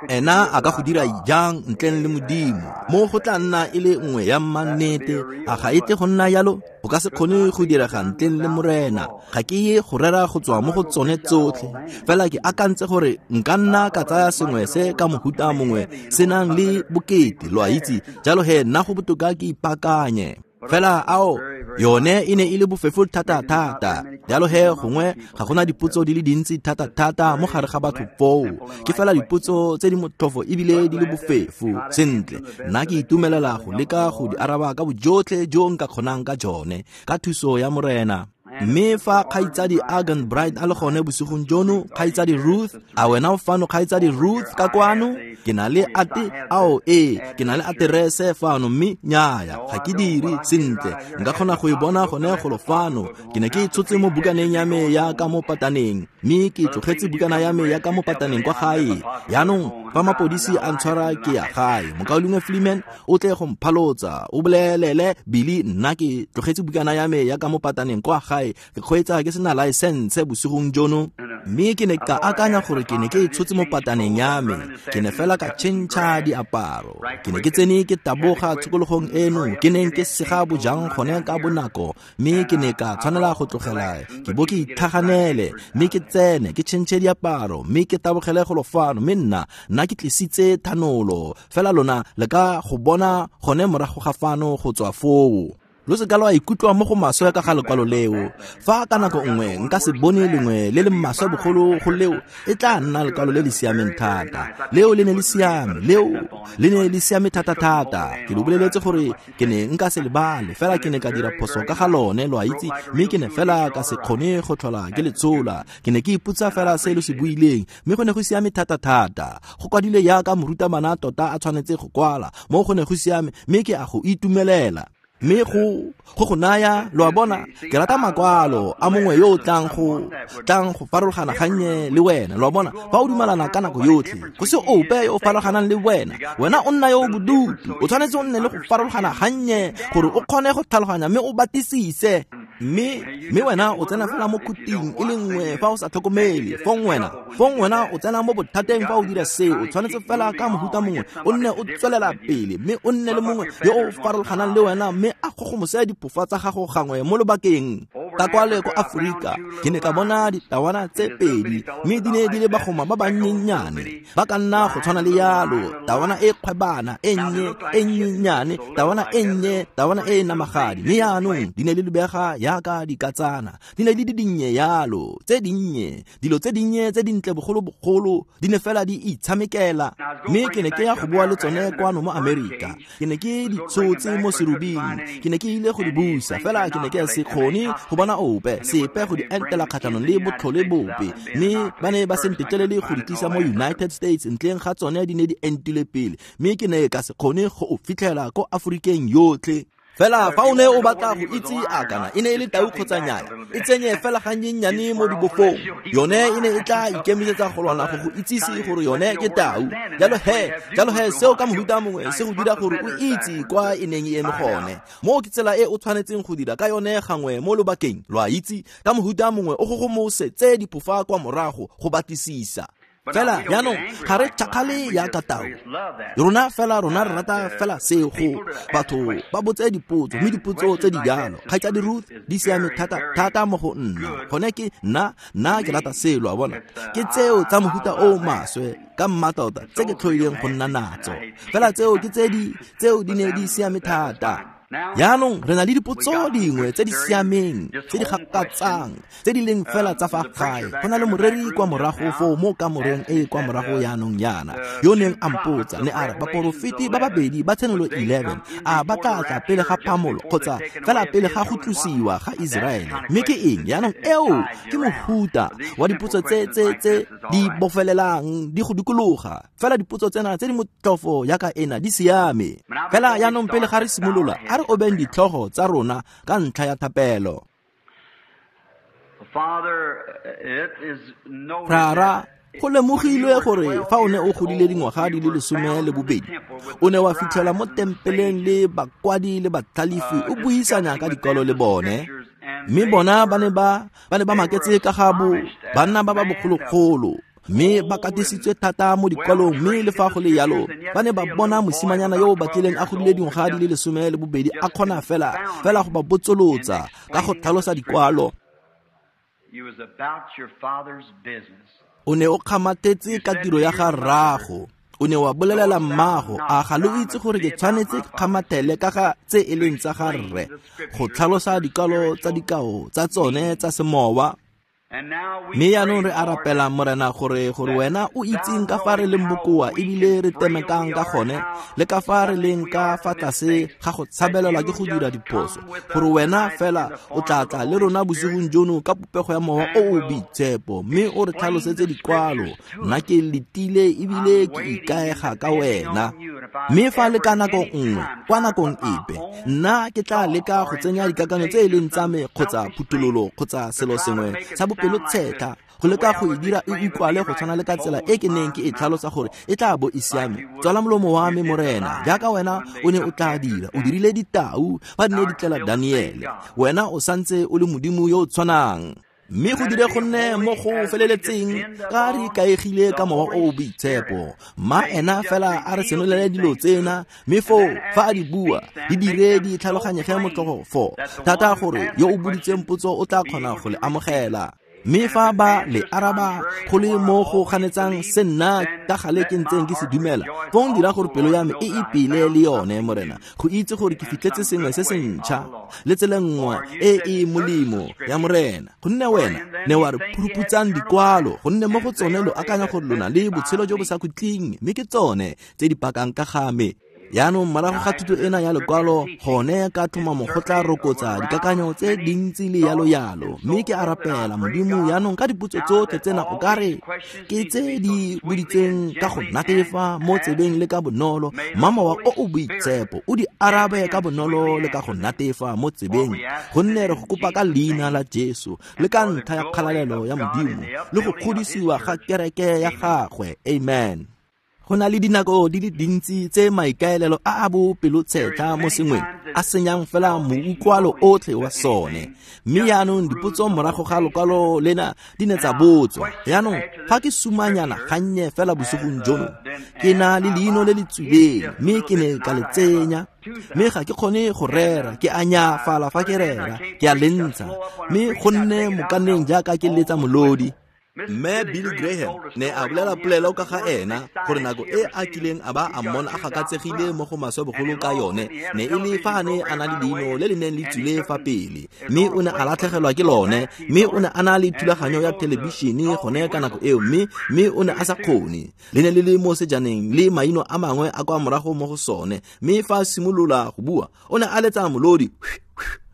Ena a ka go dira jang ntleng le Modimo? Mo go tla nna e le nngwe ya mmannete, a ga e tle go nna yalo? Go ka se kgone go direga ntleng le Morena. Ga ke ye go rera go tswa mo go tsone tsotlhe, fela ke akantse gore nka nna ka tsaya sengwe se ka mohuta mongwe se nang le bokete, lo a itse. Jalo he nna go botoka ke ipaakanye. Fela ao, yone e ne e le bofefo thata-thata. Jalo he gongwe ga gona dipotso di le dintsi thata-thata mo gare ga batho foo. Ke fela dipotso tse di motlhofo ebile di le bofefo. Sentle, nna ke itumelela go leka go di araba ka bojotlhe jo nka kgonang ka jone, ka thuso ya Morena. Mme fa kgaitsadi Argan Bright a le gone bosigong jono, kgaitsadi Ruth, a wena o fano kgaitsadi Ruth ka kwano? Ke na le ate, ao ee, ke na le aterese fano, mme nnyaya, ga ke dire. Sentle, nka kgona go e bona gone golo fano. Ke ne ke e tshotse mo bukaneng ya me ya ka mo pataneng, mme ke tlogetse bukana ya me ya ka mo pataneng kwa gae. Jaanong, fa mapodisi a ntshwara ke ya gae, Mokaulengwe Fleeman o tle go mphalotsa, o bolelele Billy nna ke tlogetse bukana ya me ya ka mo pataneng kwa gae, ke kgweetsa ke sena laesense bosigong jono. Mme ke ne ka akanya gore ke ne ke e tshotse mo pataneng ya me, ke ne fela ka tšhentšha diaparo. Ke ne ke tsene ke taboga tshokologong eno, ke neng ke sega bojang gone ka bonako, mme ke ne ka tshwanela go tlogela ke bo ke itlhaganele, mme ke tsene ke tšhentšhe diaparo, mme ke tabogele golo fano. Mme nna ke tlisitse thanolo, fela lona le ka go bona gone morago ga fano go tswa foo. Lo se ka lwa ikutlwa mo go maswe ka ga lekwalo leo. Fa ka nako nngwe nka se bone lengwe le le maswe bogolo go leo, e tla nna lekwalo le le siameng thata. Leo le ne le siame, leo le ne le siame thata-thata. Ke lo boleletse gore ke ne nka se lebale, fela ke ne ka dira phoso ka ga lone, lo a itse, mme ke ne fela ka se kgone go tlhola ke le tshola. Ke ne ke ipotsa fela se lo se buileng, mme go ne go siame thata-thata. Go kwadilwe jaaka morutabana tota a tshwanetse go kwala, mo go ne go siame, mme ke a go itumelela. Mme go naya, lo a bona, ke rata makwalo a mongwe yo o tlang go farologana gannye le wena, lo a bona. Fa o dumalana ka nako yotlhe, go se ope yo o farologanang le wena, wena o nna yo o bodutu. O tshwanetse o nne le go farologana gannye gore o kgone go tlhaloganya mme o batlisise. Mme wena o tsena fela mo khuting e le nngwe fa o sa tlhokomele. Fong wena o tsena mo bothateng fa o dira seo. O tshwanetse fela ka mohuta mongwe o nne o tswelela pele, mme o nne le mongwe yo o farologanang le wena, mme a gogomose diphofa tsa gago gangwe mo lobakeng. Ka kwale ko Aforika ke ne ka bona ditawana tse pedi, mme di ne di le bagoma ba bannyenyane, ba ka nna go tshwana le yalo, tawana e kgwebana e nnye e nnyenyane, tawana e nnye, tawana e namagadi. Mme jaanong di ne di lebega jaaka dikatsana, di ne di le dinnye yalo, tse dinnye, dilo tse dinnye tse dintle bogolobogolo, di ne fela di itshamekela. Mme ke ne ke ya go boa le tsone kwano mo Amerika. Ke ne ke di tshotse mo serubing, ke ne ke ile go di busa, fela ke ne ke se kgone go bona ope sepe go di entela kgatlhanong le botlhole bope. Mme ba ne ba se ntetlelele go di tlisa mo United States ntleng ga tsone di ne di entile pele, mme ke ne ka se kgone go o fitlhela ko Aforikeng yotlhe. Fela fa o ne o batla go itse a kana e ne e le tau kgotsa nnyaya, e tsenye fela gannyennyane mo dibofong. Yone e ne e tla ikemisetsa go lwana go go itsise gore yone ke tau. Jalo he seo ka mohuta mongwe se go dira gore o itse kwa e neng e eme gone. Mo ke tsela e o tshwanetseng go dira ka yone gangwe mo lobakeng, lo a itse, ka mohuta mongwe o gogomose tse diphofa kwa morago go batlisisa. Fela jaanong ga re tšhakgale jaaka tau. Rona fela rona re rata fela seo, go batho ba botse dipotso, mme dipotso tse di jalo, kgaitsadi Ruth, di siame thata thata mo go nna. Gone ke nna ke rata seo, lo a bona. Ke tseo tsa mohuta o maswe ka mmatota tse ke tlhoileng go nna natso. Fela tseo ke tse di, tseo di ne di siame thata. Jaanong re na le dipotso dingwe tse di siameng, tse di gakatsang, tse di leng fela tsa fa gae. Go na le moreri kwa morago foo mo kamoreng e kwa morago jaanong jaana, yo neng a mpotsa, ne a re baporofeti ba babedi ba Tshenolo 11 a ba tla tla pele ga phamolo kgotsa fela pele ga go tlosiwa ga Iseraele. Mme ke eng jaanong? Eo ke mohuta wa dipotso tse di bofelelang di go dikologa. Fela dipotso tsena tse di motlhofo jaaka ena di siame. Fela jaanong pele ga re simolola, a re obeng ditlhogo tsa rona ka ntlha ya thapelo. Rara, go lemogilwe gore fa o ne o godile dingwaga di le 12, o ne wa fitlhela mo tempeleng le bakwadi le batlhalefi o buisanya ka dikwalo le bone. Mme bona ba ne ba maketse ka ga bo banna ba ba bogologolo. Mme ba katisitswe thata mo dikwalong, mme le fa go le yalo ba ne ba bona mosimanyana yo o batlileng a godile dingwaga di le 12 a kgona fela go ba botsolotsa ka go tlhalosa dikwalo. O ne o kgamathetse ka tiro ya ga rraago. O ne wa bolelela mmago, a ga lo itse gore ke tshwanetse ke kgamathele ka ga tse e leng tsa ga rre, go tlhalosa dikwalo tsa dikao tsa tsone tsa semowa. Mme jaanong re a rapela, Morena, gore wena o itseng ka fa re leng bokoa ebile re temekang ka gone, le ka fa re leng ka fa tlase ga go tshabelelwa ke go dira diphoso, gore wena fela o tla tla le rona bosigong jono ka popego ya Mowa o o Boitshepo, mme o re tlhalosetse dikwalo. Nna ke letile ebile ke ikaega ka wena. Mme fa le ka nako nngwe, kwa nakong epe, nna ke tla leka go tsenya dikakanyo tse e leng tsa me kgotsa phuthololo kgotsa selo sengwe sa bopelotshetlha, go leka go e dira e utlwale go tshwana le ka tsela e ke neng ke e tlhalosa gore e tla bo e siame. Tswala molomo wa me, Morena, jaaka wena o ne o tla dira. O dirile ditau fa di ne di tlela Daniele. Wena o santse o le Modimo yo o tshwanang. Mme go dire go nne mo go feleletseng ka re ikaegile ka Mowa o o Boitshepo. Mma ena fela a re senolele dilo tsena, mme foo fa a di bua di dire di tlhaloganyege motlhofo thata gore yo o boditseng potso o tla kgona go le amogela. Mme fa ba le araba go le mo go ganetsang se nna ka gale ke ntseng ke se dumela, fong dira gore pelo ya me e ipele le yone, Morena, go itse gore ke fitlhetse sengwe se se ntšha le tsela nngwe e e molemo ya Morena. Gonne wena ne wa re phuruputsang dikwalo, gonne mo go tsone lo akanya gore lona le botshelo jo bo sa khutleng, mme ke tsone tse di pakang ka ga me. Jaanong morago ga thuto ena ya lekwalo, gone ka tlhomamo go tla rokotsa dikakanyo tse dintsi le yalo yalo. Mme ke a rapela, Modimo, jaanong ka dipotso tsotlhe tsena o ka re ke tse di boditseng ka go natefa mo tsebeng le ka bonolo, mma Mowa o o Boitshepo o di arabe ka bonolo le ka go natefa mo tsebeng, gonne re go kopa ka leina la Jesu le ka ntlha ya kgalalelo ya Modimo le go kgodisiwa ga kereke ya gagwe. Amen. Go na le dinako di le dintsi tse maikaelelo a a bopelotshetlha mo sengweng a senyang fela moutlwalo otlhe wa sone. Mme jaanong dipotso morago ga lokwalo lena di ne tsa botswa. Jaanong fa ke sumanyana gannye fela bosigong jono, ke na le leino le le tswileng, mme ke ne ka le tsenya. Mme ga ke kgone go rera, ke a nyafala fa ke rera, ke a le ntsha, mme go nne mokaneng jaaka ke letsa molodi. Mme Billy Graham ne a bolela polelo ka ga ena gore nako e a kileng a ba a mmona a gakatsegile mo go maswe bogolo ka yone ne e le fa a ne a na le leino le le neng le tswile fa pele, mme o ne a latlhegelwa ke lone, mme o ne a na le thulaganyo ya thelebišene gone ka nako eo, mme o ne a sa kgone. Le ne le le mo sejaneng le maino a mangwe a kwa morago mo go sone, mme fa a simolola go bua o ne a letsa molodi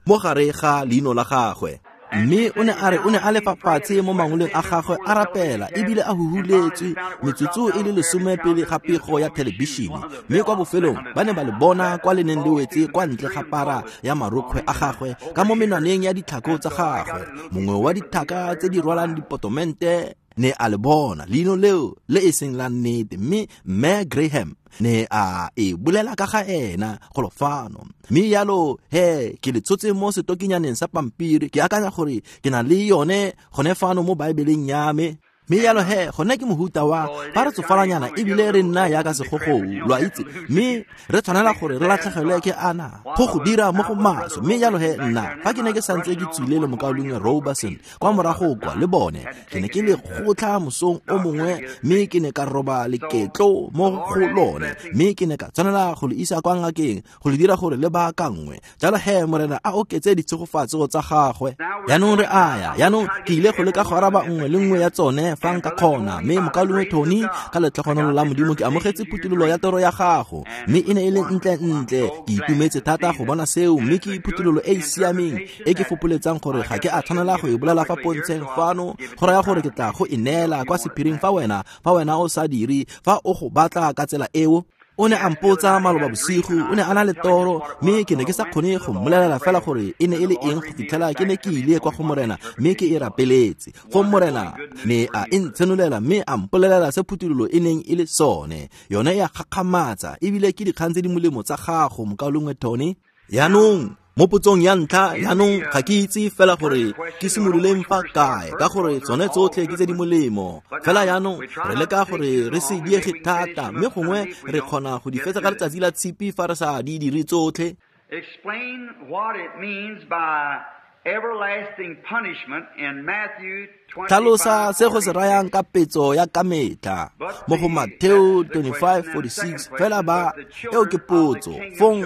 mo gare ga leino la gagwe. Mme o ne a re o ne a le fa fatshe mo mangoleng a gagwe a rapela ebile a huhuletswe metsotso e le 10 pele ga pego ya thelebišene, mme kwa bofelong ba ne ba le bona kwa le neng le wetse kwa ntle ga para ya marokgwe a gagwe ka mo menwaneng ya ditlhako tsa gagwe. Mongwe wa dithaka tse di rwalang dipotomente ne a le bona leino leo le e seng la nnete, mme Mme Graham ne a e bolela ka ga ena golo fano. Mme yalo he ke le tshotse mo setokinyaneng sa pampiri, ke akanya gore ke na le yone gone fano mo Baebeleng ya me. Mme yalo he gone ke mohuta wa fa re tsofalanyana ebile re nna yaka segogou, lo a itse, mme re tshwanela gore re latlhegelwe ke ana go dira mo go maswe. Mme yalo he nna fa ke ne ke santse ke tswile le mokaulengwe Roberson kwa morago kwa le bone, ke ne ke le kgotlha mosong o mongwe, mme ke ne ka roba leketlo mo go lone, mme ke ne ka tshwanela go le isa kwa ngakeng go le dira gore le baakangwe. Jalo he Morena a oketse ditshegofatso tsa gagwe. Jaanong re aya, jaanong ke ile go leka go araba nngwe le nngwe ya tsone fa nka kgona. Mme mokaulengwe Tony, ka letlhogonolo la Modimo ke amogetse phuthololo ya toro ya gago, mme e ne e le ntle-ntle. Ke itumetse thata go bona seo, mme ke phuthololo e e siameng e ke fopoletsang gore ga ke a tshwanela go e bolela fa pontsheng fano, go raya gore ke tla go e neela kwa sephiring fa wena o sa dire, fa o go batla ka tsela eo. O ne a mpotsa maloba bosigo, o ne a na le toro, mme ke ne ke sa kgone go mmolelela fela gore e ne e le eng go fitlhela ke ne ke ile kwa go Morena mme ke e rapeletse. Fong Morena ne a e ntshenolela mme a mpolelela se phuthololo e neng e le sone. Yone e a gakgamatsa ebile ke dikgang tse di molemo tsa gago, mokaulengwe Tony. Jaanong Mo potsong ya ntlha jaanong ga ke itse fela gore ke simololeng fa kae ka gore tsone tsotlhe ke tse di molemo fela jaanong re leka gore re se diege thata mme gongwe re kgona go di fetsa ka letsatsi la tshipi fa re sa di dire tsotlhe. Explain what it means by everlasting punishment in Matthew Tlhalosa se go se rayang ka petso ya ka metlha mo go Mateo 25:46 fela ba eo ke potso. Fong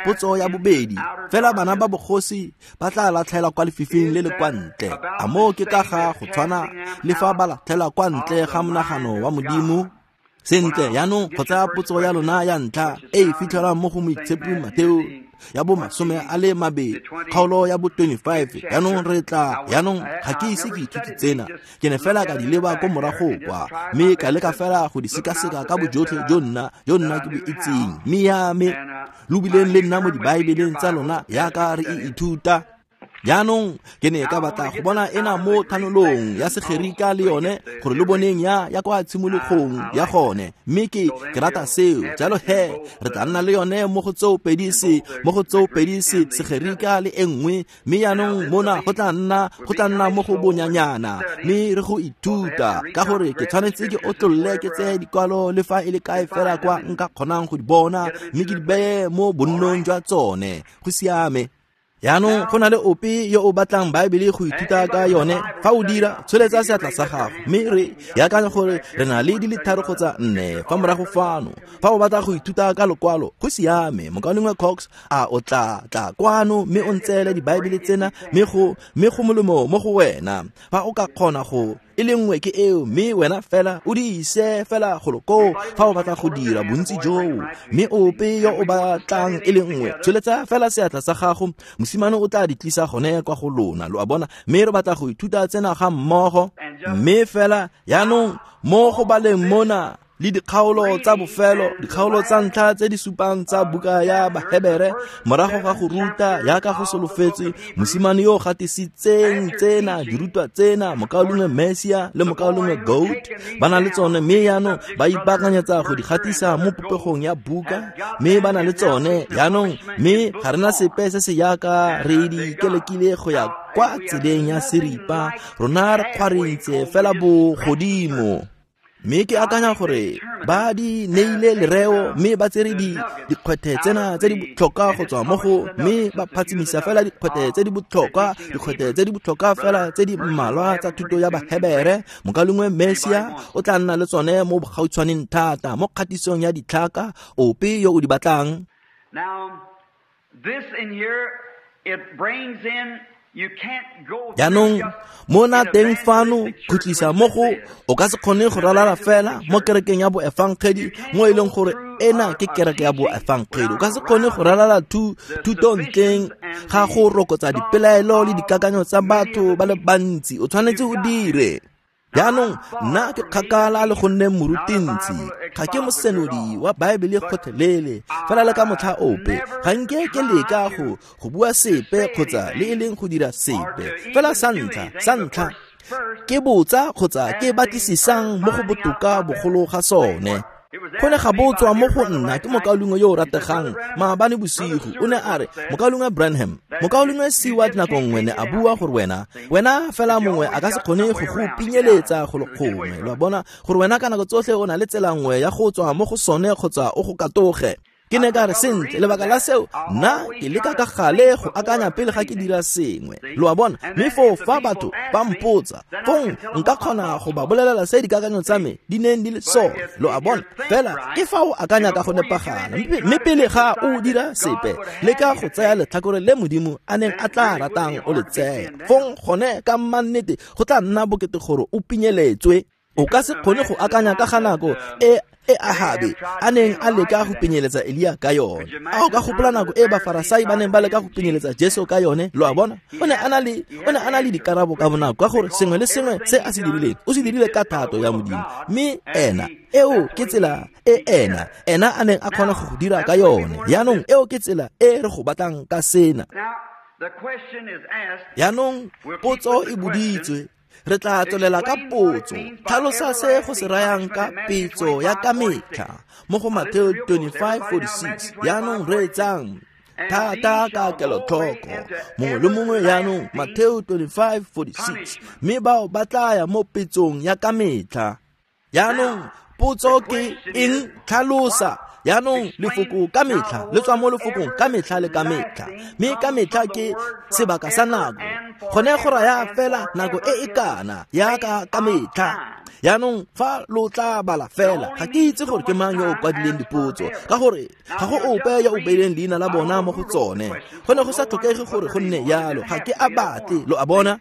potso ya bobedi, fela bana ba bogosi ba tla latlhelwa kwa lefifing le le kwa ntle. A moo ke ka ga go tshwana le fa ba latlhelwa kwa ntle ga monagano wa Modimo? Sentle, jaanong go tsaya potso ya lona ya ntlha e e fitlhelwang mo go Moitshepi Mateo ya bo 20 kgaolo ya bo 25. Jaanong re tla jaanong ga ke ise ke ithute tsena, ke ne fela ka di leba ko morago kwa mme ka leka fela go di sekaseka ka bojotlhe jo nna ke bo itseng, mme ya me lo bileng le nna mo dibaebeleng tsa lona yaka re e ithuta. Jaanong ke ne ka batla go bona ena mo thanolong ya Segerika le yone gore lo boneng ya kwa tshimologong ya gone, mme ke rata seo. Jalo he re tla nna le yone mo go tseo pedi se Segerika le e nngwe, mme jaanong mona go tla nna mo go bonyanyana mme re go ithuta ka gore ke tshwanetse ke otlolle ke tseye dikwalo le fa e le kae fela kwa nka kgonang go di bona mme ke di beye mo bonnong jwa tsone. Go siame. Jaanong go na le ope yo o batlang Baebele go ithuta ka yone? Fa o dira, tsholetsa seatla sa gago mme re akanya gore re na le di le 3 kgotsa 4 fa morago fano. Fa o batla go ithuta ka lokwalo, go siame. Mokaulengwe Cox a o tla tla kwano mme o ntseele dibaebele tsena mme go molemo mo go wena fa o ka kgona go e le nngwe ke eo, mme wena fela o di ise fela golo koo fa o batla go dira bontsi joo. Mme ope yo o batlang e le nngwe, tsholetsa fela seatla sa gago, mosimane o tla di tlisa gone kwa go lona, lo a bona. Mme re batla go ithuta tsena ga mmogo, mme fela jaanong mo go baleng mona le dikgaolo tsa bofelo, dikgaolo tsa ntlha tse di supang tsa buka ya Bahebere, morago ga go ruta yaka go solofetswe, mosimane yo o gatisitseng tsena dirutwa tsena, mokaulengwe Messia le mokaulengwe Goat ba na le tsone, mme jaanong ba ipaakanyetsa go di gatisa mo popegong ya buka, mme ba na le tsone jaanong, mme ga rena sepe se se yaka re di kelekile go ya kwa tseleng ya seripa, rona re kgwarentse fela bogodimo. Mme ke akanya gore ba di neile lereo mme ba tsere dikgwethe tsena tse di botlhokwa go tswa mo go, mme ba phatsimisa fela dikgwethe tse di botlhokwa, dikgwethe tse di botlhokwa fela tse di mmalwa tsa thuto ya Bahebere. Mokaulengwe Messia o tla nna le tsone mo bogautshwaneng thata mo kgatisong ya ditlhaka, ope yo o di batlang. Now this in here, it brings in Jaanong mona teng fano khutlisa mo go o ka se kgone go ralala fela mo kerekeng ya boefangedi mo e leng gore ena ke kereke ya boefangedi. O ka se kgone go ralala thuto ntleng ga go rokotsa dipelaelo le dikakanyo tsa batho ba le bantsi. O tshwanetse o dire. Jaanong nna ke kgakala le go nne morutintsi, ga ke mosenodi wa Baebele gotlhelele, fela le ka motlha ope ga nke ke leka go bua sepe kgotsa le e leng go dira sepe. Fela sa ntlha ke botsa kgotsa ke batlisisang mo go botoka bogolo ga sone. Go ne ga botswa mo go nna ke mokaulengwe yo o rategang maabane bosigo, o ne a re, mokaulengwe Branham, mokaulengwe Seward nako nngwe ne a bua gore wena fela mongwe a ka se kgone go go pinyeletsa go le gongwe, lo a bona, gore wena ka nako tsotlhe o na le tsela nngwe ya go tswa mo go sone kgotsa o go katoge. Ke ne ka re, sentle, lebaka la seo nna ke leka ka gale go akanya pele ga ke dira sengwe, lo a bona. Mme foo fa batho ba mpotsa, fong nka kgona go ba bolelela se dikakanyo tsa me di neng di le sone, lo a bona. Fela ke fa o akanya ka go nepagala, mme pele ga o dira sepe, leka go tsaya letlhakore le Modimo a neng a tla ratang o le tsaya. Fong gone ka mannete go tla nna bokete gore o pinyeletswe. O ka se kgone go akanya ka ga nako e Ahabe a neng a leka go pinyeletsa Elia ka yone. A o ka gopola nako e Bafarasai ba neng ba leka go pinyeletsa Jesu ka yone, lo a bona. O ne a na le dikarabo ka bonako ka gore sengwe le sengwe se a se dirileng o se dirile ka thato ya Modimo, mme ena eo ke tsela e ena a neng a kgona go dira ka yone. Jaanong eo ke tsela e re go batlang ka sena. Jaanong potso e boditswe, re tla tswelela ka potso. Tlhalosa se go se rayang ka petso ya ka metlha mo go Mateo 25:46. Jaanong reetsang. Thata ka kelotlhoko mongwe le mongwe jaanong, Mateo 25:46, mme bao ba tla ya mo petsong ya ka metlha. Jaanong potso ke eng? Tlhalosa. Jaanong lefoko ka metlha le tswa mo lefokong ka metlha le ka metlha, mme ka metlha ke sebaka sa nako. Gone go raya fela nako e e kana yaka ka metlha. Jaanong fa lo tla bala fela, ga ke itse gore ke mang yo o kwadileng dipotso, ka gore ga go ope yo o beileng leina la bona mo go tsone. Go ne go sa tlhokege gore go nne yalo, ga ke a batle, lo a bona.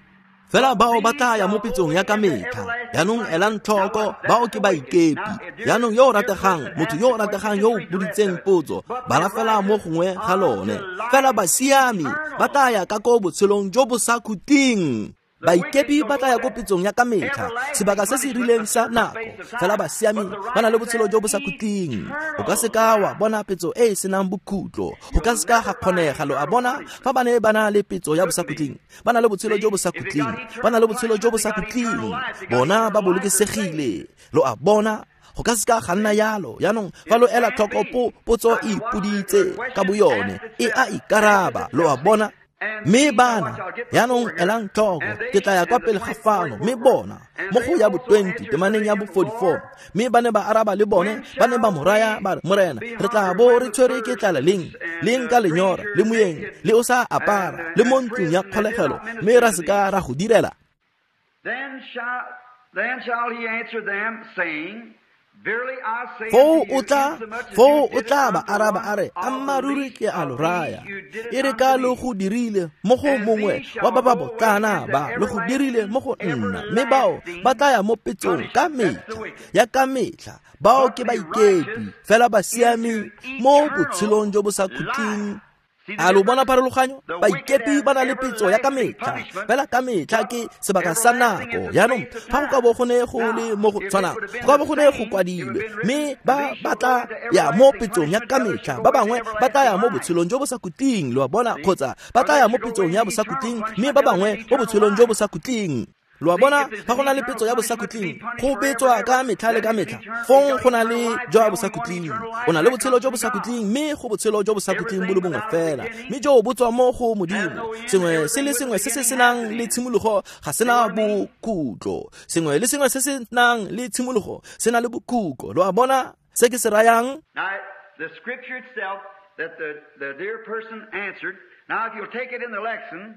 Fela bao ba tla ya mo petsong ya ka metlha. Jaanong elang tlhoko, bao ke baikepi. Jaanong yo o rategang, motho yo o rategang yo o boditseng potso, bala fela mo gongwe ga lone. Fela basiami ba tla ya ka ko botshelong jo bo sa khutleng. Baikepi ba tla ya ko petsong ya ka metlha, sebaka se se rileng sa nako. Fela basiami ba na le botshelo jo bo sa khutleng. O ka seka wa bona petso e e senang bokhutlo, go ka seka ga kgonega, lo a bona. Fa ba ne ba na le petso ya bosakhutleng, ba na le botshelo jo bo sa khutleng, ba na le botshelo jo bo sa khutleng, bona ba bolokesegile, lo a bona. Go ka seka ga nna yalo. Jaanong fa lo ela tlhoko, potso e ipoditse ka boyone, e a ikaraba, lo a bona. Mme bana, jaanong elang tlhoko, ke tla ya kwa pele ga fano. Mme bona mo go ya bo 20 temaneng ya bo 44, mme ba ne ba araba le bone, ba ne ba mo raya ba re, Morena, re tla bo re tshwere ke tlala leng, leng ka lenyora, le moyeng, le o sa apara, le mo ntlong ya kgolegelo, mme ra seka ra go direla? Then shall he answer them, saying, Foo o tla, foo o tla ba araba a re, ammaaruri ke a lo raya, e re ka lo go dirile mo go mongwe wa ba ba botlana ba, lo go dirile mo go nna. Mme bao ba tla ya mo petsong ka metlha ya ka metlha, bao ke baikepi. Fela basiami mo botshelong jo bo sa khutleng. A lo bona pharologanyo? Baikepi ba na le petso ya ka metlha, fela ka metlha ke sebaka sa nako. Jaanong fa go ka bo go ne go le mo go tshwanang, go ka bo go ne go kwadilwe, mme ba ba tla ya mo petsong ya ka metlha, ba bangwe ba tla ya mo botshelong jo bo sa khutleng, lo a bona, kgotsa ba tla ya mo petsong ya bosakhutleng, mme ba bangwe mo botshelong jo bo sa khutleng. Lo a bona, fa go na le petso ya bosakhutleng, go betswa ka metlha le ka metlha, fong go na le jwa bosakhutleng. O na le botshelo jo bosakhutleng, mme go botshelo jo bosakhutleng bo le bongwe fela, mme jo bo tswa mo go Modimo. Sengwe se le sengwe se se senang le tshimologo ga sena bokhutlo. Sengwe le sengwe se se nang le tshimologo se na le bokhutlo. Lo a bona se ke se rayang? Now, the scripture itself that the dear person answered. Now, if you'll take it in the lexicon,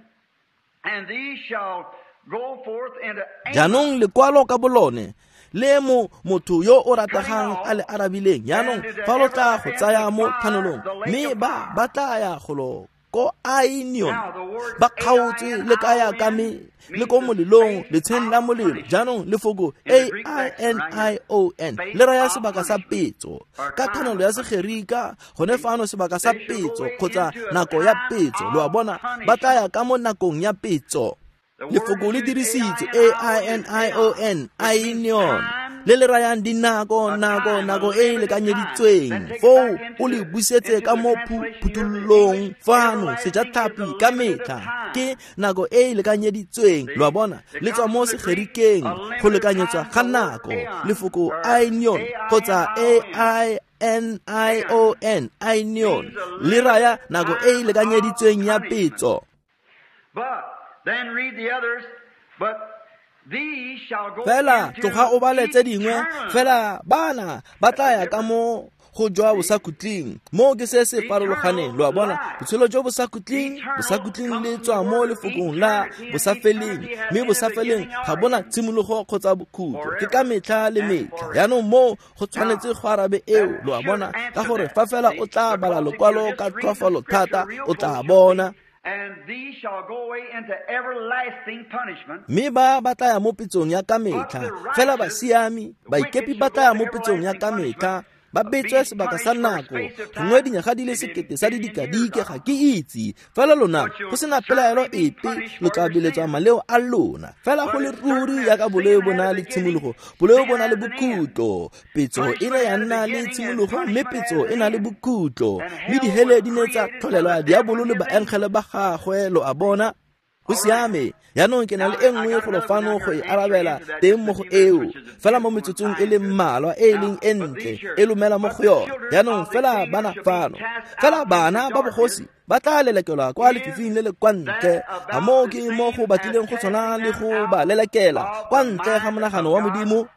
and these shall go forth into Jaanong lekwalo ka bolone le mo motho yo o rategang a le arabileng. Jaanong fa lo tla go tsaya mo thanolong, mme ba ba tla ya golo ko Ainion, ba kgaotswe le ka ya ka me le ko molelong, letsheng la molelo. Jaanong lefoko Ainion le raya sebaka sa petso ka thanolo ya Segerika, gone fano sebaka sa petso kgotsa nako ya petso, lo a bona. Ba tla ya ka mo nakong ya petso. Lefoko le dirisitswe Ainion, Ainion, le le rayang dinako, nako, nako e e lekanyeditsweng. Foo o le busetse ka mo phuthololong fano, sejatlhapi ka metlha ke nako e e lekanyeditsweng, lo a bona. Le tswa mo Segerikeng, go lekanyetswa ga nako. Lefoko Ainion kgotsa Ainion, Ainion, le raya nako e e lekanyeditsweng ya petso. But then read the others, but these shall go Fela into tloga o bale tse dingwe, eternal fela bana ba tla ya ka mo go jwa bosakhutleng. Mo ke se se farologaneng, lo a bona. Botshelo jo bosakhutleng, bosakhutleng le tswa mo lefokong la bosafeleng, mme bosafeleng ga bona tshimologo kgotsa bokhutlo, ke ka metlha le metlha. Jaanong mo go tshwanetse go arabe eo, lo a bona, ka gore fa fela o tla bala lokwalo ka tlhoafalo thata, o tla bona. And these shall go away into everlasting punishment. Mme ba ba tla ya mo petsong ya ka metlha, fela basiami, baikepi ba tla ya mo petsong ya ka metlha, ba betswe sebaka sa nako, gongwe dinyaga di le 1000 sa didikadike, ga ke itse. Fela lona, go sena pelaelo epe, lo tla beletswa maleo a lona. Fela go le ruri yaka boleo bo na le tshimologo, boleo bo na le bokhutlo. Petso e ne ya nna le tshimologo, mme petso e na le bokhutlo. Mme dihele di ne tsa tlholelwa diabolo le baengele ba gagwe, lo a bona. Go siame, jaanong ke na le e nngwe golo fano go e arabela teng mo go eo, fela mo metsotsong e le mmalwa e e leng e ntle e lomela mo go yone. Jaanong fela bana fano, fela bana ba bogosi ba tla lelekelwa kwa lefifing le le kwa ntle. A moo ke mo go batlileng go tshwana le go ba lelekela kwa ntle ga monagano wa Modimo?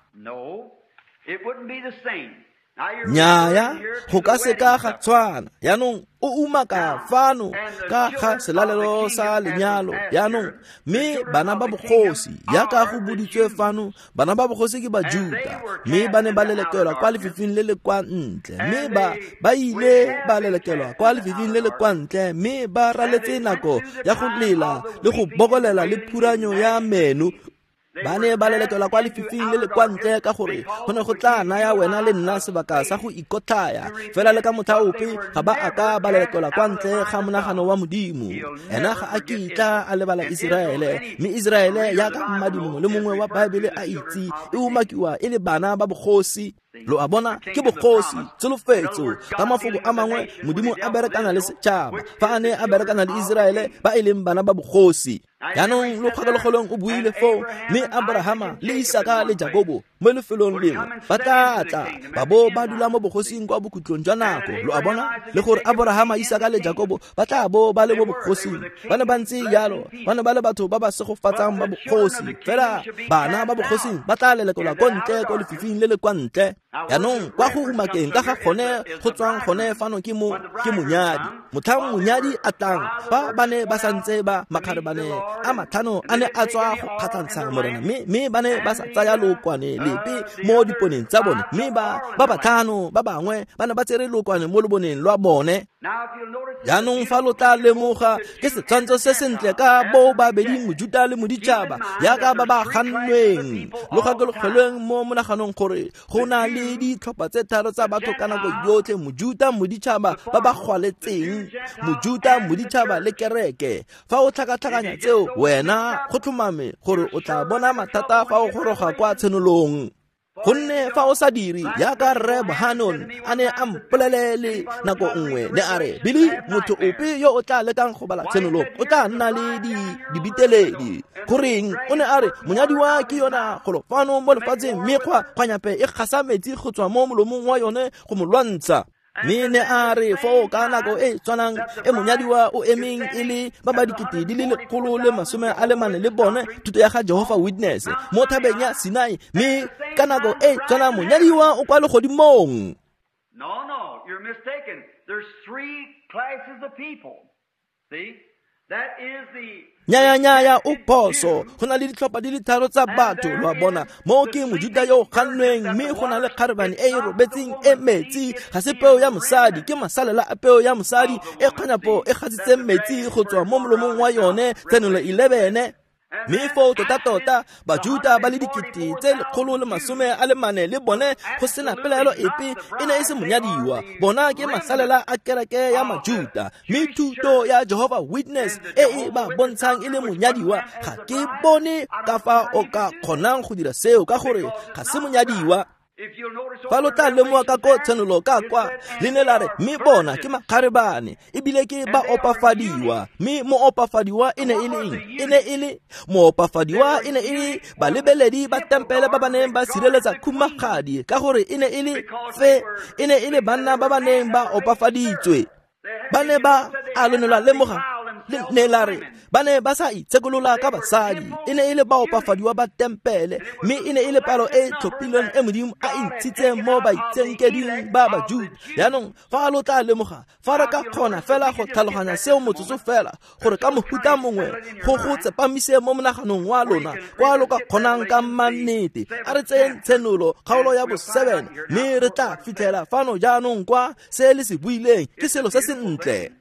Nnyaya, go ka seka ga tshwana. Jaanong o umaka fano ka ga selalelo sa lenyalo. Jaanong mme bana ba bogosi, jaaka go boditswe fano, bana ba bogosi ke Bajuta, mme ba ne ba lelekelwa kwa lefifing le le kwa ntle, mme ba ile ba lelekelwa kwa lefifing le le kwa ntle, mme ba raletse nako ya go lela le go bokolela le phuranyo ya meno. Ba ne ba lelekelwa kwa lefifing le le kwa ntle ka gore go ne go tla naya wena le nna sebaka sa go ikotlhaya. Fela le ka motlha ope ga ba a ka ba lelekelwa kwa ntle ga monagano wa Modimo. Ena ga a kitla a lebala Iseraele, mme Iseraele jaaka mmadi mongwe le mongwe wa Baebele a itse, e umakiwa e le bana ba bogosi. Lo a bona, ke bogosi, tsholofetso. Ka mafoko a mangwe, Modimo a berekana le setšhaba fa a ne a berekana le Iseraele ba e leng bana ba bogosi. Jaanong lo kgakologolong o buile foo, mme Abrahama le Isaka le Jakobo mo lefelong lengwe ba tla tla ba bo ba dula mo bogosing kwa bokhutlong jwa nako. Lo a bona, le gore Abrahama, Isaka le Jakobo ba tla bo ba le mo bogosing. Ba ne ba ntse jalo, ba ne ba le batho ba ba segofatsang ba bogosi. Fela bana ba bogosing ba tla lelekelwa ko ntle ko lefifing le le kwa ntle. Jaanong kwa go umakeng ka ga gone go tswang gone fano ke monyadi. Motlhang monyadi a tlang, fa ba ne ba santse ba makgarebane a matlhano a ne a tswa go kgatlhantsha Morena, mme ba ne ba sa tsaya lookwane lepe mo diponeng tsa bone, mme ba batlhano ba bangwe ba ne ba tsere lookwane mo loboneng lwa bone. Jaanong fa lo tla lemoga, ke setshwantsho se sentle ka bo babedi Mojuta le Moditšhaba, jaaka ba ba gannweng. Lo gakologelweng mo monaganong gore go na le ditlhopha tse tharo tsa batho ka nako yotlhe: Mojuta, Moditšhaba ba ba gwaletseng, Mojuta, Moditšhaba le kereke. Fa o tlhakatlhakanya tseo, wena go tlhomame gore o tla bona mathata fa o goroga kwa tshenolong. Gonne fa o sa dire jaaka Rre Bohanon a ne a mpolelele nako nngwe, ne a re, Billy, motho ope yo o tla lekang go bala tshenolo o tla nna le dibiteledi. Goreng? O ne a re, monyadiwa ke yona golo fano mo lefatsheng, mme kgwanyape e gasa metsi go tswa mo molomong wa yone go mo lwantsha. Mme ne a re foo ka nako e tshwanang e monyadiwa o emeng e le ba ba 144,000 le bone, thuto ya ga Jehovah Witness mo thabeng ya Sinai, mme ka nako e tshwanang monyadiwa o kwa legodimong. No, you're mistaken. There's three classes of people. See? That is the Nyaya o phoso. Go na le ditlhopha di le tharo tsa batho, lo a bona. Mo ke Mojuta yo o gannweng, mme go na le kgarebane e e robetseng e metsi. Ga se peo ya mosadi, ke masalela a peo ya mosadi e kganyapo e gasitseng metsi go tswa mo molomong wa yone. Tshenolo 11. Mme foo tota-tota Bajuta ba le 144,000 le bone, go sena pelaelo epe, e ne e se monyadiwa. Bona ke masalela a kereke ya Majuta, mme thuto ya Jehovah Witness e e ba bontshang e le monyadiwa, ga ke bone ka fa o ka kgonang go dira seo, ka gore ga se monyadiwa. Fa lo tla lemoga ka ko tshenolo ka kwa, le ne la re, mme bona ke makgarebane, ebile ke ba opafadiwa. Mme moopafadiwa e ne e le eng? E ne e le moopafadiwa, e ne e le balebeledi ba tempele ba ba neng ba sireletsa khumagadi, ka gore e ne e le fe, e ne e le banna ba ba neng ba opafaditswe. Ba ne ba a lo ne lwa lemoga, ne la re ba ne ba sa itshekolola ka basadi, e ne e le baopafadiwa ba tempele, mme e ne e le palo e tlhophilweng e Modimo a e ntshitseng mo baitshenkeding ba Bajuda. Jaanong fa lo tla lemoga, fa re ka kgona fela go tlhaloganya seo motsotso fela, gore ka mohuta mongwe go go tsepamise mo monaganong wa lona kwa lo ka kgonang ka mannete. A re tseyeng tshenolo kgaolo ya bo-7, mme re tla fitlhela fano jaanong kwa se le se buileng ke selo se sentle.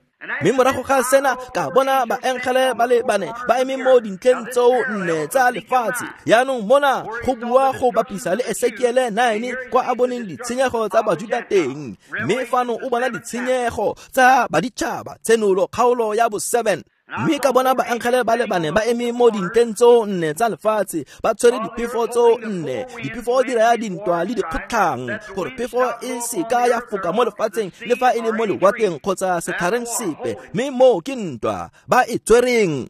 Mme morago ga sena ka bona baengele ba le bane ba eme mo dintlheng tseo nne tsa lefatshe. Jaanong mona go bua go bapisa le Esekiele 9 kwa a boneng ditshenyego tsa Bajuta teng, mme fano o bona ditshenyego tsa baditšhaba. Tshenolo kgaolo ya bo-7. Mme ka bona baengele ba le bane ba eme mo dintlheng tseo nne tsa lefatshe, ba tshwere diphefo tseo nne. Diphefo di raya dintwa le dikgotlhang, gore phefo e seka ya foka mo lefatsheng le fa e le mo lewatleng kgotsa setlhareng sepe, mme moo ke ntwa ba e tshwereng.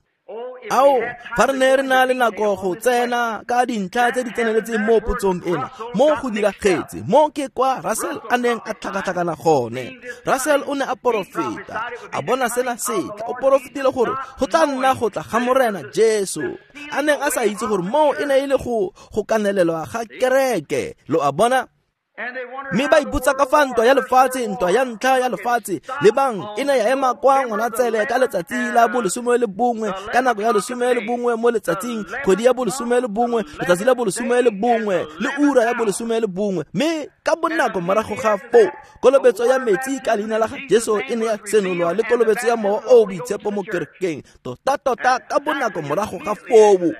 Ao, fa re ne re na le nako go tsena ka dintlha tse di tseneletseng mo potsong ena, mo go diragetse, mo ke kwa Russell a neng a tlhakatlhakana gone. Russell o ne a porofeta, a bona sena setla, o porofetile gore go tla nna go tla ga Morena Jesu, a neng a sa itse gore moo e ne e le go kanelelwa ga kereke. Lo a bona? Mme ba ipotsa ka fa ntwa ya lefatshe, ntwa ya ntlha ya lefatshe, lebang e ne ya ema kwa Ngwanatsele ka letsatsi la bo 11, ka nako ya 11 mo letsatsing, kgwedi ya bo 11, letsatsi la bo 11 le ura ya bo 11. Mme ka bonako morago ga foo, kolobetso ya metsi ka leina la ga Jesu e ne ya senolwa le kolobetso ya Mowa o o Boitshepo mo kerekeng, tota-tota ka bonako morago ga foo.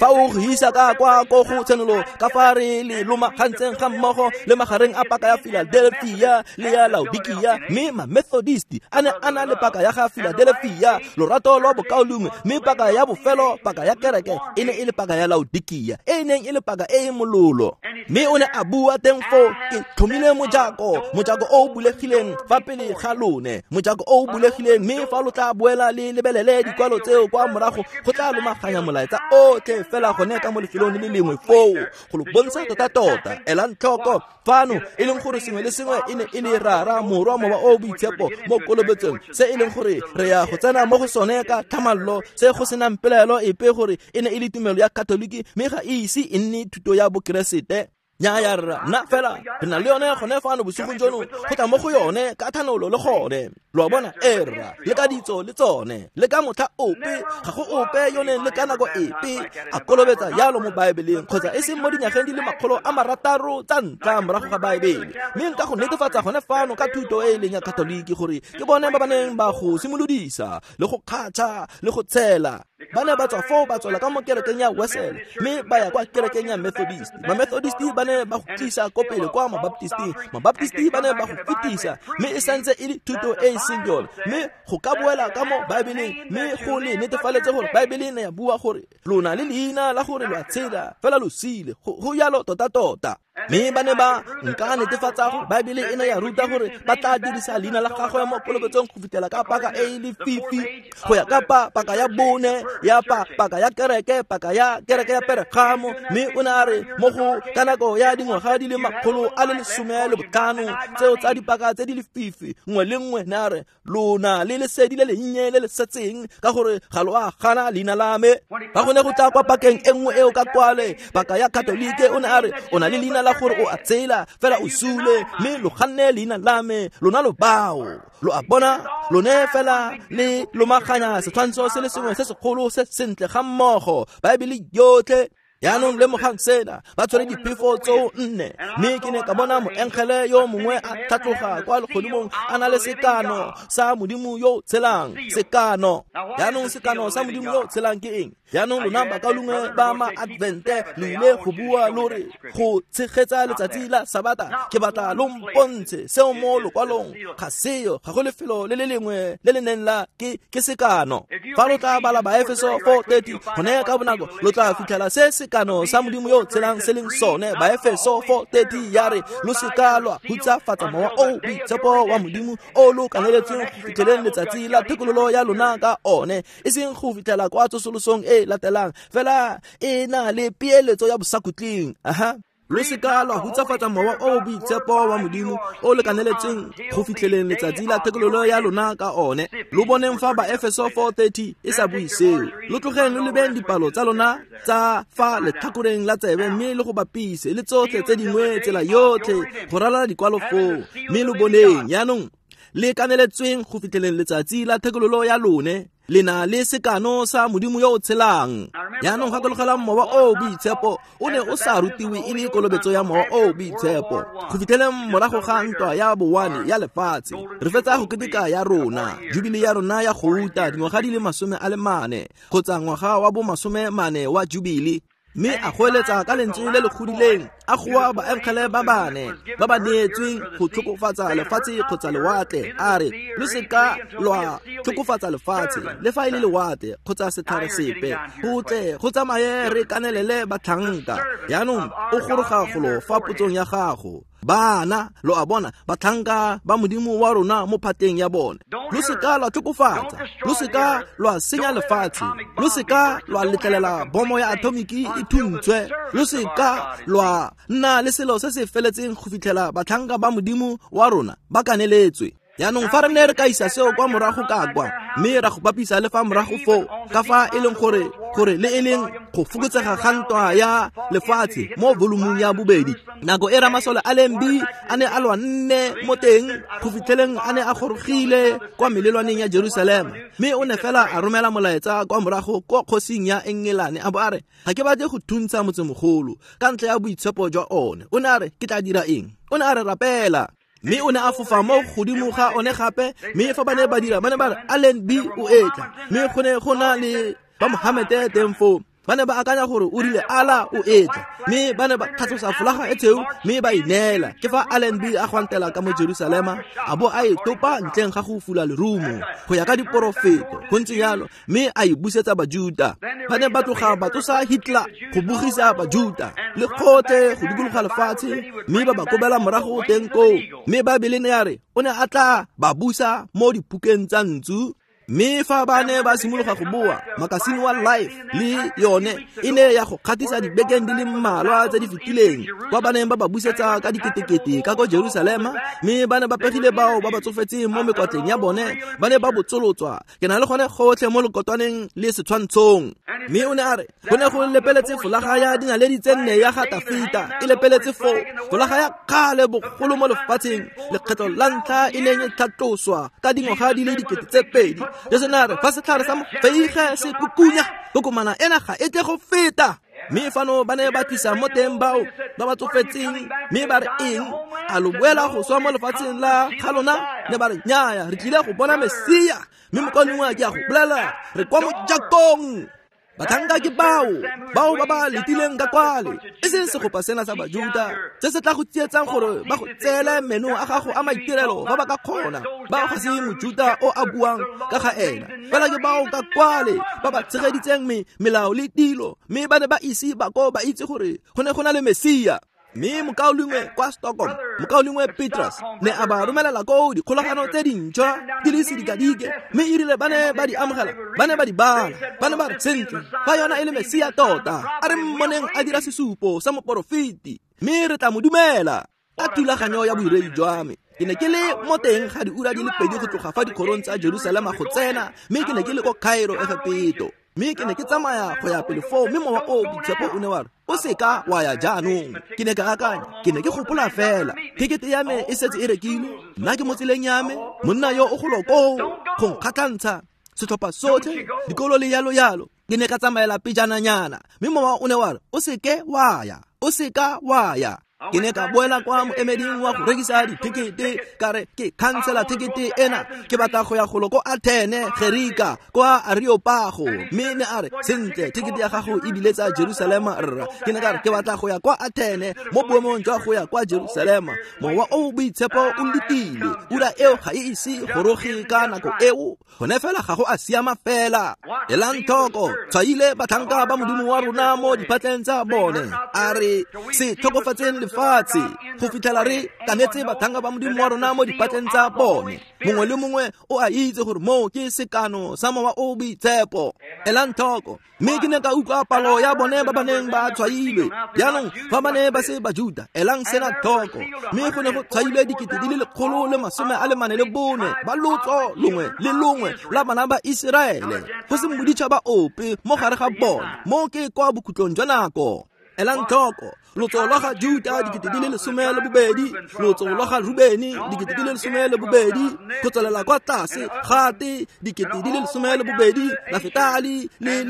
Fa o go isa ka kwa ko go tshenolo ka fa re le lomagantseng ga mmogo le magareng a paka ya Philadelphia le ya Laodikia, mme ma-Methodist a ne a na le paka ya ga Philadelphia, lorato lwa bokaulengwe, mme paka ya bofelo, paka ya kereke, e ne e le paka ya Laodikia, e e neng e le paka e e mololo. Mme o ne a bua teng foo, ke tlhomile mojako, mojako o o bulegileng fa pele ga lone, mojako o o bulegileng, mme fa lo tla boela le lebelele dikwalo tseo kwa morago, go tla lomaganya molaetsa otlhe fela gone ka mo lefelong le le lengwe foo, go lo bontsha tota-tota. Elang tlhoko fano, e leng gore sengwe le sengwe e ne e le Rara, Morwa, Mowa o Boitshepo mo kolobetsong, se e leng gore re ya go tsena mo go sone ka tlhamallo, se go senang pelaelo epe gore e ne e le tumelo ya Katoliki, mme ga e ise e nne thuto ya Bokeresete. Nnyaya rra, nna fela re na le yone gone fano bosigong jono, go tla mo go yone ka thanolo le gone. Lo a bona? E rra, le ka ditso le tsone, le ka motlha ope ga go ope yo neng le ka nako epe a kolobetsa jalo mo Baebeleng, kgotsa e seng mo dinyageng di le 600 tsa ntlha morago ga Baebele. Mme nka go netefatsa gone fano ka thuto e e leng ya Katoliki gore ke bone ba ba neng ba go simolodisa le go kgatšha le go tshela. Ba ne ba tswa foo ba tswela ka mo kerekeng ya Wesele, mme ba ya kwa kerekeng ya Methodist. Ma-Methodist ba ne ba go tlisa ko pele kwa Mabaptisting, Mabaptisti ba ne ba go fetisa, mme e santse e le thuto e e seng yone. Mme go ka boela ka mo Baebeleng, mme go le netefaletse gore Baebele ne ya bua gore lona le leina la gore lo a tshela fela lo sile, go jalo tota-tota. Mme ba ne ba nka netefatsa gore Baebele e ne ya ruta gore ba tla dirisa leina la gagwe mo kolobetsong go fitlhela ka paka e e lefifi, go ya ka paka ya bone ya paka ya kereke, paka ya kereke ya Peregamo. Mme o ne a re mo go ka nako ya dingwaga di le 115 tseo tsa dipaka tse di lefifi, nngwe le nngwe, ne a re lona le lesedi le lennye le le setseng, ka gore ga lo a gana leina la me. Fa go ne go tla kwa pakeng e nngwe eo ka kwale, paka ya Katolike, o ne a re o na le leina la gore o a tsela fela o sule, mme lo ganne leina la me, lona lo bao. Lo a bona? Lone fela le lomaganya setshwantsho se le sengwe se segolo se sentle ga mmogo, Baebele yotlhe. Yaanong lemogang sena, ba tshwere diphefo tseo nne. Mme ke ne ka bona moengele yo mongwe a tlhatloga kwa legodimong a na le sekano sa Modimo yo o tshelang. Sekano. Yaanong sekano sa Modimo yo o tshelang ke eng? Yaanong lona bakaulengwe ba ma-Advente lo ile go bua lo re go tshegetsa letsatsi la Sabata. Ke batla lo mpontshe seo mo lokwalong. Ga seo, ga go lefelo le le lengwe le le neng la ke sekano. Fa lo tla bala Baefeso 4:30, gone ka bonako lo tla fitlhela se sekano sa Modimo yo o tshelang se leng sone. Baefeso 4:30 ya re lo seka lwa hutsafatsa Mowa o Boitshepo wa Modimo o lo kaneletsweng go fitlheleng letsatsi la thekololo ya lona ka one, e seng go fitlhela kwa tsosolosong e latelang, fela e na le peeletso ya bosakhutleng. Aha. Lo seka lwa hutsafatsa Mowa o Boitshepo wa Modimo o lekaneletseng go fitlheleng letsatsi la thekololo ya lona ka one. Lo boneng fa Baefeso 4:30 e sa bue seo. Lo tlogeng lo lebeng dipalo tsa lona tsa fa letlhakoreng la tsebe, mme le go bapise le tsotlhe tse dingwe tsela yotlhe go ralala dikwalo foo, mme lo boneng yaanong le kaneletsweng go fitlheleng letsatsi la thekololo ya lone, le na le sekano sa Modimo yo o tshelang. Yaanong gakologelang, Mowa o Boitshepo o ne o sa rutiwe e le kolobetso ya Mowa o Boitshepo go fitlheleng morago ga ntwa ya bowane ya lefatshe. Re fetsa go keteka ya rona jubile ya rona ya gouta, dingwaga di le 40 kgotsa ngwaga wa bo 40 wa jubile. Mme a goeletsa ka lentswe le le godileng, a goa baengele ba bane ba ba neetsweng go tlhokofatsa lefatshe kgotsa lewatle, a re lo seka lwa tlhokofatsa lefatshe le fa e le lewatle kgotsa setlhare sepe, go tle go tsamaye re kanelele batlhanka. Yaanong o goroga golo fa potsong ya gago. Bana, lo a bona, batlhanka ba Modimo wa rona mo phateng ya bone. Lo seka lwa tlhokofatsa, lo seka lwa senya lefatshe, lo seka lwa letlelela bomo ya atomiki e thuntshwe, lo seka lwa nna le selo se se feletseng go fitlhela batlhanka ba Modimo wa rona ba kaneletswe. Jaanong fa re ne re ka isa seo kwa morago ka kwa, mme ra go bapisa le fa morago foo, ka fa e leng gore le e leng go fokotsega ga ntwa ya lefatshe mo volumong ya bobedi. Nako e ramasole a leng B a ne a lwa nne mo teng go fitlheleng a ne a gorogile kwa melelwaneng ya Jerusalema, mme o ne fela a romela molaetsa kwa morago kwa kgosing ya Engelane a bo a re, ga ke batle go thuntsha motsemogolo ka ntlha ya boitshepo jwa one. O ne a re, ke tla dira eng? O ne a re, rapela. Mme o ne a fofa mo godimo ga one gape, mme fa ba ne ba dira, ba ne ba re Allenby o etla, mme go ne go na le ba Mohamete teng foo. Ba ne ba akanya gore o rile Allah o etla, mme ba ne ba tlhatlosa folaga e tshweu mme ba ineela. Ke fa Allenby a gwantela ka mo Jerusalema, a bo a e topa ntleng ga go fula lerumo go ya ka diporofeto, go ntse jalo, mme a e busetsa Bajuta. Ba ne ba tloga ba tsosa Hitler go bogisa Bajuta le gotlhe go dikologa lefatshe, mme ba ba kobela morago teng koo. Mme Baebele ne ya re o ne a tla ba busa mo diphukeng tsa ntsu. Mme fa ba ne ba simologa go boa, makasine wa Life le yone e ne ya go kgatisa dibekeng di le mmalwa tse di fetileng, kwa ba neng ba ba busetsa ka diketekete ka ko Jerusalema, mme ba ne ba pegile bao ba ba tsofetseng mo mekwatleng ya bone, ba ne ba botsolotswa. Ke na le gone gotlhe mo lekotwaneng le setshwantshong. Mme o ne a re go ne go lepeletse folaga ya dinaledi tse nne ya ga Tafita, e lepeletse foo, folaga ya kgale bogolo mo lefatsheng, lekgetlo la ntlha e neng e tlhatloswa ka dingwaga di le 2000. Jesu ne a re fa setlhare sa mofeige se kukunya, kokomana ena ga e tle go feta. Mme fano ba ne ba tlisa mo teng bao ba ba tsofetseng, mme ba re eng? A lo boela go swa mo lefatsheng la ga lona? Ne ba re nnyaya, re tlile go bona Mesia. Mme mokaulengwe ke a go bolela, re kwa mojakong. Batlhanka ke bao ba ba letileng ka kwale, e seng segopa sena sa Bajuta se se tla go tsietsang gore ba go tseele meno a gago a maitirelo fa ba ka kgona. Bao ga se Mojuta o a buang ka ga ena, fela ke bao ka kwale ba ba tshegeditseng melao le dilo, mme ba ne ba ise ba ko ba itse gore go ne go na le Mesia. Mme mokaulengwe kwa Stockholm, mokaulengwe Petrus, ne a ba romelela koo dikgolagano tse dintšhwa di le sedikadike, mme e rile ba ne ba di amogela, ba ne ba di bala, ba ne ba re sentle, fa yona e le Mesia tota, a re mmoneng a dira sesupo sa moporofeti, mme re tla mo dumela. Ka thulaganyo ya bodiredi jwa me, ke ne ke le mo teng ga diura di le 2 go tloga fa dikgorong tsa Jerusalema go tsena, mme ke ne ke le ko Cairo, Egepeto. Mme ke ne ke tsamaya go ya pele foo, mme mowa o boitshepo o ne wa re, o seka wa ya jaanong. Ke ne ka akanya, ke ne ke gopola fela, tekete ya me e setse e rekilwe, nna ke mo tseleng ya me, monna yo o golo koo go nkgatlhantsha, setlhopha sotlhe, dikolo le yalo yalo. Ke ne ka tsamaela pejananyana, mme mowa o ne wa re, o seke wa ya, o seka wa ya. Ke ne ka boela kwa moemeding wa go rekisa ditekete, ka re ke khansela tekete ena, ke batla go ya golo ko Athene, Gerika, kwa Areopago. Mme ne a re, sentle, tekete ya gago e biletsa Jerusalema rra. Ke ne ka re ke batla go ya kwa Athene mo boemong jwa go ya kwa Jerusalema. Mowa o boitshepo o letile, ura eo ga e ise goroge ka nako eo, gone fela ga go a siama fela. Elang tlhoko, tshwaile batlhanka ba Modimo wa rona mo diphatleng tsa bone. A re se tlhokofatseng lefatshe go fitlhela re kanetse batlhanka ba Modimo wa rona mo diphatleng tsa bone. Mongwe le mongwe o a itse gore moo ke sekano sa mowa o boitshepo. Elang tlhoko, mme ke ne ka utlwa palo ya bone ba ba neng ba tshwailwe. Jaanong fa ba ne ba se Bajuta, elang sena tlhoko, mme go ne go tshwailwe 144,000 ba lotso longwe le longwe la bana ba Iseraele, go se moditšhaba ope mo gare ga bone. Mo ke kwa bokhutlong jwa nako. Elang tlhoko, lotso lwa ga Juta 12,000, lotso lwa ga Rubeni 12,000, go tswelela kwa tlase Gate 12,000, Nafetali le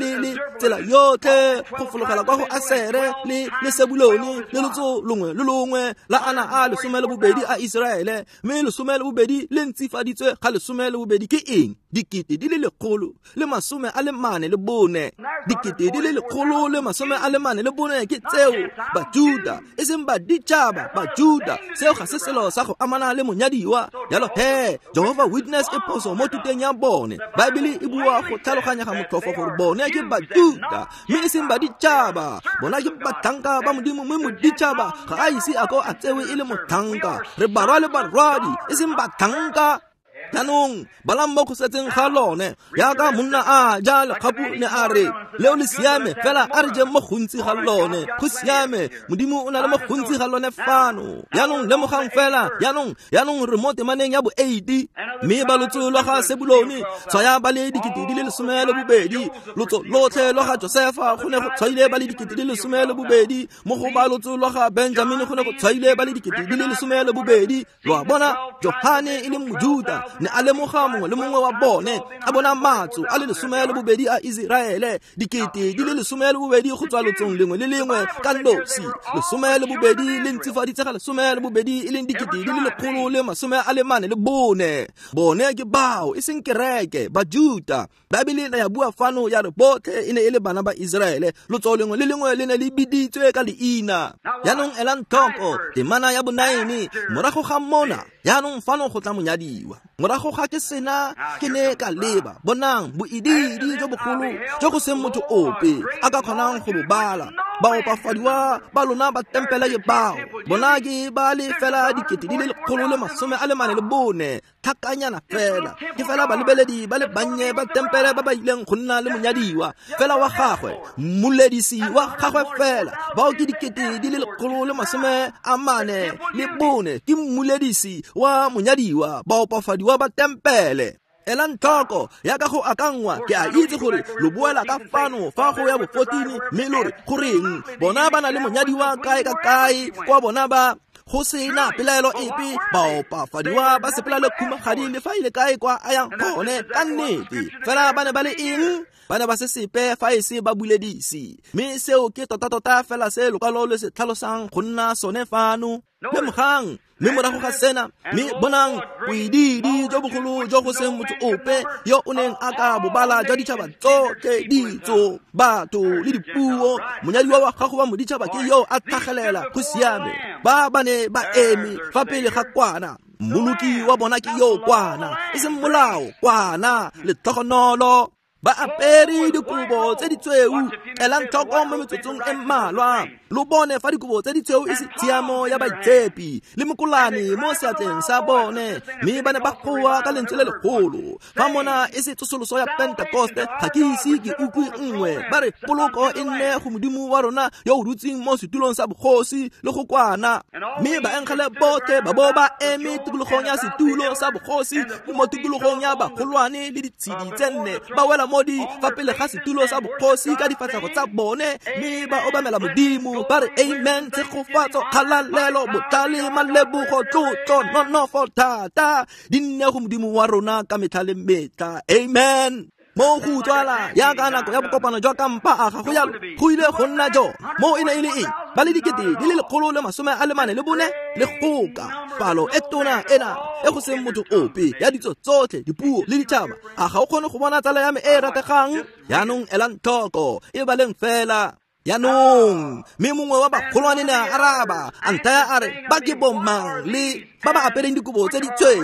tsela yotlhe go fologela kwa go Asere le Sebulone le lotso longwe le longwe la ana a 12 a Iseraele. Mme 12 le ntsifaditswe ga 12 ke eng? 144,000. 144,000 ke tseo Bajuta Bajuda, e seng baditšhaba, Bajuda. Seo ga se selo sa go amana le monyadiwa. Jalo he, Jehovah Witness e phoso mo thuteng ya bone. Baebele e bua go tlhaloganya ga motlhofo gore bone ke Bajuda, mme e seng baditšhaba. Bona ke batlhanka ba Modimo, mme moditšhaba ga a ise a ko a tsewe e le motlhanka. Re barwa le barwadi, e seng batlhanka. Jaanong balang mo go setseng ga lone, jaaka monna a ja lekgapu ne a re, leo le siame, fela a re jeng mo gontsi ga lone. Go siame, Modimo o na le mo gontsi ga lone fano. Jaanong lemogang fela, jaanong re mo temaneng ya bo-8. Mme ba lotso lwa ga Sebulone tshwaya ba le 12,000, lotso lotlhe lwa ga Josefa go ne go tshwaile ba le 12,000, mo go ba lotso lwa ga Benjamine go ne go tshwaile ba le 12,000. Lo a bona, Johane e leng Mojuda ne a lemoga mongwe le mongwe wa bone, a bona matso a le 12 a Iseraele, 12,000 go tswa lotsong lengwe le lengwe ka nosi. 12 le ntsifaditse ga 12 e leng 144,000. Bone ke bao, e seng kereke, Bajuda. Baebele ne ya bua fano ya re botlhe e ne e le bana ba Iseraele, lotso lengwe le lengwe le ne le biditswe ka leina. Jaanong elang tlhoko temana ya bo-9, morago ga mona, jaanong fano go tla monyadiwa. Morago ga ke sena ke ne ka leba, bonang boidiidi jo bogolo jo go seng motho ope a ka kgonang go bo bala. Baopafadiwa ba lona ba tempele ke bao, bona ke ba le fela 144,000, tlhakanyana fela. Ke fela balebeledi ba le bannye ba tempele ba ba ileng go nna le monyadiwa fela wa gagwe, mmoledisi wa gagwe fela. Bao ke 144,000, ke mmoledisi wa monyadiwa, baopafadiwa ba tempele. Elang tlhoko, yaka go akangwa, ke a itse gore lo boela ka fano fa go ya bo-14, mme lo re goreng bona ba na le monyadiwa kae ka kae kwa bona ba go sena pelaelo epe. Baopafadiwa ba sepela le khumagadi le fa ile kae kwa a yang gone, ka nnete. Fela ba ne ba le eng? Ba ne ba se sepe fa e se ba buledisi. Mme seo ke tota-tota fela se lokwalo le se tlhalosang go nna sone fano. Lemogang, mme morago ga sena, mme bonang boidiidi jo bogolo jo go seng motho ope yo o neng a ka bobala jwa ditšhaba tsotlhe, ditso, batho le dipuo. Monyadiwa wa gago wa moditšhaba ke yo a tlhagelela. Go siame, ba ba ne ba eme fa pele ga kwana. Mmoloki wa bona ke yo kwana, e seng molao, kwana, letlhogonolo. Ba apere dikobo tse di tshweu. Elang tlhoko mo metsotsong e mmalwa, lo bone fa dikobo tse di tshweu e se tshiamo ya baitshepi le mokolane mo seatleng sa bone. Mme ba ne ba goa ka lentswe le legolo, fa mona e se tsosoloso ya Pentekoste, ga ke ise ke utlwe nngwe. Ba re poloko e nne go Modimo wa rona yo o dutseng mo setulong sa bogosi le go kwana. Mme baengele botlhe ba bo ba eme tikologong ya setulo sa bogosi le mo tikologong ya bagolwane le ditshedi tse nne, ba wela mo di fa pele ga setulo sa bogosi ka difatlhego tsa bone, mme ba obamela Modimo, ba re amen, tshegofatso, kgalalelo, botlhale, malebogo, tlotlo, nonofo, thata di nne go Modimo wa rona ka metlha le metlha. Amen. Mo go utlwala yaka nako ya bokopano jwa kampa a ga go yalo, go ile go nna jone. Mo e ne e le eng? Ba le 144,000 le goka, palo e tona ena e go seng motho ope ya ditso tsotlhe, dipuo le ditšhaba. A ga o kgone go bona tsala ya me e rategang? Jaanong elang tlhoko, e baleng fela. Jaanong mme mongwe wa bagolwane ne a araba, a nthaya a re, ba ke bomang le ba ba apereng dikobo tse di tshweu,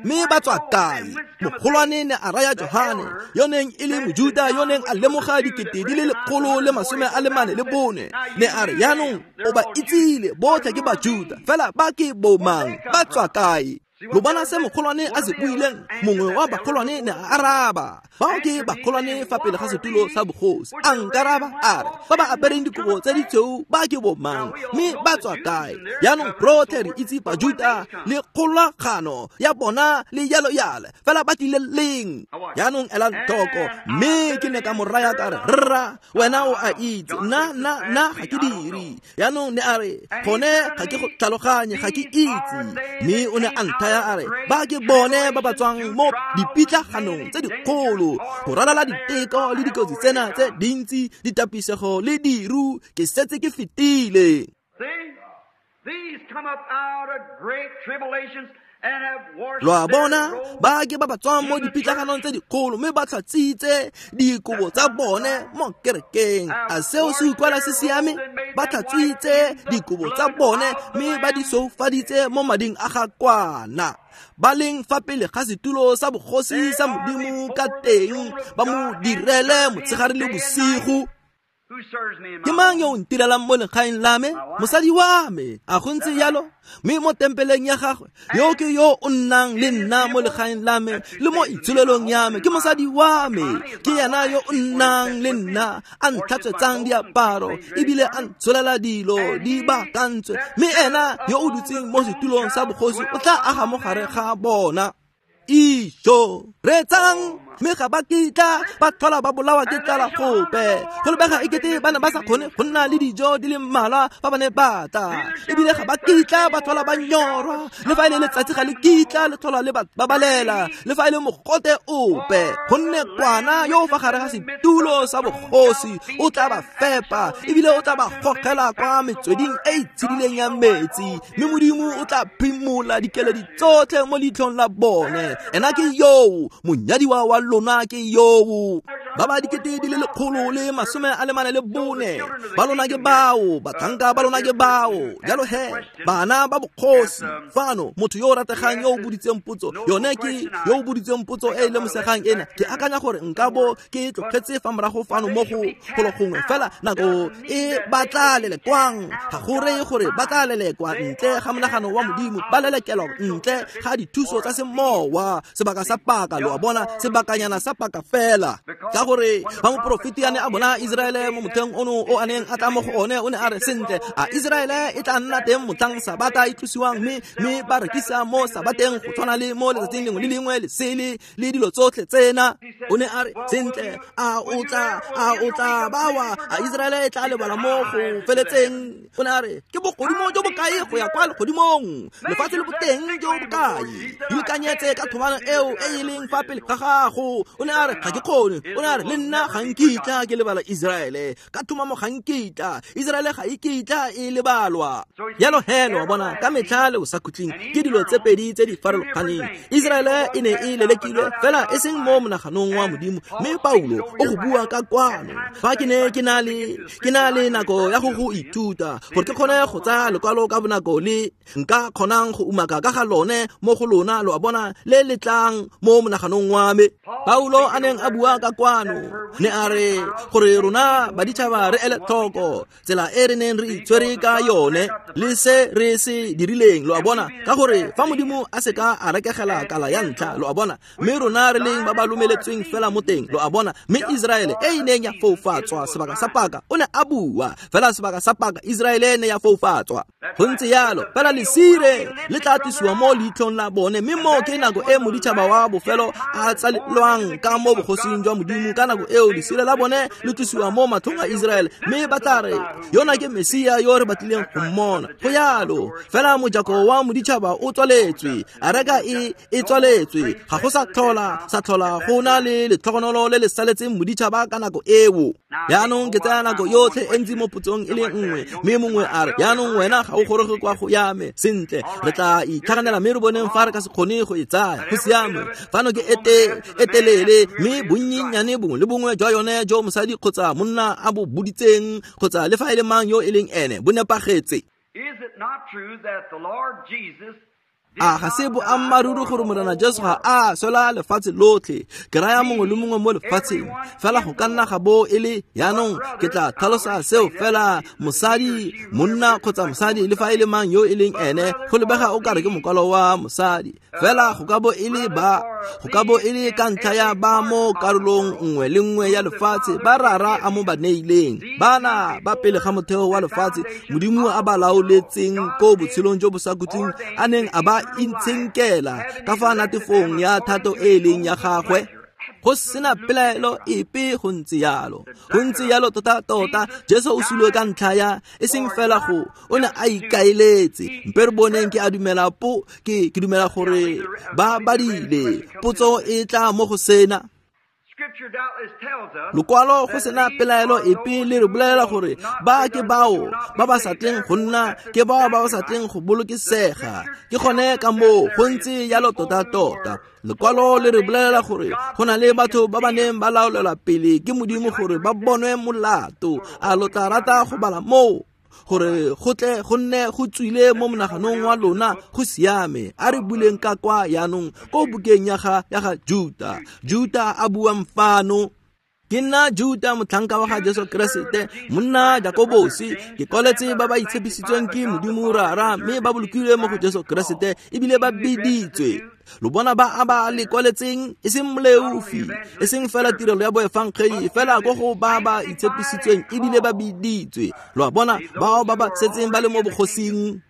mme ba tswa kae? Mogolwane ne a raya Johane, yo neng e le Mojuda, yo neng a lemoga 144,000, ne a re, jaanong o ba itsile botlhe ke Bajuda, fela ba ke bomang, ba tswa kae? Lo bona se mogolwane a se buileng? Mongwe wa bagolwane ne a araba, bao ke bagolwane fa pele ga setulo sa bogosi. A nkaraba a re, ba ba apereng dikobo tse di tshweu ba ke bomang, mme ba tswa kae? Jaanong rotlhe re itse Bajuda le kgolagano ya bona le yalo yale, fela ba tlile leng? Jaanong elang tlhoko. Mme ke ne ka mo raya ka re, rra, wena o a itse, nna ga ke dire. Jaanong ne a re, gone ga ke go tlhaloganye, ga ke itse. Mme o ne a nthaya a re, ba ke bone ba ba tswang mo dipitlaganong tse dikgolo, go ralala diteko le dikotsi tsena tse dintsi, ditapisego le diru, ke setse ke fetile. These come up out of great tribulations Lo a bona, ba ke ba ba tswang mo dipitlaganong tse dikgolo mme ba tlhatswitse dikobo tsa bone mo kerekeng. A seo se utlwala se siame? Ba tlhatswitse dikobo tsa bone mme ba di soufaditse mo mading a ga kwana. Ba leng fa pele ga setulo sa bogosi sa Modimo ka teng, ba mo direle motshegare le bosigo. Ke mang yo o ntirelang mo legaeng la me? Mosadi wa me. A go ntse jalo? Mme mo tempeleng ya gagwe, yo ke yo o nnang le nna mo legaeng la me le mo itsholelong ya me, ke mosadi wa me. Ke yena yo o nnang le nna, a ntlhatswetsang diaparo ebile a ntsholela dilo di baakantswe. Mme ena yo o dutseng mo setulong sa bogosi o tla aga mo gare ga bona. Ijo reetsang, mme ga ba kitla ba tlhola ba bolawa ke tlala gope. Go lebega ekete ba ne ba sa kgone go nna le dijo di le mmalwa fa ba ne ba tla, ebile ga ba kitla ba tlhola ba nyorwa. Le fa e le letsatsi ga le kitla le tlhola le ba babalela, le fa e le mogote ope, gonne kwana yo o fa gare ga setulo sa bogosi o tla ba fepa, ebile o tla ba gogela kwa metsweding e e tshedileng ya metsi, mme Modimo o tla phimola dikeledi tsotlhe mo leitlhong la bone. Ena ke yoo, monyadiwa wa lona ke yoo. Ba ba 144,000 ba lona ke bao, batlhanka ba lona ke bao. Jalo he, bana ba bogosi fano, motho yo o rategang yo o boditseng potso, yone ke yo o boditseng potso e e lemosegang ena. Ke akanya gore nka bo ke tlogetse fa morago fano mo go golo gongwe, fela nako e ba tla lelekwang ga go reye gore ba tla lelekwa ntle ga monagano wa Modimo, ba lelekelwa ntle ga dithuso tsa semowa, sebaka sa paka, lo a bona, sebakanyana sa paka fela. Ka gore fa moporofeti a ne a bona Iseraele mo motlheng ono o a neng a tla mo go one, o ne a re, sentle, a Iseraele e tla nna teng motlhang sabata e tlosiwang, mme ba rekisa mo sabateng go tshwana le mo letsatsing lengwe le lengwe le sele le dilo tsotlhe tsena. O ne a re, sentle, a o tla bawa, a Iseraele e tla lebala mo go feletseng? O ne a re, ke bogodimo jo bokae go ya kwa legodimong, lefatshe le boteng jo bokae, ikanyetse ka thomano eo e e leng fa pele ga gago. O ne a re, ga ke kgone. O ne a re, le nna ga nkitla ke lebala Iseraele ka thomamo, ga nkitla Iseraele ga e kitla e lebalwa. Jalo he, lo a bona, ka metlha le bosakhutleng ke dilo tse pedi tse di farologaneng. Iseraele e ne e lelekilwe fela e seng mo monaganong wa Modimo, mme Paulo o go bua ka kwano. Fa ke ne ke na le nako ya go ithuta gore ke kgone go tsaya lekwalo ka bonako le nka kgonang go umaka ka ga lone mo go lona, lo a bona, le le tlang mo monaganong wa me. Paulo a neng a bua ka kwano ne a re gore rona baditšhaba re ele tlhoko tsela e re neng re itshwere ka yone le se re se dirileng, lo a bona, ka gore fa Modimo a seka a rekegela kala ya ntlha, lo a bona, mme rona re leng ba ba lomeletsweng fela mo teng, lo a bona. Mme Iseraele e e neng ya foufatswa sebaka sa paka, o ne a bua fela sebaka sa paka, Iseraele e ne ya foufatswa. Go ntse jalo, fela lesire le tla tlisiwa mo leitlhong la bone, mme mo ke nako e moditšhaba wa bofelo a tsalelwang ka mo bogosing jwa Modimo. Ka nako eo lesire la bone le tlisiwa mo matlhong a Iseraele, mme ba tla re, yona ke Mesia yo re batlileng go mmona. Go jalo, fela mojako wa moditšhaba o tswaletswe, areka e tswaletswe, ga go sa tlhola go na le letlhogonolo le le saletseng moditšhaba ka nako eo. Jaanong ke tsaya nako yotlhe e ntsi mo potsong e le nngwe, mme mongwe a re, jaanong wena ga o goroge kwa go ya me. Sentle, re tla itlhaganela mme re boneng fa re ka se kgone go e tsaya. Go siame, fano ke e telele, mme bonnyenyane bongwe le bongwe jwa yone jo mosadi kgotsa monna a bo boditseng kgotsa le fa e le mang yo e leng ene bo nepagetse. A ga se boammaaruri gore Morena Jesu ga a swela lefatshe lotlhe, ke raya mongwe le mongwe mo lefatsheng, fela go ka nna ga bo e le jaanong ke tla tlhalosa seo fela mosadi, monna kgotsa mosadi le fa e le mang yo e leng ene, go lebega o kare ke mokwalo wa mosadi, fela go ka bo e le ba, go ka bo e le ka ntlha ya ba mo karolong nngwe le nngwe ya lefatshe ba rara a mo ba neileng, bana ba pele ga motheo wa lefatshe Modimo a ba laoletseng ko botshelong jo bo sa khutleng a neng a ba itshenkela ka fa natefong ya thato e e leng ya gagwe. Go sena pelaelo epe, go ntse yalo, go ntse yalo tota-tota. Jesu o sule ka ntlha ya e seng fela go, o ne a ikaeletse. Mpe re boneng, ke a dumela po ke dumela gore ba badile potso e tla mo go sena. Lokwalo go sena pelaelo epe le re bolela gore ba ke bao ba ba sa tleng go nna ke bao ba ba sa tleng go bolokesega. Ke gone ka moo go ntse jalo tota-tota. Lekwalo le re bolela gore go na le batho ba ba neng ba laolelwa pele ke Modimo gore ba bonwe molato. A lo tla rata go bala moo gore go tle go nne go tswile mo monaganong wa lona? Go siame, a re buleng ka kwa yaanong ko bukeng ya ga Juta. Juta a buang fano. Ke nna Juta, motlhanka wa ga Jesu Keresete, monna Jakobosi. Ke kwaletse ba ba itshepisitsweng ke Modimo Rara, mme ba bolokilwe mo go Jesu Keresete ebile ba biditswe. Lo bona ba a ba le kwaletseng, e seng moleofi, e seng fela tirelo ya boefangedi, fela ko go ba ba itshepisitsweng ebile ba biditswe. Lo a bona bao ba ba setseng ba le mo bogosing.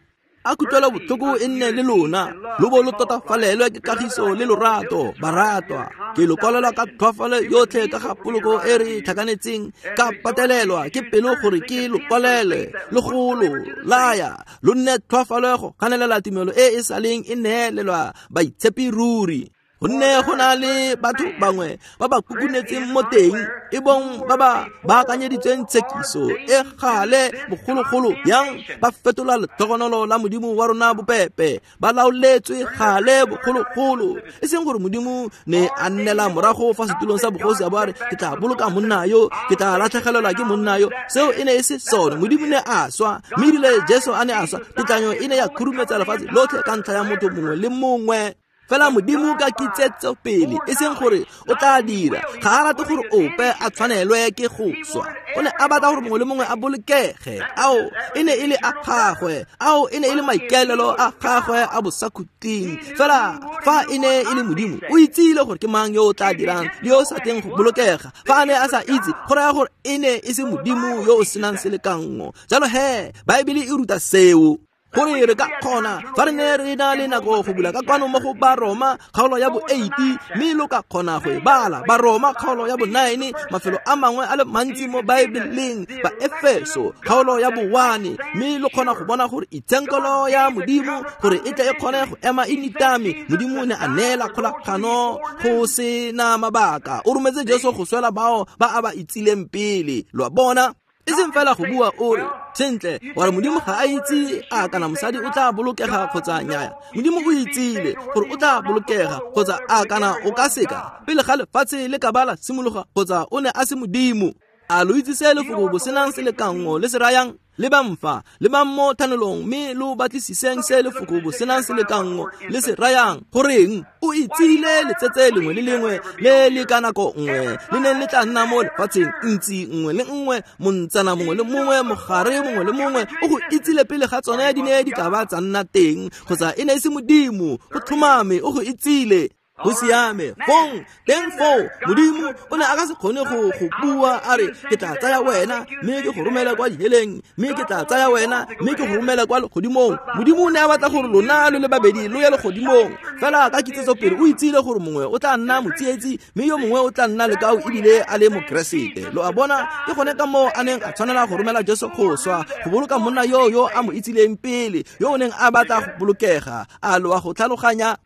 A kutlwelo botlhoko e nne le lona, lo bo lo totafalelwe ke kagiso le lorato, baratwa. Ke lo kwalela ka tlhoafalo yotlhe ka ga poloko e re tlhakanetseng, ka patelelwa ke pelo gore ke lo kwalele le go lo laya, lo nne tlhoafalo go ganelela tumelo e e sa leng e neelelwa baitshepi ruri. Gonne go na le batho bangwe ba ba kukunetseng mo teng, e bong ba ba baakanyeditsweng tshekiso e gale bogologolo yang, ba fetola letlhogonolo la Modimo wa rona bopepe, ba laoletswe gale bogologolo. E seng gore Modimo ne a nnela morago fa setulong sa bogosi a bo a re, ke tla boloka monna yo, ke tla latlhegelelwa ke monna yo. Seo e ne e se sone. Modimo ne a swa, mme erile Jesu a ne a swa, tetlanyo e ne ya khurumetsa lefatshe lotlhe ka ntlha ya motho mongwe le mongwe. Fela Modimo ka kitsetso pele, e seng gore o tla dira, ga a rate gore ope a tshwanelwe ke go swa. O ne a batla gore mongwe le mongwe a bolokege. Ao e ne e le a gagwe, ao e ne e le maikaelelo a gagwe a bosakhutleng. Fela fa e ne e le Modimo, o itsile gore ke mang yo o tla dirang le yo o sa tleng go bolokega. Fa a ne a sa itse, go raya gore e ne e se Modimo yo o senang selekanngo. Jalo he, Baebele e ruta seo, gore re ka kgona fa re ne re na le nako go bula ka kwano mo go Baroma kgaolo ya bo 8, mme lo ka kgona go e bala. Baroma kgaolo ya bo 9, mafelo a mangwe a le mantsi mo Baebeleng, ba Efeso kgaolo ya bo 1, mme lo kgona go bona gore itshenkelo ya Modimo gore e tle e kgone go ema e nitame. Modimo ne a neela kgolagano go sena mabaka. O rometse Jesu go swela bao ba a ba itsileng pele. Lo a bona? E seng fela go bua o re, sentle, wa re Modimo ga a itse a kana mosadi o tla bolokega kgotsa nnyaya. Modimo o itsile gore o tla bolokega kgotsa a kana o ka seka pele ga lefatshe le ka ba la simologa, kgotsa o ne a se Modimo. A lo itse se lefoko bosenang selekanngo le se rayang? Lebang fa, lebang mo thanolong, mme lo batlisiseng se lefoko bosenang selekanngo le se rayang. Goreng o itsile letsetse lengwe le lengwe le le ka nako nngwe le neng le tla nna mo lefatsheng, ntsi nngwe le nngwe, montsana mongwe le mongwe, mogare mongwe le mongwe, o go itsile pele ga tsone di ne di ka ba tsa nna teng, kgotsa e ne e se Modimo. Go tlhomame, o go itsile. Go siame. Fong teng foo, Modimo o ne a ka se kgone go bua a re, ke tla tsaya wena mme ke go romela kwa diheleng, mme ke tla tsaya wena mme ke go romela kwa legodimong. Modimo o ne a batla gore lona lo le babedi lo ye legodimong. Fela ka kitsetso pele o itsile gore mongwe o tla nna motsietsi mme yo mongwe o tla nna lekao ebile a le Mokeresete. Lo a bona? Ke gone ka moo a neng a tshwanela go romela Jesu go swa, go boloka monna yo a mo itsileng pele, yo o neng a batla go bolokega. A lo a go tlhaloganya?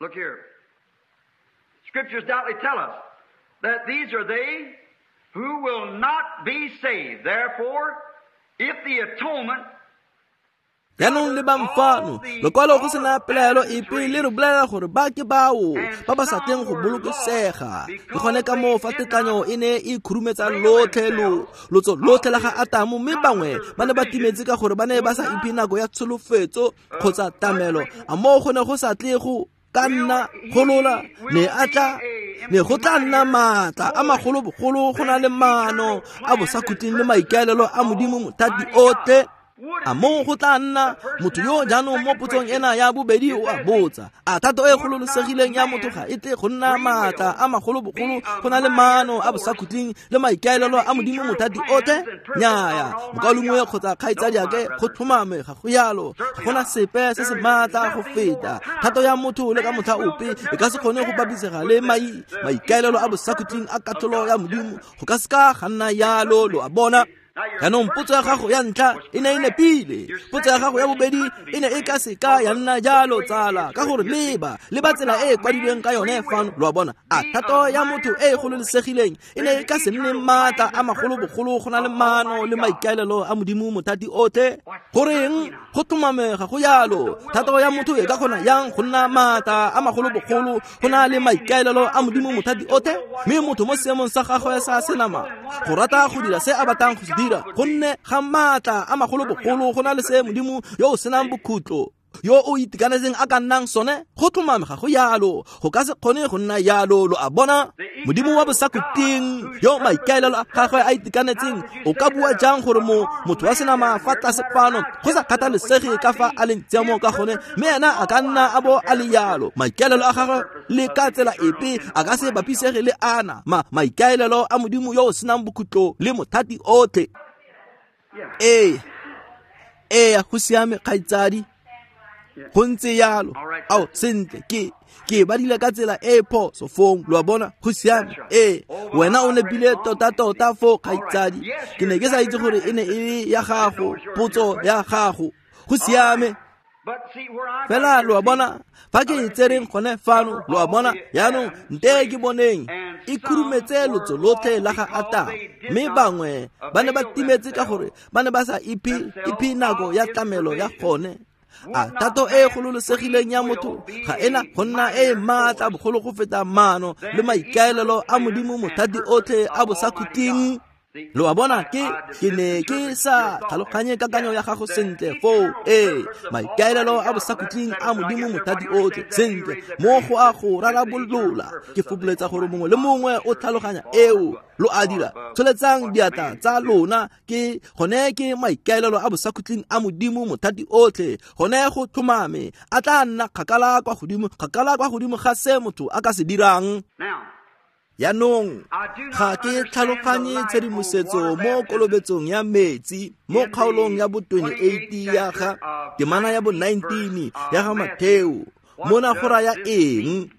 Look here. Scriptures doubtless tell us that these are they who will not be saved. Therefore, if the atonement Jaanong lebang fano, lokwalo go sena pelaelo epe le re bolela gore ba ke bao ba ba sa tleng go bolokesega. Ke gone ka moo fa tetlanyo e ne e khurumetsa lotlhe lotso lotlhe la ga Atamo, mme bangwe ba ne ba timetse ka gore ba ne ba sa iphe nako ya tsholofetso kgotsa tamelo. A moo go ne go sa tle go ka nna golola, ne a tla ne go tla nna maatla a magolo-bogolo go na le maano a bosakhutleng le maikaelelo a Modimo mothati otlhe. A moo go tla nna motho yo jaanong mo potsong ena ya bobedi o a botsa, a thato e gololosegileng ya motho ga e tle go nna maatla a magolo-bogolo go na le maano a bosakhutleng le maikaelelo a Modimo mothati otlhe? Nnyaya, mokaulengwe kgotsa kgaitsadiake, go tlhomame ga go yalo. Ga gona sepe se se maatla go feta thato ya motho le ka motlha ope e ka se kgone go bapisega le maikaelelo a bosakhutleng a katlholo ya Modimo. Go ka seka ga nna yalo, lo a bona. Jaanong potso ya gago ya ntlha e ne e nepile. Potso ya gago ya bobedi e ne e ka seka ya nna jalo, tsala, ka gore leba tsela e e kwadilweng ka yone fano. Lo a bona, a thato ya motho e e gololesegileng e ne e ka se nne maatla a magolobogolo go na le maano le maikaelelo a Modimo mothati otlhe? Goreng go tlhomamega go yalo? Thato ya motho e ka kgona yang go nna maatla a magolobogolo go na le maikaelelo a Modimo mothati otlhe? Mme motho mo seemong sa gagwe sa senama go rata go dira se a batlang go se dira, gonne ga maatla a magolobogolo go na le se Modimo yo o senang bokhutlo yo o itekanetseng a ka nnang sone. Go tlhomamega go yalo, go ka se kgone go nna yalo. Lo a bona, Modimo wa bosakhutleng yo maikaelelo a gagwe a itekanetseng, o ka bua jang gore motho wa senama fa tlase fano, go sa kgathalesege ka fa a leng tshiamo ka gone, mme ena a ka nna a bo a le yalo, maikaelelo a gagwe le ka tsela epe a ka se bapisege le ana maikaelelo a Modimo yo o senang bokhutlo le mothati otlhe. Ee, go siame, kgaitsadi, go ntse yalo. Ao, sentle, ke badile ka tsela e phoso fong. Lo a bona, go siame. Ee, wena o nepile tota-tota foo, kgaitsadi. Ke ne ke sa itse gore e ne e le ya gago, potso ya gago. Go siame. Fela lo a bona, fa ke e tsereng gone fano, lo a bona, jaanong nte ke boneng e khurumetse lotso lotlhe la ga Atamo, mme bangwe ba ne ba timetse ka gore ba ne ba sa iphe nako ya tlamelo ya gone. A thato e gololesegileng ya motho ga ena go nna e maatla bogolo go feta maano le maikaelelo a Modimo mothati otlhe a bosakhutleng? Lo a bona, ke ne ke sa tlhaloganye kakanyo ya gago sentle foo. Ee, maikaelelo a bosakhutleng a Modimo mothati otlhe, sentle, mo go a go rarabolola. Ke fopholetsa gore mongwe le mongwe o tlhaloganya eo. Lo a dira, tsholetsang diatla tsa lona. Ke gone ke maikaelelo a bosakhutleng a Modimo mothati otlhe, gone go tlhomame a tla nna kgakala kwa godimo ga se motho a ka se dirang. Jaanong ga ke tlhaloganye tshedimosetso mo kolobetsong ya metsi mo kgaolong ya bo 28 ya ga temana ya bo 19 ya ga Matheo. Mona go raya eng?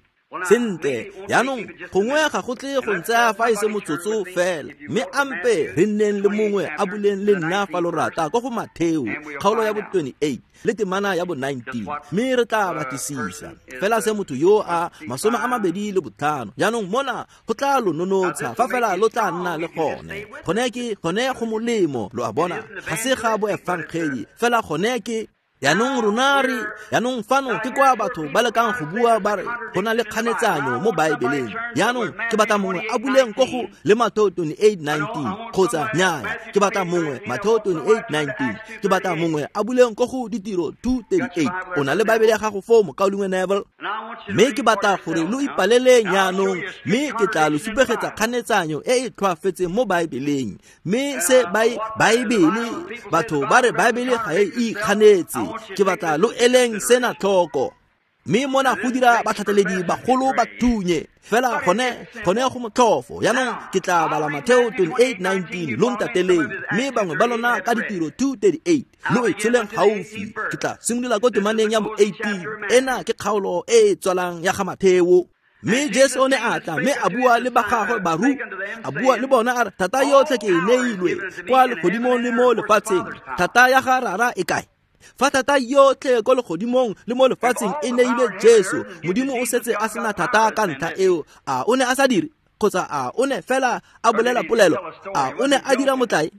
Sentle, jaanong gongwe ga go tle go ntsaya fa e se motsotso fela, mme ampe re nneng le mongwe a buleng le nna fa lo rata ko go Matheo kgaolo ya bo 28 le temana ya bo 19, mme re tla batlisisa fela se motho yo a 25. Jaanong mona go tla lo nonotsha fa fela lo tla nna le gone. Gone go molemo, lo a bona, ga se ga boefangedi fela, gone ke. Jaanong rona re, jaanong fano ke kwa batho ba lekang go bua ba re go na le kganetsanyo mo Baebeleng. Jaanong ke batla mongwe a buleng ko go le Matheo 28:19 kgotsa nnyaya, ke batla mongwe Matheo 28:19, ke batla mongwe a buleng ko go Ditiro 2:38. O na le Baebele ya gago foo, mokaulengwe Neville? Mme ke batla gore lo ipaleleng jaanong, mme ke tla lo supegetsa kganetsanyo e e tlhoafetseng mo Baebeleng. Mme se Baebele, batho ba re Baebele ga e ikganetse, ke batla lo eleng sena tlhoko. Mme mona go dira batlhateledi bagolo ba thunye fela gone go motlhofo. Jaanong ke tla bala Matheo 28:19, lo ntateleng, mme bangwe ba lona ka Ditiro 2:38 lo e tsholeng gaufi. Ke tla simolola ko temaneng ya bo 18. Ena ke kgaolo e e tswalang ya ga Matheo. Mme Jesu o ne a tla mme a bua le ba gagwe a bua le bona a re, thata yotlhe ke e neilwe kwa legodimong le mo lefatsheng. Thata ya ga Rara e kae? Fa thata yotlhe ko legodimong le mo lefatsheng e neilwe Jesu, Modimo o setse a sena thata ka ntlha eo. A o ne a sa dire? Kgotsa a o ne fela a bolela polelo? A o ne a dira motlae?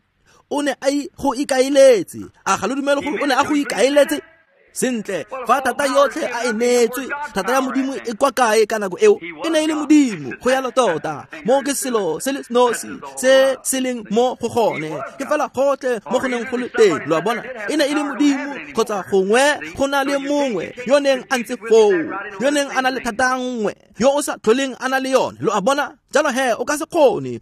O ne a go ikaeletse? A ga lo dumele gore o ne a go ikaeletse? Sentle, fa thata yotlhe a e neetswe, thata ya Modimo e kwa kae ka nako eo? E ne e le Modimo, go yalo tota. Mo ke selo se le nosi se se leng mo go gone, ke fela gotlhe mo go neng go le teng. Lo a bona, e ne e le Modimo, kgotsa gongwe go na le mongwe yo neng a ntse foo, yo neng a na le thata nngwe, yo o sa tlholeng a na le yone. Lo a bona, jalo he o ka se kgone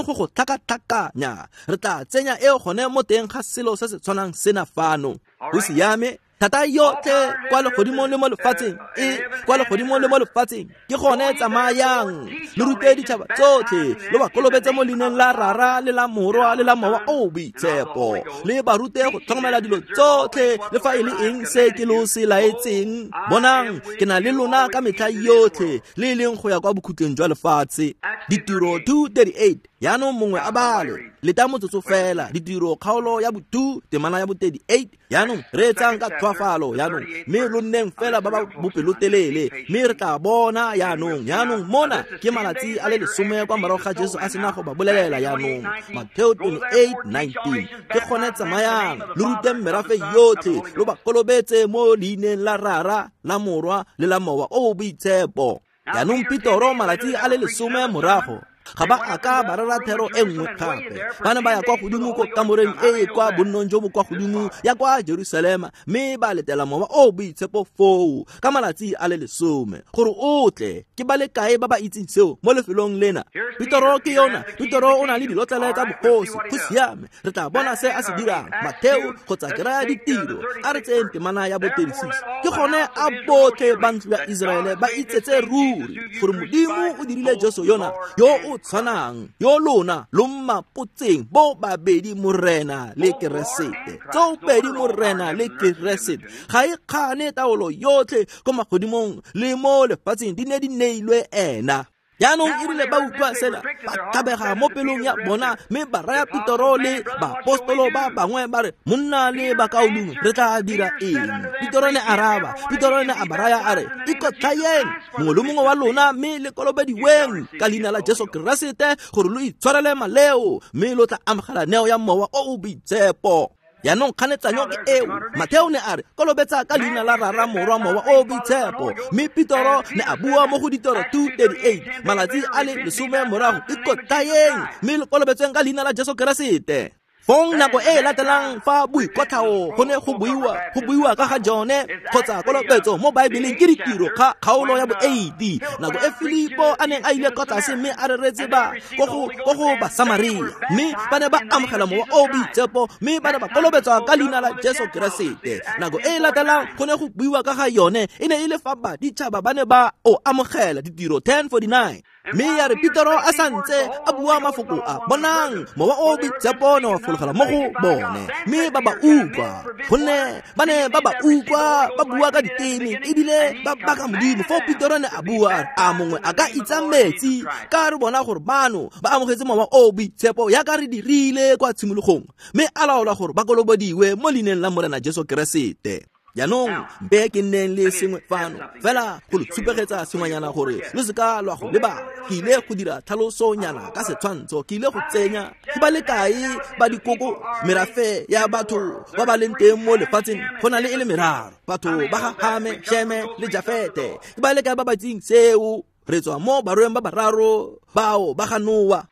go go tlhakatlhakanya. Re tla tsenya eo gone mo teng ga selo se se tshwanang sena fano. Go siame. Thata yotlhe kwa legodimong le mo lefatsheng e kwa legodimong le mo lefatsheng ke gone tsamayang le rute ditšhaba tsotlhe lo ba kolobetse mo leineng la Rara le la Morwa le la Mowa o Boitshepo le ba rute go tlhokomela dilo tsotlhe le fa e le eng se ke lo se laetseng. Bonang ke na le lona ka metlha yotlhe le e leng go ya kwa bokhutleng jwa lefatshe. Ditiro 2:38. Yaanong mongwe a bale leta motsotso fela. Ditiro kgaolo ya bo 2 temana ya bo 38. Yaanong reetsang ka tlhoafalo yaanong mme lo nneng fela ba ba bopelotelele mme re tla bona yaanong. Yaanong mona ke malatsi a le 10 kwa morago ga Jesu a sena go ba bolelela yaanong. Mateo 28:19. Ke gone tsamayang lo ruteng merafe yotlhe lo ba kolobetse mo leineng la Rara la Morwa le la Mowa o Boitshepo. Yaanong Petoro malatsi a le 10 morago ga ba a ka ba rera thero e nngwe gape. Ba ne ba ya kwa godimo ko kamoreng e e kwa bonnong jo bo kwa godimo ya kwa Jerusalema mme ba letela Mowa o Boitshepo foo ka malatsi a le 10 gore o tle. Ke ba le kae ba ba itseng seo mo lefelong lena? Petoro ke yona. Petoro o na le dilotlele tsa bogosi. Go siame, re tla bona se a se dirang. Mateo kgotsa ke raya Ditiro a re tseyeng temana ya bo 36. Ke gone a botlhe ba ntlo ya Iseraele ba itsetse ruri gore Modimo o dirile Jesu yona yo o tshwanang yo lona lo mmapotseng bo babedi Morena le Keresete. Tsoopedi Morena le Keresete. Ga e kgane taolo yotlhe ko magodimong le mo lefatsheng di ne di neilwe ena. Yaanong e rile ba utlwa sena ba tlhabega mo pelong ya bona mme ba raya Petoro le baapostolo ba bangwe ba re, monna le bakaulengwe re tla dira eng? Petoro ne araba. Petoro ne a ba raya a re, ikotlhayeng mongwe le mongwe wa lona mme le kolobediweng ka leina la Jesu Keresete gore lo itshwarele maleo mme lo tla amogela neo ya Mowa o o Boitshepo. Yaanong kganetsanyo ke eo. Mateo ne a re kolobetsa ka leina la Rara Morwa Mowa o Boitshepo mme Petoro ne a bua mo go Ditiro 2:38 malatsi a le 10 morago ikotlhayeng mme le kolobetsweng ka leina la Jesu Keresete. Fong nako e latelang fa boikotlhao go ne go buiwa ka ga jone kgotsa kolobetso mo Baebeleng ke Ditiro kgaolo ya bo 8. Nako e Filipo a neng a ile kwa tlase mme a reretse ba ko go Basamaria mme ba ne ba amogela Mowa o Boitshepo mme ba ne ba kolobetswa ka leina la Jesu Keresete. Nako e latelang go ne go buiwa ka ga yone e ne e le fa baditšhaba ba ne ba o amogela. Ditiro 10:49. Mme ya re Petoro a santse a bua mafoko a, bonang Mowa o Boitshepo ne wa fologela mo go bone mme ba ba utlwa, gonne ba ne ba ba utlwa ba bua ka diteme ebile ba baka Modimo. Foo Petoro ne a bua a mongwe a ka itsa metsi ka re bona gore bano ba amogetse Mowa o Boitshepo yaka re dirile kwa tshimologong, mme a laola gore ba kolobediwe mo leineng la Morena Jesu Keresete. Yaanong mpe ke nneng le sengwe fano fela go lo tshupegetsa sengwenyana gore lo seka lwa go lebala. Ke ile go dira tlhalosonyana ka setshwantsho. Ke ile go tsenya ke ba le kae ba dikoko merafe ya batho ba ba leng teng mo lefatsheng go na le e le meraro, batho ba ga Hame, Sheme le Jafete. Ke ba le kae ba ba itseng seo? Re tswa mo barweng ba bararo bao ba ga Noa.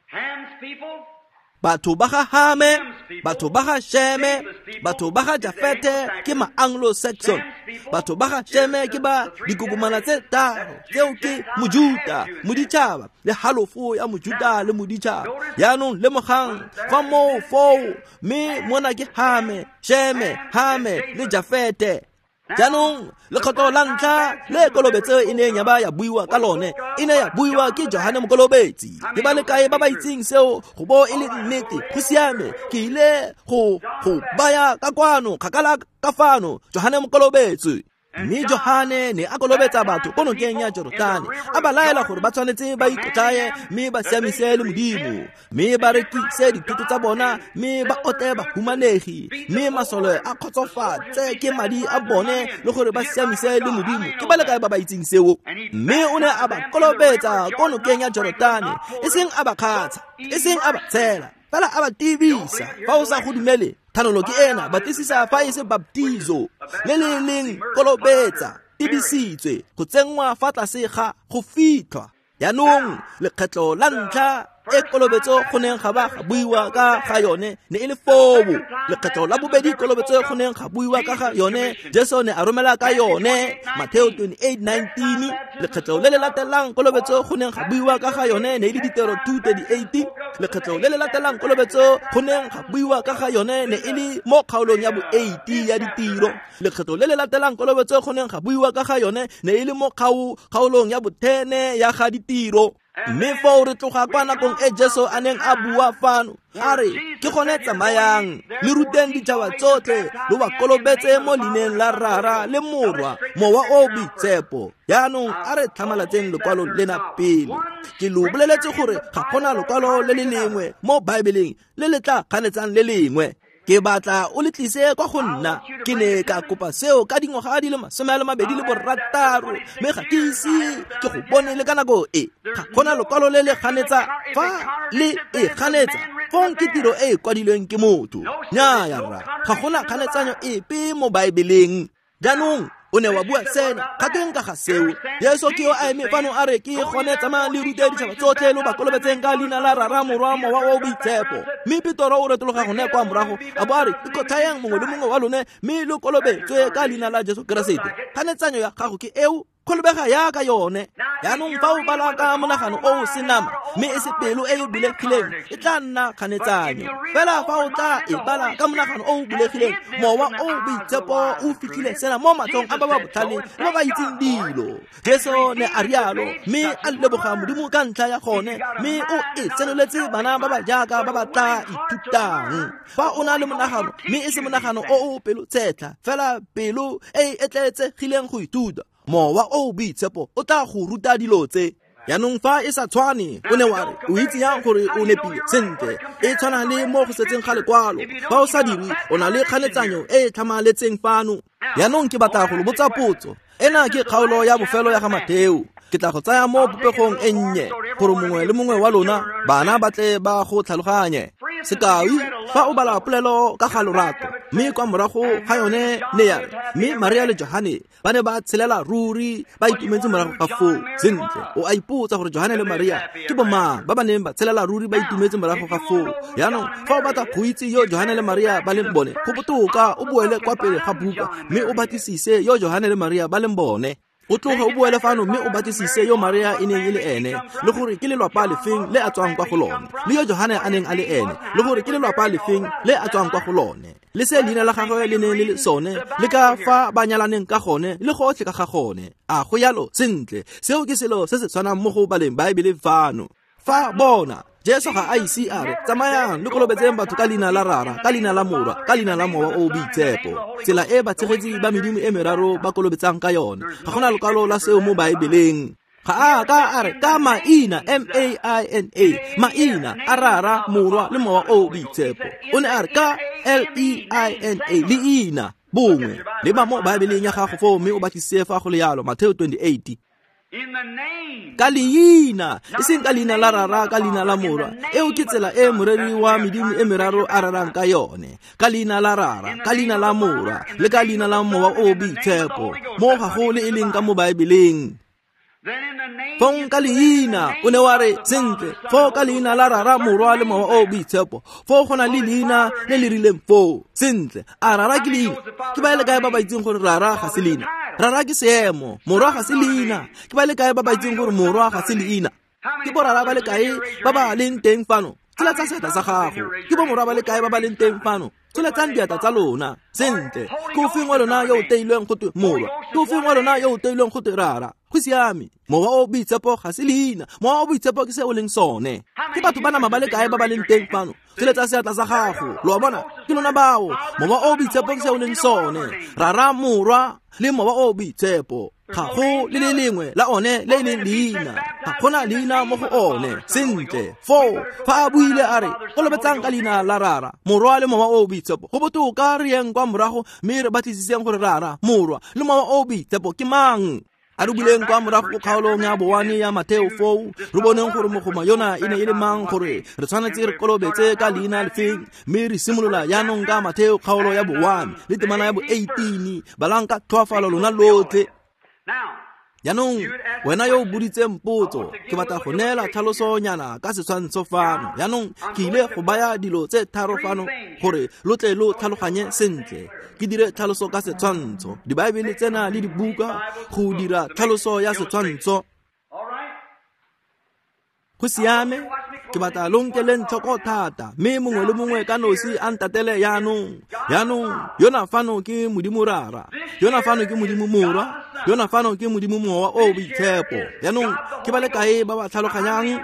Batho ba ga Hame, batho ba ga Sheme, batho ba ga Jafete ke ma-Anglo-Saxon. Batho ba ga Sheme ke ba dikokomana tse tharo, tseo ke Mojuta, moditšhaba le halofo ya Mojuta le moditšhaba. Yaanong lemogang fa moo foo, mme mona ke Hame, Sheme, Hame le Jafete. Jaanong lekgetlo la ntlha le kolobetso e neng ya ba ya buiwa ka lone e ne ya buiwa ke Johane Mokolobetsi. Ke ba le kae ba ba itseng seo go bo e le nnete? Go siame, ke ile go baya ka kwano kgakala ka fano Johane Mokolobetsi. Mme Johane ne a kolobetsa batho ko nokeng ya Jorotane, a ba laela gore ba tshwanetse ba ikotlaye mme ba siamise le Modimo, mme ba rekise dithoto tsa bona mme ba otle bahumanegi, mme masole a kgotsofatse ke madi a bone le gore ba siamise le Modimo. Ke ba le kae ba ba itseng seo? Mme o ne a ba kolobetsa ko nokeng ya Jorotane, e seng a ba kgatsha, e seng a ba tshela, fela a ba tibisa. Fa o sa go dumele, thanolo ke ena, batlisisa fa e se baptizo le le leng kolobetsa, tibisitswe go tsenngwa fa tlase ga go fitlhwa. Yaanong lekgetlo la ntlha e kolobetso go neng ga ba ga buiwa ka ga yone ne e le foo. Lekgetlo la bobedi kolobetso go neng ga buiwa ka ga yone, Jesu ne a romela ka yone, Mateo 28:19. Lekgetlo le le latelang kolobetso go neng ga buiwa ka ga yone ne e le Ditiro 2:38. Lekgetlo le le latelang kolobetso go neng ga buiwa ka ga yone ne e le mo kgaolong ya bo 80 ya Ditiro. Lekgetlo le le latelang kolobetso go neng ga buiwa ka ga yone ne e le mo kgaolong ya bo 10 ya ga Ditiro. Mme foo re tloga kwa nakong e Jesu a neng a bua fano, a re ke gone tsamayang le ruteng ditšhaba tsotlhe, lo ba kolobetse mo leineng la Rara le Morwa, Mowa o Boitshepo. Jaanong a re tlhamalatseng lekwalo lena pele. Ke lo boleletse gore ga gona lekwalo le le lengwe mo Baebeleng le le tla kganetsang le lengwe. Ke batla o le tlise kwa go nna. Ke ne ka kopa seo ka dingwaga di le 26, mme ga ke ise ke go bone le ka nako e. Ga gona lekwalo le le ganetsa. Fa le e ganetsa, fong ke tiro e e kwadilweng ke motho. Nnyaya rra, ga gona kganetsanyo epe mo Baebeleng. Jaanong o ne wa bua sena, ga tweng ka ga seo? Jesu ke yo a eme fano a re ke gone tsamayang le rute ditšhaba tsotlhe, lo ba kolobetseng ka leina la Rara, Morwa, Mowa o Boitshepo. Mme Petoro o retologa gone kwa morago a bo a re ikotlhayang mongwe le mongwe wa lone mme lo kolobetswe ka leina la Jesu Keresete. Kganetsanyo ya gago ke eo, kolobega yaka yone. Jaanong fa o bala ka monagano o o senama mme e se pelo e e bulegileng, e tla nna kganetsanyo. Fela fa o tla e bala ka monagano o o bulegileng, Mowa o o Boitshepo o fitlhile sena mo matlhong a ba ba botlhale le ba ba itseng dilo. Jesu ne a rialo, mme a leboga Modimo ka ntlha ya gone, mme o e senoletse bana ba ba jaaka ba ba tla ithutang. Fa o na le monagano mme e se monagano o o pelotshetlha, fela pelo e e etleetsegileng go ithuta, Mowa o Boitshepo o tla go ruta dilo tse. Jaanong fa e sa tshwane, o ne wa re o itse yang gore o nepile? Sentle, e tshwana le mo go setseng ga lekwalo. Fa o sa dire, o na le kganetsanyo e e tlhamaletseng fano. Jaanong ke batla go lo botsa potso. Ena ke kgaolo ya bofelo ya ga Mateo. Ke tla go tsaya mo popegong e nnye gore mongwe le mongwe wa lona bana ba tle ba go tlhaloganye. Sekai, fa o bala polelo ka ga lorato, mme kwa morago ga yone ne ya re mme Maria le Johane ba ne ba tshelela ruri ba itumetse morago ga foo. Sentle, o a ipotsa gore Johane le Maria ke bomang ba ba neng ba tshelela ruri ba itumetse morago ga foo. Jaanong fa o batla go itse yo Johane le Maria ba leng bone, go botoka o boele kwa pele ga buka mme o batlisise yo Johane le Maria ba leng bone. O tloge o boele fano mme o batlisise yo Maria e neng e le ene, le gore ke lelwapa lefeng le a tswang kwa go lone, le yo Johane a neng a le ene, le gore ke lelwapa lefeng le a tswang kwa go lone, le se leina la gagwe le neng le le sone, le ka fa ba nyalaneng ka gone, le gotlhe ka ga gone. A go yalo? Sentle, seo ke selo se se tshwanang mo go baleng Baebele fano. Fa bona, Jesu ga a ise a re tsamayang le kolobetseng batho ka leina la Rara, ka leina la Morwa, ka leina la Mowa o Boitshepo, tsela e batshegetsi ba medimo e meraro ba kolobetsang ka yone. Ga gona lekwalo la seo mo Baebeleng. Ga a ka a re ka maina, M-A-I-N-A, maina a Rara, Morwa le Mowa o Boitshepo. O ne a re ka L-E-I-N-A, leina bongwe. Leba mo Baebeleng ya gago foo mme o batlisise fa go le yalo, Mateo 28. Ka leina, e seng ka leina la Rara, ka leina la Morwa. Eo ke tsela e moreri wa medimo e meraro a rerang ka yone. Ka leina la Rara, ka leina la Morwa, le ka leina la Mowa o Boitshepo. Mo ga go le e leng ka mo Baebeleng. Fong ka leina, o ne wa re sentle, foo ka leina la Rara, Morwa le Mowa o Boitshepo. Foo go na le leina le le rileng foo. Sentle, a Rara ke leina? Ke ba le kae ba ba itseng gore Rara ga se leina? Rara ke seemo, Morwa ga se leina. Ke ba le kae ba ba itseng gore Morwa ga se leina? Ke borara ba le kae ba ba leng teng fano? Tsholetsa seatla sa gago. Ke bomorwa ba le kae ba ba leng teng fano? Tsholetsang diatla tsa lona. Sentle, ke ofeng wa lona yo o teilweng go twe Morwa? Ke ofeng wa lona yo o teilweng go twe Rara? Go siame. Mowa o Boitshepo ga se leina. Mowa o Boitshepo ke se o leng sone. Ke batho ba nama ba le kae ba ba leng teng fano? Tsholetsa seatla sa gago. Lo a bona? Ke lona bao. Mowa o Boitshepo ke se o leng sone. Rara, Morwa le Mowa o Boitshepo. Ga go le le lengwe la one le e leng leina. Ga gona leina mo go one. Sentle, foo fa a buile a re kolobetsang ka leina la Rara, Morwa le Mowa o Boitshepo, go botoka re yeng kwa morago mme re batlisiseng gore Rara, Morwa le Mowa o Boitshepo ke mang. A re buleng kwa morago ko kgaolong ya bowane ya Mateo foo, re boneng gore mogoma yona e ne e le mang, gore re tshwanetse re kolobetse ka leina lefeng. Mme re simolola jaanong ka Mateo kgaolo ya bowane le temana ya bo 18. Balang ka tlhoafalo lona lotlhe. Jaanong wena yo o boditseng potso, ke batla go neela tlhalosonyana ka setshwantsho fano. Jaanong ke ile go baya dilo tse tharo fano gore lo tle lo tlhaloganye sentle. Ke dire tlhaloso ka setshwantsho. Dibaebele tsena le dibuka go dira tlhaloso ya setshwantsho. Go siame, ke batla lo nkeleng tlhoko thata, mme mongwe le mongwe ka nosi a ntatele jaanong. Jaanong yona fano ke Modimo Rara, yona fano ke Modimo Morwa, yona fano ke Modimo Mowa o Boitshepo. Jaanong ke ba le kae ba ba tlhaloganyang?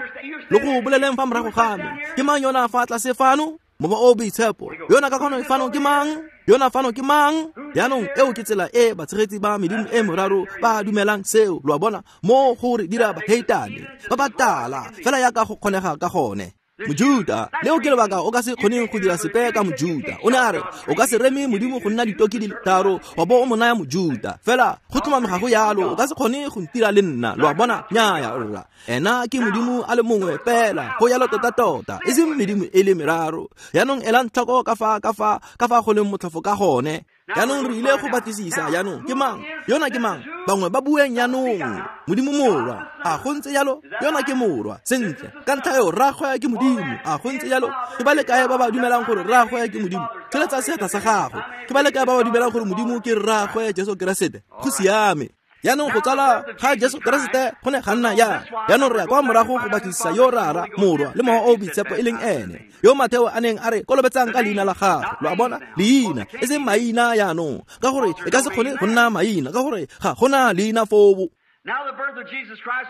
Lo go boleleng fa morago ga me. Ke mang yona fa tlase fano? Mowa o Boitshepo. Yona ka kgono fano ke mang? Yona fano ke mang? Jaanong eo ke tsela e batshegetsi ba medimo e moraro ba dumelang seo, lo a bona, mo go re dira baheitane ba ba tala fela yaka go kgonega ka gone. Mojuta, leo ke lebaka o ka se kgoneng go dira sepe ka Mojuta. O ne a re o ka se reme Modimo go nna ditoki di le tharo wa bo o mo naya Mojuta. Fela go tlhomame ga go yalo, o ka se kgone go ntira le nna, lo a bona. Nnyaya rra, ena ke Modimo a le mongwe fela, go yalo tota-tota, e seng medimo e le meraro. Jaanong elang tlhoko ka fa ka fa ka fa go leng motlhofo ka gone. Jaanong re ile go batlisisa jaanong ke mang yona, ke mang bangwe ba bueng jaanong. Modimo Morwa, a go ntse jalo? Yona ke Morwa, sentle, ka ntlha eo rraagwe ke Modimo, a go ntse jalo? Ke ba le kae ba ba dumelang gore rraagwe ke Modimo? Tsholetsa seatla sa gago. Ke ba le kae ba ba dumelang gore Modimo ke rraagwe Jesu Keresete? Go siame. Jaanong go tsala ga Jesu Keresete go ne ga nna jang? Jaanong re ya kwa morago go batlisisa yo Rara, Morwa le Mowa o Boitshepo e leng ene, yo Matheo a neng a re kolobetsang ka leina la gagwe. Lo a bona, leina e seng maina jaanong, ka gore e ka se kgone go nna maina, ka gore ga gona leina foo.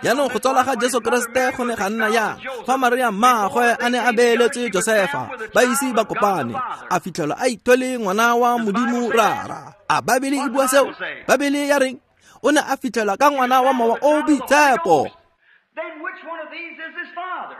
Jaanong go tsala ga Jesu Keresete go ne ga nna jang? Fa Maria mmaagwe a ne a beeletswe Josefa, ba ise ba kopane, a fitlhelwa a ithwele ngwana wa Modimo Rara. A Baebele e bua seo? Baebele ya reng? O ne a fitlhelwa ka ngwana wa Mowa o Boitshepo. Then which one of these is his father?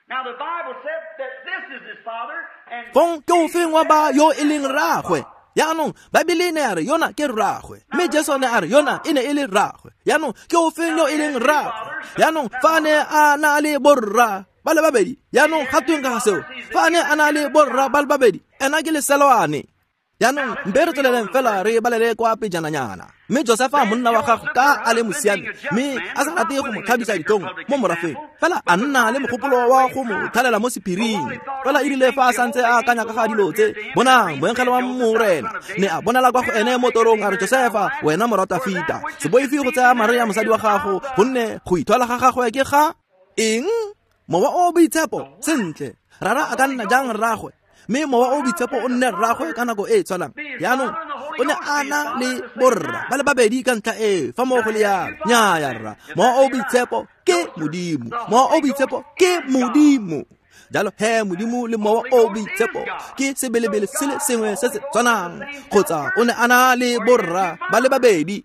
Now the Bible said that this is his father, and Fong ke ofeng wa ba yo e leng rraagwe? Jaanong Baebele e ne ya re yona ke rraagwe, mme Jesu ne a re yona e ne e le rraagwe. Jaanong ke ofeng yo e leng rraagwe? Jaanong fa a ne a na le borra ba le babedi, jaanong ga tweng ka ga seo? Fa a ne a na le borra ba le babedi, ena ke leselwane. Jaanong mpe re tsweleleng fela re balele kwa pejananyana. Mme Josefa monna wa gagwe ka a le mosiami, mme a sa rate go mo tlhabisa ditlhong mo morafeng, fela a nna le mogopolo wa go mo thalela mo sephiring. Fela e rile fa a santse a akanya ka ga dilo tse, bonang, moengele wa Morena ne a bonala kwa go ene mo torong, a re, Josefa, wena morwa Tafita, se boife go tsaya Maria mosadi wa gago, gonne go ithwala ga gagwe ke ga eng? Mowa o Boitshepo. Sentle, Rara a ka nna jang rraagwe, mme Mowa o Boitshepo o nne rraagwe ka nako e e tshwanang? Jaanong o ne a na le borra ba le babedi ka ntlha e, fa mo go le yalo. Nnyaya rra, Mowa o Boitshepo ke Modimo, Mowa o Boitshepo ke Modimo. Jalo he Modimo le Mowa o Boitshepo ke sebelebele se le sengwe se se tshwanang, kgotsa o ne a na le borra ba le babedi.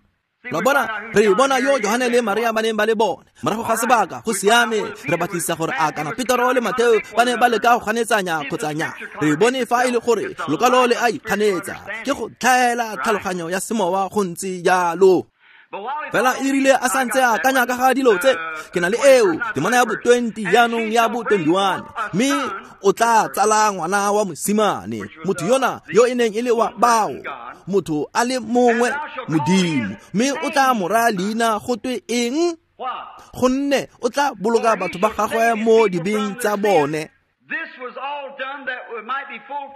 Lo bona, re bona yo Johane le Maria ba neng ba le bone morago ga sebaka. Go siame, re batlisisa gore a kana Petero le Matheo ba ne ba leka go ganetsanya kgotsa nya. Re bone fa e le gore lokwalo le a ikganetsa, ke go tlhaela tlhaloganyo ya semowa go ntse jalo. Fela e rile a santse a akanya ka ga dilo tse, ke na le eo temana ya bo 20 jaanong ya bo 21, mme o tla tsala ngwana wa mosimane, motho yona yo e neng e le wa bao, motho a le mongwe Modimo, mme o tla mo raya leina go twe eng? Gonne o tla boloka batho ba gagwe mo dibeng tsa bone.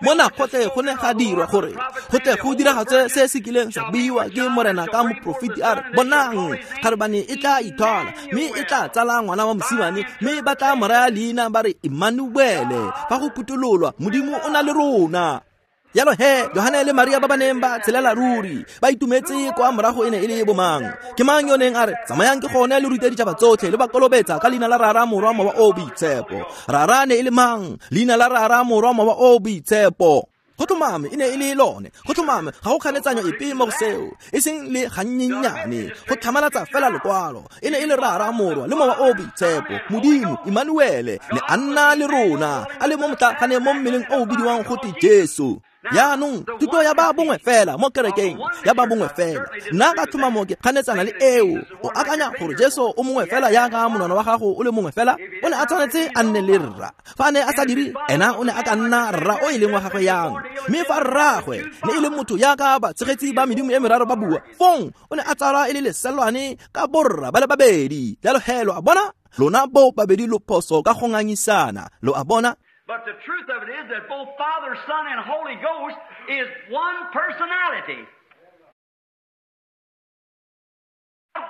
Mona gotlhe go ne ga dirwa gore go tle go diragatse se se kileng sa buiwa ke Morena ka moprofeti a re, bonang, kgarebane e tla ithwala, mme e tla tsala ngwana wa mosimane, mme ba tla mo raya leina ba re Emmanuele, fa go phuthololwa, Modimo o na le rona. Jalo he, Johane le Maria ba ba neng ba tshelela ruri, ba itumetse kwa morago e ne e le bomang? Ke mang yo neng a re, tsamayang ke gone le rute ditšhaba tsotlhe, le ba kolobetsa ka leina la Rara, Morwa, Mowa o Boitshepo? Rara ne e le mang? Leina la Rara, Morwa, Mowa o Boitshepo. Go tlhomame e ne e le lone. Go tlhomame ga go kganetsanyo epe mo go seo, e seng le gannyennyane, go tlhamalatsa fela lokwalo. E ne e le Rara, Morwa le Mowa o Boitshepo. Modimo Emmanuele ne a nna le rona, a le mo motlaaganeng mo mmeleng o o bidiwang go twe Jesu. Jaanong thuto ya ba bongwe fela mo kerekeng ya ba bongwe fela, nna ka tlhomamo ke kganetsana le eo. O akanya gore Jesu o mongwe fela jaaka monwana wa gago o le mongwe fela? O ne a tshwanetse a nne le rra. Fa a ne a sa dire, ena o ne a ka nna rra o e leng wa gagwe yang? Mme fa rraagwe ne e le motho jaaka batshegetsi ba medimo e meraro ba bua, fong o ne a tsalwa e le leselwane ka borra ba le babedi. Jalo he lo a bona, lona bo babedi lo phoso ka go ngangisana. Lo a bona? But the truth of it is that both Father, Son, and Holy Ghost is one personality.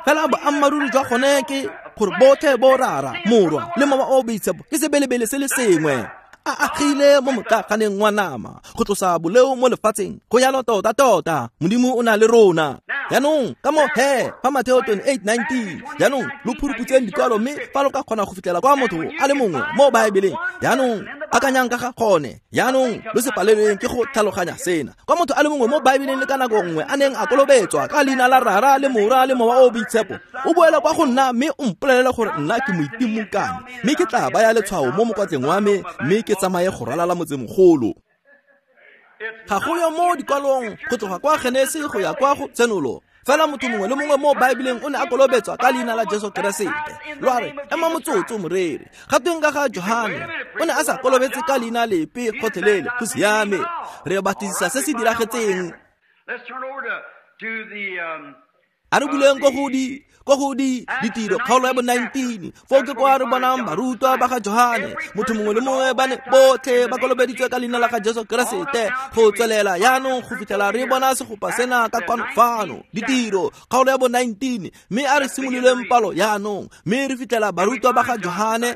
Fela boammaaruri jwa gone ke gore botlhe bo Rara, Morwa le Mowa o Boitshepo ke sebelebele se le sengwe, a agile mo motlaganeng wa nama go tlosa boleo mo lefatsheng. Go jalo tota-tota, Modimo o na le rona. Jaanong ka mo he fa Mateo 28:19, jaanong lo phuruputseng dikwalo, mme fa lo ka kgona go fitlhela kwa motho a le mongwe mo Baebeleng, jaanong akanyang ka ga gone. Jaanong lo se palelweng ke go tlhaloganya sena. Kwa motho a le mongwe mo Baebeleng le ka nako nngwe a neng a kolobetswa ka leina la Rara le Morwa le Mowa o Boitshepo, o boela kwa go nna mme o mpolelele gore nna ke moitimokane, mme ke tla baya letshwao mo mokwatleng wa me, mme ke tsamaye go ralala motsemogolo. Ga go yo mo dikwalong go tloga kwa Genesi go ya kwa go Tshenolo. Fela motho mongwe le mongwe mo Baebeleng o ne a kolobetswa ka leina la Jesu Keresete. Lo a re, ema motsotso moreri, ga tweng ka ga Johane? O ne a sa kolobetse ka leina lepe gotlhelele. Go siame, re batlisisa se se diragetseng. A re buleng ko go di ditiro kgaolo ya bo 19, foo ke kwa re bonang barutwa ba ga Johane. Motho mongwe le mongwe ba ne botlhe ba kolobeditswe ka leina la ga Jesu Keresete go tswelela jaanong go fitlhela re bona segopa sena ka kwano fano. Ditiro kgaolo ya bo 19, mme a re simololeng palo jaanong, mme re fitlhela barutwa ba ga Johane.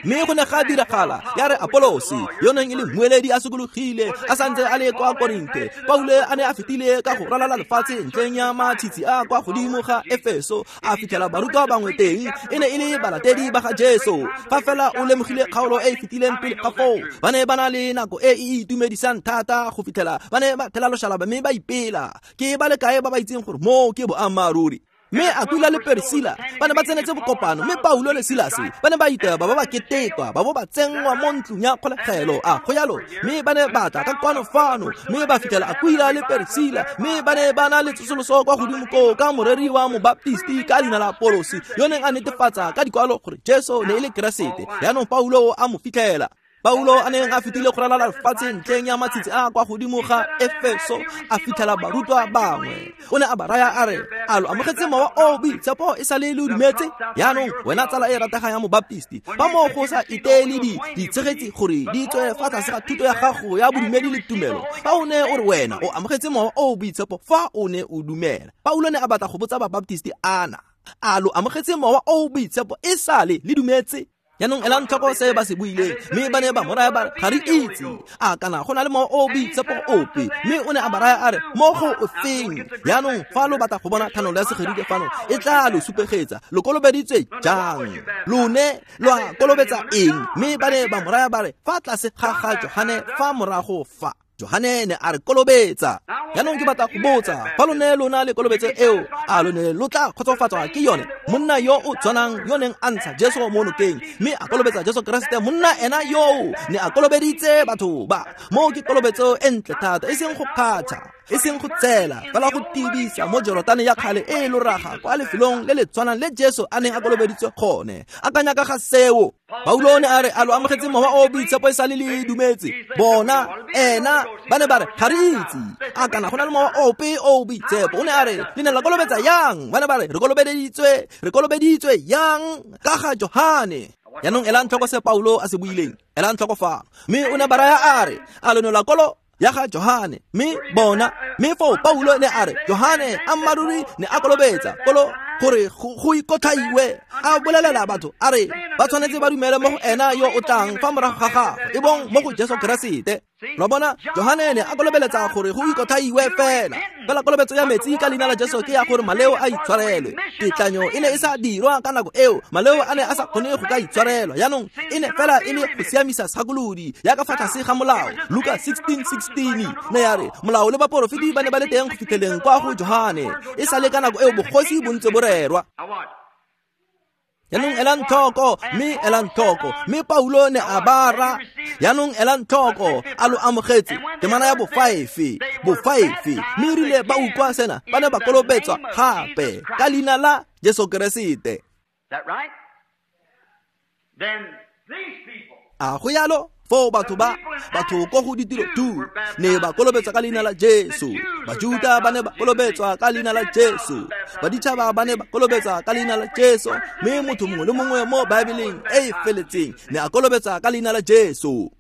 Mme go ne ga diragala ya re Apolosi, yo neng e le mmueledi, a sokologile a santse a le kwa Korinthe, Paulo a ne a fetile ka go ralala lefatshe ntleng ya matshitshi a kwa godimo ga Efeso, a fitlhela barutwa bangwe teng, e ne e le balatedi ba ga Jesu. Fa fela o lemogile kgaolo e e fetileng pele ga foo, ba ne ba na le nako e e itumedisang thata go fitlhela ba ne ba thela loshalaba mme ba ipela. Ke ba le kae ba ba itseng gore moo ke boammaaruri? Mme Aquila le Priscilla ba ne ba tsenetse bokopano, mme Paulo le Silase ba ne ba iteba ba ba ketekwa, ba bo ba tsenngwa mo ntlong ya kgolegelo. A go jalo? Mme ba ne ba tla ka kwano fano, mme ba fitlhela Aquila le Priscilla, mme ba ne ba na le tsosoloso kwa godimo koo ka moreri wa mobaptisti ka leina la Apolosi, yo neng a netefatsa ka dikwalo gore Jesu ne e le Keresete. Jaanong Paulo a mo fitlhela. Paulo a neng a fetile go ralala lefatshe ntleng ya matshitshi a kwa godimo ga Efeso, a fitlhela barutwa bangwe. O ne a ba raya a re, a lo amogetse Mowa o Boitshepo e sa le lo dumetse? Jaanong wena tsala e rategang ya mobaptisti, fa moo go sa iteele ditshegetsi gore di tswe fa tlase ga thuto ya gago ya bodumedi le tumelo, fa o ne o re wena o amogetse Mowa o Boitshepo fa o ne o dumela. Paulo ne a batla go botsa babaptisti ana, a lo amogetse Mowa o Boitshepo e sa le le dumetse? Jaanong elang tlhoko se ba se buileng, mme ba ne ba mo raya ba re, ga re itse a kana go na le Mowa o Boitshepo ope. Mme o ne a ba raya a re, mo go ofeng? Jaanong fa lo batla go bona thanolo ya Segerike fano, e tla lo supegetsa. Lo kolobeditswe jang? Lone lwa kolobetsa eng? Mme ba ne ba mo raya ba re, fa tlase ga ga Johane fa morago fa. Johane ne a re kolobetsa. Jaanong ke batla go botsa, fa lo ne lo na le kolobetso eo, a lo ne lo tla kgotsofatswa ke yone? Monna yo o tshwanang yo neng a ntsha Jesu mo nokeng mme a kolobetsa Jesu Keresete, monna ena yoo ne a kolobeditse batho ba. Moo ke kolobetso e ntle thata, e seng go kgatšha, e seng go tsela, fela go tibisa mo Jorotane ya kgale e e loraga kwa lefelong le le tshwanang le Jesu a neng a kolobeditswe gone. Akanya ka ga seo. Paulo ne a re, a lo amogetse Mowa o Boitshepo e sa le le dumetse? Bona ena ba ne ba re, ga re itse a kana go na le Mowa ope o Boitshepo. O ne a re, le ne la kolobetsa yang? Ba ne ba re, re kolobeditswe yang ka ga Johane. Jaanong elang tlhoko se Paulo a se buileng, elang tlhoko fano. Mme o ne ba raya a re, a lo ne la kolo ya ga Johane? Mme bona, mme foo Paulo ne a re, Johane ammaaruri ne a kolobetsa kolo gore go ikotlhaiwe, a bolelela batho a re ba tshwanetse ba dumele mo go ena yo o tlang fa morago ga gagwe, e bong mo go Jesu Keresete. Lo bona, Johane ne a kolobeletsa gore go ikotlhaiwe fela. Fela kolobetso ya metsi ka leina la Jesu ke ya gore maleo a itshwarelwe. Tetlanyo e ne e sa dirwa ka nako eo, maleo a ne a sa kgone go ka itshwarelwa. Jaanong e ne fela e le go siamisa segakolodi ya ka fa tlase ga molao. Luka 16:16 ne ya re molao le baporofeti ba ne ba le teng go fitlheleng kwa go Johane. E sa le ka nako eo bogosi bo ntse bo rerwa. Jaanong elang tlhoko, mme elang tlhoko, mme Paulo ne a ba ra. Jaanong elang tlhoko, a lo amogetse temana ya bofaefe, mme erile ba utlwa sena, ba ne ba kolobetswa gape ka leina la Jesu Keresete. A go yalo? Foo batho ko go ditiro 2 ne ba kolobetswa ka leina la Jesu. Bajuda ba ne ba kolobetswa ka leina la Jesu. Baditšhaba ba ne ba kolobetswa ka leina la Jesu. Mme motho mongwe le mongwe mo Baebeleng e e feletseng ne a kolobetswa ka leina la Jesu.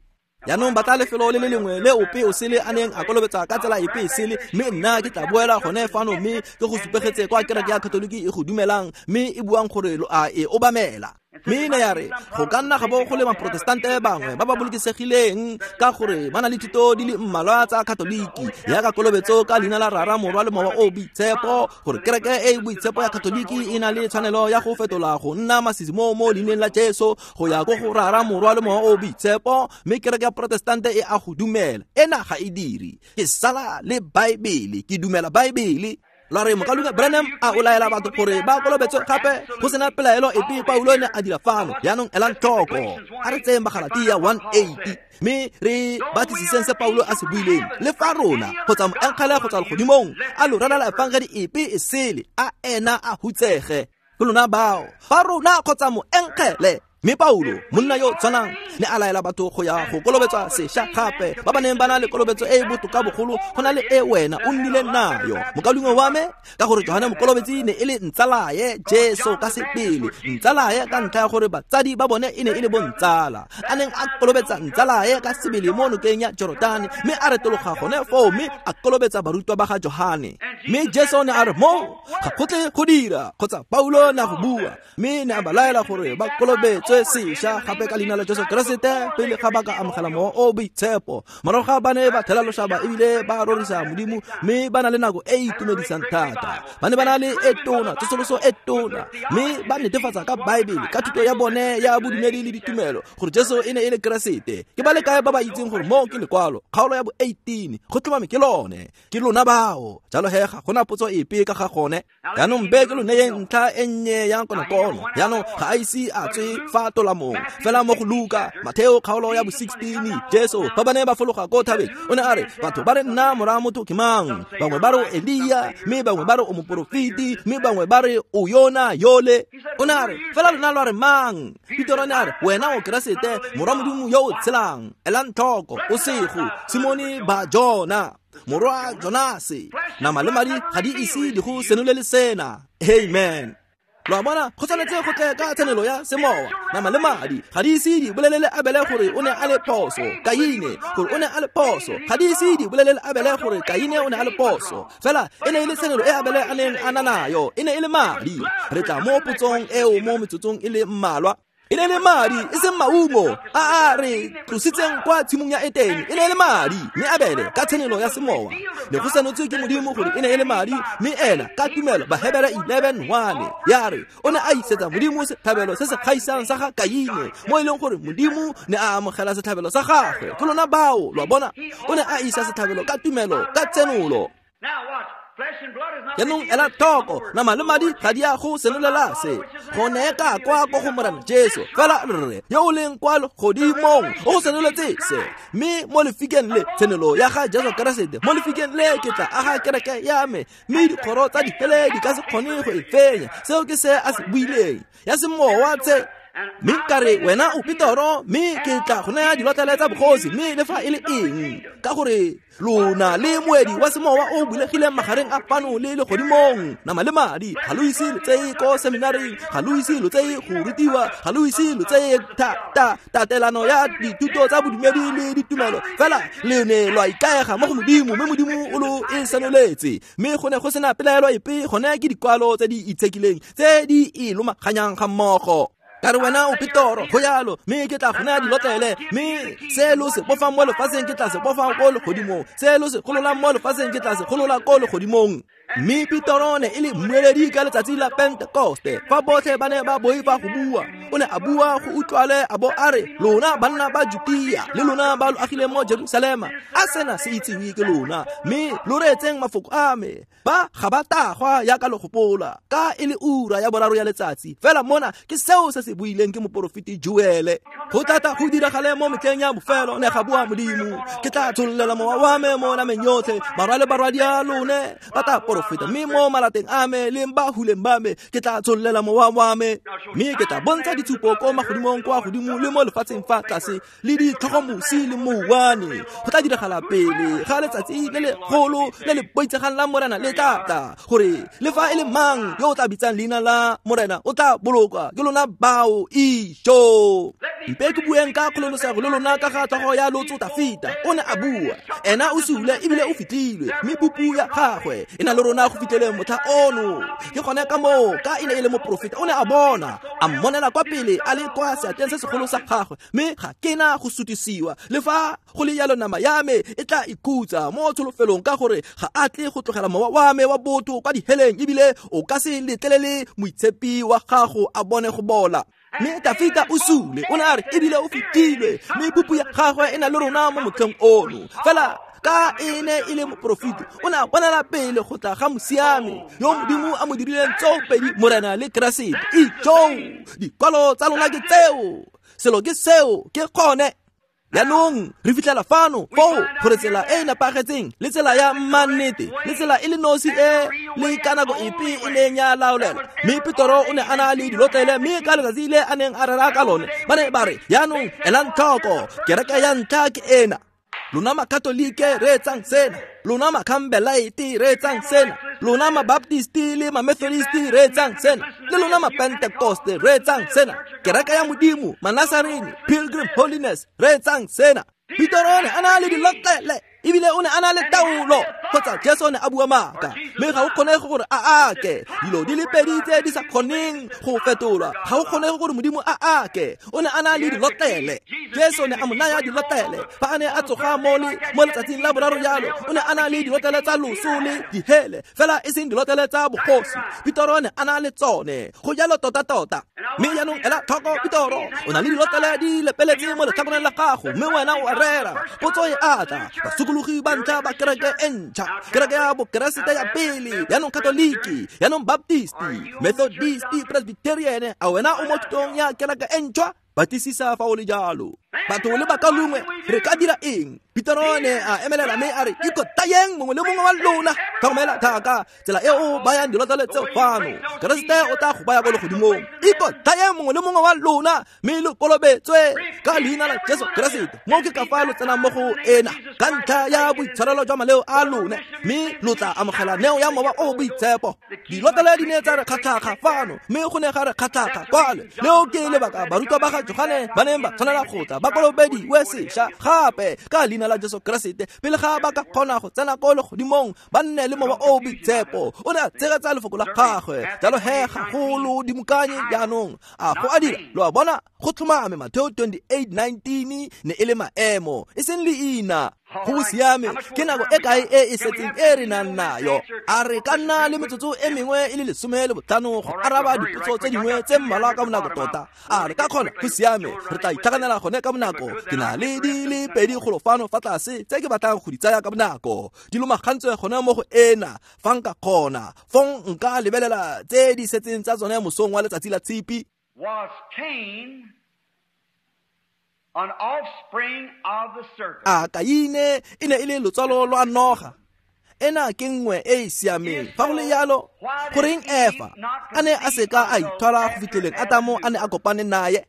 Jaanong batla lefelo le le lengwe le ope o sele a neng a kolobetsa ka tsela epe e sele, mme nna ke tla boela gone fano mme ke go supegetse kwa kereke ya Katoliki e go dumelang mme e buang gore lo a e obamela. Mme ne ya re go ka nna ga bo go le maprotestante bangwe ba ba bolokesegileng ka gore ba na le thuto di le mmalwa tsa Katoliki ya ka kolobetso ka leina la Rara, Morwa le Mowa o Boitshepo, gore kereke e e boitshepo ya Katoliki e na le tshwanelo ya go fetola go nna masisi mo leineng la Jesu go ya ko go Rara, Morwa le Mowa o Boitshepo, mme kereke ya Protestante e a go dumela. Ena ga e dire. Ke sala le Baebele, ke dumela Baebele. La re mokaluka Branham a o laela batho gore ba kolobetswe gape go sena pelaelo epe Paulo ne a dira fano. Jaanong elang tlhoko, a re tseyeng Bagalatia 1:8 mme re batlisiseng se Paulo a se buileng. Le fa rona kgotsa moengele kgotsa legodimong a lo rerela efangedi epe e sele, a ena a hutsege. Ke lona bao, fa rona kgotsa moengele. Mme Paulo, monna yo tshwanang, ne a laela batho go ya go kolobetswa sešwa gape, ba ba neng ba na le kolobetso e e botoka bogolo go na le e wena o nnileng nayo, mokaulengwe wa me, ka gore Johane Mokolobetsi ne e le ntsalaye Jesu ka sebele, ntsalaye ka ntlha ya gore batsadi ba bone e ne e le bontsala, a neng a kolobetsa ntsalaye ka sebele mo nokeng ya Jorodane, mme a retologa gone foo mme a kolobetsa barutwa ba ga Johane. Mme Jesu ne a re mo ga go tle go dira, kgotsa Paulo ne a go bua, mme ne a ba laela gore ba kolobetswe sešwa gape ka leina la Jesu Keresete pele ga ba ka amogela Mowa o Boitshepo. Morago ga ba ne ba thela lošaba ebile ba rorisa Modimo, mme ba na le nako e e itumedisang thata. Ba ne ba na le e tona, tsosoloso e tona, mme ba netefatsa ka Baebele, ka thuto ya bone ya bodumedi le ditumelo, gore Jesu e ne e le Keresete. Ke ba le kae ba ba itseng gore moo ke lekwalo, kgaolo ya bo 18, go tlhomame ke lone. Ke lona bao. Jalo he ga gona potso epe ka ga gone. Jaanong mpe ke lo neyeng ntlha e nnye ya konokono. Jaanong ga a ise a tswe fa tolamong, fela mo go Luka, Matheo kgaolo ya bo 16, Jesu fa ba ne ba fologa ko thabeng, o ne a re batho ba re nna mora motho ke mang? Bangwe ba re o Elia, mme bangwe ba re o moporofeti, mme bangwe ba re o yona yole. O ne a re fela lona lwa re mang? Petero ne a re wena o Keresete, morwa Modimo yo o tshelang. Elang tlhoko, o sego Simone ba Jona, morwa Jonase, nama le madi ga di ise di go senolele sena. Amen. Lo a bona, go tshwanetse go tle ka tshenelo ya semowa. Nama le madi ga di ise di bolelele Abele gore o ne a le phoso, Kaine gore o ne a le phoso, ga di ise di bolelele Abele gore Kaine o ne a le phoso. Fela e ne e le tshenelo e Abele a neng a na nayo, e ne e le madi. Re tla mo potsong eo mo metsotsong e le mmalwa. E ne e le madi, e seng maungo a a re tlositseng kwa tshimong ya Etene. E ne e le madi, mme Abele ka tshenelo ya semowa ne go senotswe ke Modimo gore e ne e le madi, mme ena ka tumelo, Bahebere 11:1 ya re o ne a isetsa Modimo setlhabelo se se kgaisang sa ga Kaine, mo e leng gore Modimo ne a amogela setlhabelo sa gagwe. Ke lona bao, lo a bona, o ne a isa setlhabelo ka tumelo, ka tsenolo. Jaanong ela tlhoko, nama le madi ga di a go senolela se, go ne ka kwa ko go Morena Jesu, fela Rre yo o leng kwa legodimong o go senoletse se. Mme mo lefikeng le, tshenolo ya ga Jesu Keresete, mo lefikeng le ke tla aga kereke ya me, mme dikgoro tsa dihele di ka se kgone go e fenya. Seo ke se a se buileng, ya semowa tse. Mme ka re wena o Petero, mme ke tla go naya dilotlele tsa bogosi, mme le fa e le eng, ka gore lona le moedi wa semowa o bulegileng magareng a fano le legodimong. Nama le madi ga lo ise lo tseye ko seminaring, ga lo ise lo tseye go rutiwa, ga lo ise lo tseye tatelano ya dithuto tsa bodumedi le ditumelo, fela le ne lwa ikaega mo go Modimo, mme Modimo o lo e senoletse. Mme go ne go sena pelaelo epe, gone ke dikwalo tse di itshekileng tse di e lomaganyang ga mmogo. Ka re wena o Petoro, go yalo, mme ke tla go naya dilotlele, mme se lo se bofang mo lefatsheng ke tla se bofang ko legodimong, se lo se gololang mo lefatsheng ke tla se golola ko legodimong. Mme Petoro ne e le mmueledi ka letsatsi la Pentekoste, fa botlhe ba ne ba boifa go bua. O ne a bua go utlwale a bo a re, lona banna ba Jutia le lona ba lo agileng mo Jerusalema, a sena se itsiwe ke lona, mme lo reetseng mafoko a me. Ba ga ba tagwa yaka lo gopola, ka e le ura ya boraro ya letsatsi. Fela mona ke seo se se buileng ke moporofeti Joele. Go tlata go diragale mo metlheng ya bofelo, ne ga bua Modimo, ke tla tshollela mowa wa me mo nameng yotlhe, barwa le barwadi a lone ba tla porofeta, mme mo malateng a me le ba huleng ba me ke tla tshollela mowa wa me, mme ke tla bontsha ditshupo ko magodimong kwa godimo le mo lefatsheng fa tlase, le ditlhogomosi le mouwane. Go tla diragala pele ga letsatsi le legolo le le boitshegang la Morena le tla tla, gore le fa e le mang yo o tla bitsang leina la Morena o tla bolokwa ke lona bao. Ijo mpe ke bueng ka kgololosego le lona ka ga tlhogo ya lotso Tafita. O ne a bua, ena o sule ebile o fitlhilwe, mme pupu ya gagwe e na le rona go fitlheleng motlha ono. Ke gone ka moo, ka e ne e le moporofeta, o ne a bona, a mmonela kwa pele a le kwa seatleng se segolo sa gagwe, mme ga ke na go sutisiwa. Le fa go le jalo nama ya me e tla ikhutsa mo tsholofelong, ka gore ga a tle go tlogela mowa wa me wa botho kwa diheleng, ebile o ka se letlelele moitshepi wa gago a bone go bola. Mme Tafita o sule, o ne a re, ebile o fetilwe, mme pupu ya gagwe e na le rona mo motlheng ono. Fela ka e ne e le moporofeti, o ne a bonela pele go tla ga mosiami yo Modimo a mo dirileng tsoopedi Morena le Keresete. Ijo, dikwalo tsa lona ke tseo, selo ke seo, ke gone. Jaanong re fitlhela fano foo gore tsela e e nepagetseng le tsela ya mmannete le tsela e le nosi e le ka nako epe e neng ya laolelwa. Mme Petoro o ne a na le dilotlele, mme ka letsatsi le a neng a rera ka lone ba ne ba re, jaanong elang tlhoko, kereke ya ntlha ke ena. Lona makatolike reetsang sena, lona makhambelaete reetsang sena, lona mabaptisti le mamethodisti reetsang sena, le lona mapentekoste reetsang sena, kereke ya Modimo, Manasarene, Pilgrim Holiness reetsang sena. Petoro o ne a na le dilotlele, ebile o ne a na le taolo, kgotsa Jesu o ne a bua maaka, mme ga o kgonege gore a ake. Dilo di le pedi tse di sa kgoneng go fetolwa, ga o kgonege gore Modimo a ake. O ne a na le dilotlele, Jesu o ne a mo naya dilotlele fa a ne a tsoga mo letsatsing la boraro jalo. O ne a na le dilotlele tsa loso le dihele, fela e seng dilotlele tsa bogosi. Petoro o ne a na le tsone, go jalo tota-tota. Mme jaanong ela tlhoko, Petoro o na le dilotlele di lepeletse mo letlhakoreng la gago, mme wena o a rera. Potso e atla, basokologi ba ntlha ba kereke e ntšha, kereke ya bokeresete ya pele, jaanong katoliki, jaanong baptisti, methodisti, presbyterian, a wena o mo thutong ya kereke e ntšhwa? Batlisisa fa o le jalo. Batho le bakalungwe, re ka dira eng? Petoro ne a emelela mme a re, ikotayeng mongwe le mongwe wa lona. Tlhokomela thaka tsela e o bayang dilotlele tseo fano, Keresete o tla go baya ko legodimong. Ikotayeng mongwe le mongwe wa lona, mme lo kolobetswe ka leina la Jesu Keresete. Mo ke ka fa lo tsenang mo go ena ka ntlha ya boitshwarelo jwa maleo a lone, mme lo tla amogela neo ya mowa o boitshepo. Dilotlele di ne tsa re kgatlhakga fano, mme go ne ga re kgatlhakga kwale. Leo ke lebaka barutwa ba ga Johane ba neng ba tshwanela go tla ba kolobediwe sešwa gape ka leina la Jesu Keresete pele ga ba ka kgona go tsena ko legodimong, ba nne le mowa o boitshepo. O ne a tshegetsa lefoko la gagwe. Jalo he gagolo dimokanye jaanong a go a dira. Lo a bona, go tlhomame Mateo 28:19 ne e le maemo, e seng leina. Go siame, ke nako e kae e e setseng e re nang nayo? A re ka nna le metsotso e mengwe e le 15 go araba dipotso tse dingwe tse mmalwa ka bonako tota? A re ka kgona? Go siame, re tla itlhaganela gone ka bonako. Ke na le di le pedi golo fano fa tlase tse ke batlang go di tsaya ka bonako, di lomagantswe gone mo go ena. Fa nka kgona, fong nka lebelela tse di setseng tsa tsone mosong wa letsatsi la Tshipi. Was Cain an offspring of the serpent? A Kaine e ne e le lotsalo lwa noga? Ena ke nngwe e e siameng. Fa go le jalo, goreng Efa a ne a seka a ithwala go fitlheleng Adamo a ne a kopane naye?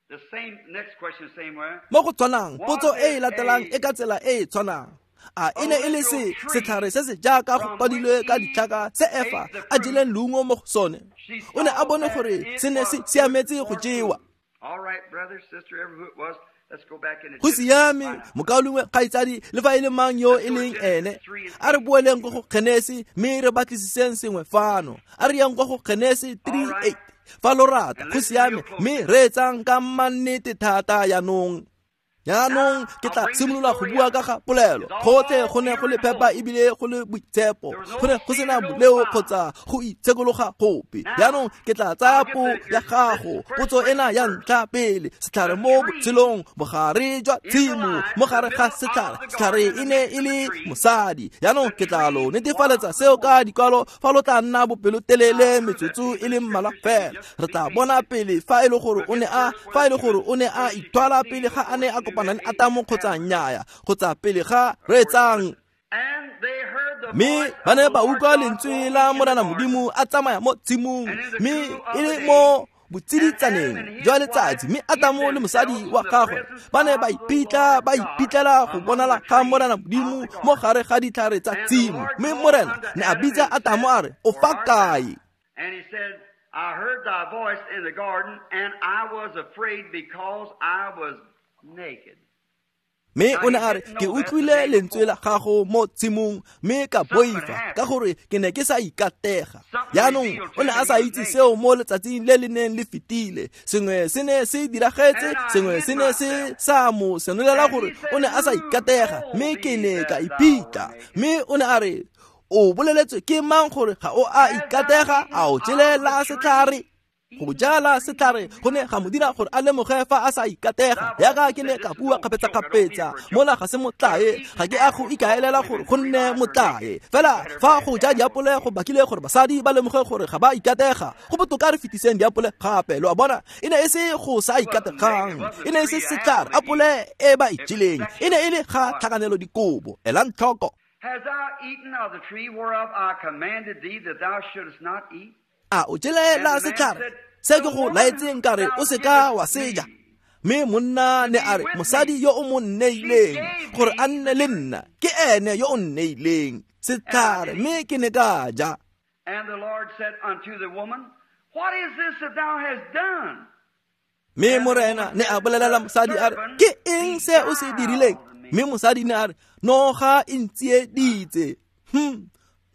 The same next question, same way. Mo go tshwanang, potso e e latelang e ka tsela e e tshwanang. A e ne e le se setlhare se se jaaka go kwadilwe ka ditlhaka se Efa a jeleng leungo mo go sone? O ne a bone gore se ne se siametse go jewa. All right, brother, sister, ever who it was, let's go back into Go siame, mokaulengwe, kgaitsadi, le fa e le mang yo e leng ene, a re boeleng ko go Genesi mme re batlisiseng sengwe fano. A re yang kwa go Genesi 3:8 fa lo rata. Go siame, mme reetsang ka mannete thata jaanong. Jaanong ke tla simolola go bua ka ga polelo. Gotlhe go ne go le phepa ebile go le boitshepo, go ne go sena boleo kgotsa go itshekologa gope. Jaanong ke tla tsaya po ya gago, potso ena ya ntlha pele, setlhare mo botshelong, bogare jwa tshimo, mo gare ga setlhare, setlhare e ne e le mosadi. Jaanong ke tla lo netefaletsa seo ka dikwalo fa lo tla nna bopelotelele metsotso e le mmalwa fela. Re tla bona pele fa e le gore o ne a fa e le gore o ne a ithwala pele ga a ne a kopana le Atamo kgotsa nnyaya, kgotsa pele ga reetsang. Mme ba ne ba utlwa lentswe la Morena Modimo a tsamaya mo tshimong, mme e le mo botsiditsaneng jwa letsatsi, mme Atamo le mosadi wa gagwe ba ne ba ipitla ba ipitlela go bonala ga Morena Modimo mo gare ga ditlhare tsa tshimo. Mme Morena ne a bitsa Atamo a re, o fa kae? And he said, I heard thy voice in the garden, and I was afraid because I was naked. Mme o ne a re, ke utlwile lentswe la gago mo tshimong, mme ka boifa ka gore ke ne ke sa ikatega. Jaanong o ne a sa itse seo mo letsatsing le le neng le fetile. Sengwe se ne se diragetse, sengwe se ne se sa mo senolela gore o ne a sa ikatega, mme ke ne ka ipitla. Mme o ne a re, o boleletswe ke mang gore ga o a ikatega, a o jele la setlhare? Go jala setlhare go ne ga mo dira gore a lemoge fa a sa ikatega. Yaka ke ne ka bua kgapetsa-kgapetsa, mola ga se motlae, ga ke a go ikaelela gore go nne motlae. Fela fa go ja diapole go bakile gore basadi ba lemoge gore ga ba ikatega, go botoka re fetiseng diapole gape. Lo a bona, e ne e se go sa ikategang, e ne e se setlhare, apole e ba e jeleng e ne e le ga tlhakanelo dikobo. Elang tlhoko. Hast thou eaten of the tree whereof I commanded thee that thou shouldest not eat? A o jele la setlhare se ke go laetseng ka re o seka wa seja? Mme monna ne a re, mosadi yo o mo nneileng gore a nne le nna ke ene yo o nneileng setlhare, mme ke ne ka ja. And the Lord said unto the woman, What is this that thou hast done? Mme Morena ne a bolelela mosadi a re, ke eng se o se dirileng? Mme mosadi ne a re, noga e ntsieditse.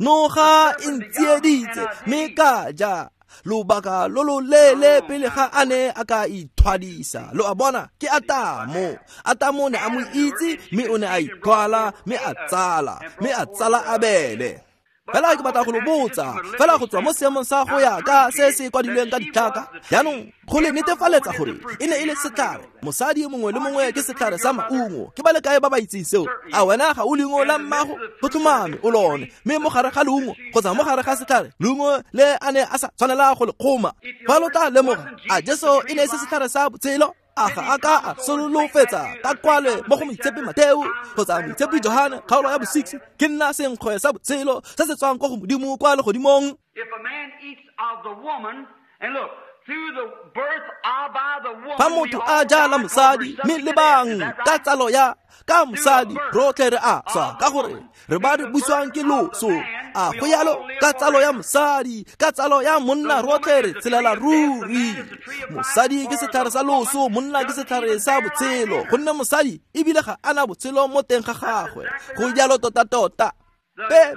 Noga e ntsieditse, mme ka ja. Lobaka lo lo leele pele ga a ne a ka ithwadisa. Lo a bona, ke Atamo. Atamo ne a mo itse, mme o ne a ithwala, mme a tsala, mme a tsala Abele. Fela ke batla go lo botsa, fela go tswa mo seemong sa go ya ka se se kwadilweng ka ditlhaka. Jaanong go le netefaletsa gore e ne e le setlhare. Mosadi mongwe le mongwe ke setlhare sa maungo. Ke ba le kae ba ba itseng seo? A wena ga o leungo la mmago? Go tlhomame o lone. Mme mo gare ga leungo kgotsa mo gare ga setlhare, leungo le a ne a sa tshwanela go le kgoma. Fa lo tla lemoga, a Jesu e ne e se setlhare sa botshelo? A ga a ka a solofetsa ka kwale mo go Moitshepi Mateo kgotsa Moitshepi Johane kgaolo ya bo-6, ke nna senkgwe sa botshelo se se tswang kwa go Modimo kwa legodimong? If a man eats of the woman, and look, through the birth of by the woman, fa motho a ja la mosadi, mme lebang ka tsalo ya ka mosadi rotlhe re a swa, ka gore re ba re buswang ke loso. A go yalo? Ka tsalo ya mosadi, ka tsalo ya monna rotlhe re tshelela ruri. Mosadi ke setlhare sa loso, monna ke setlhare sa botshelo, gonne mosadi ebile ga ana botshelo mo teng ga gagwe. Go jalo tota-tota.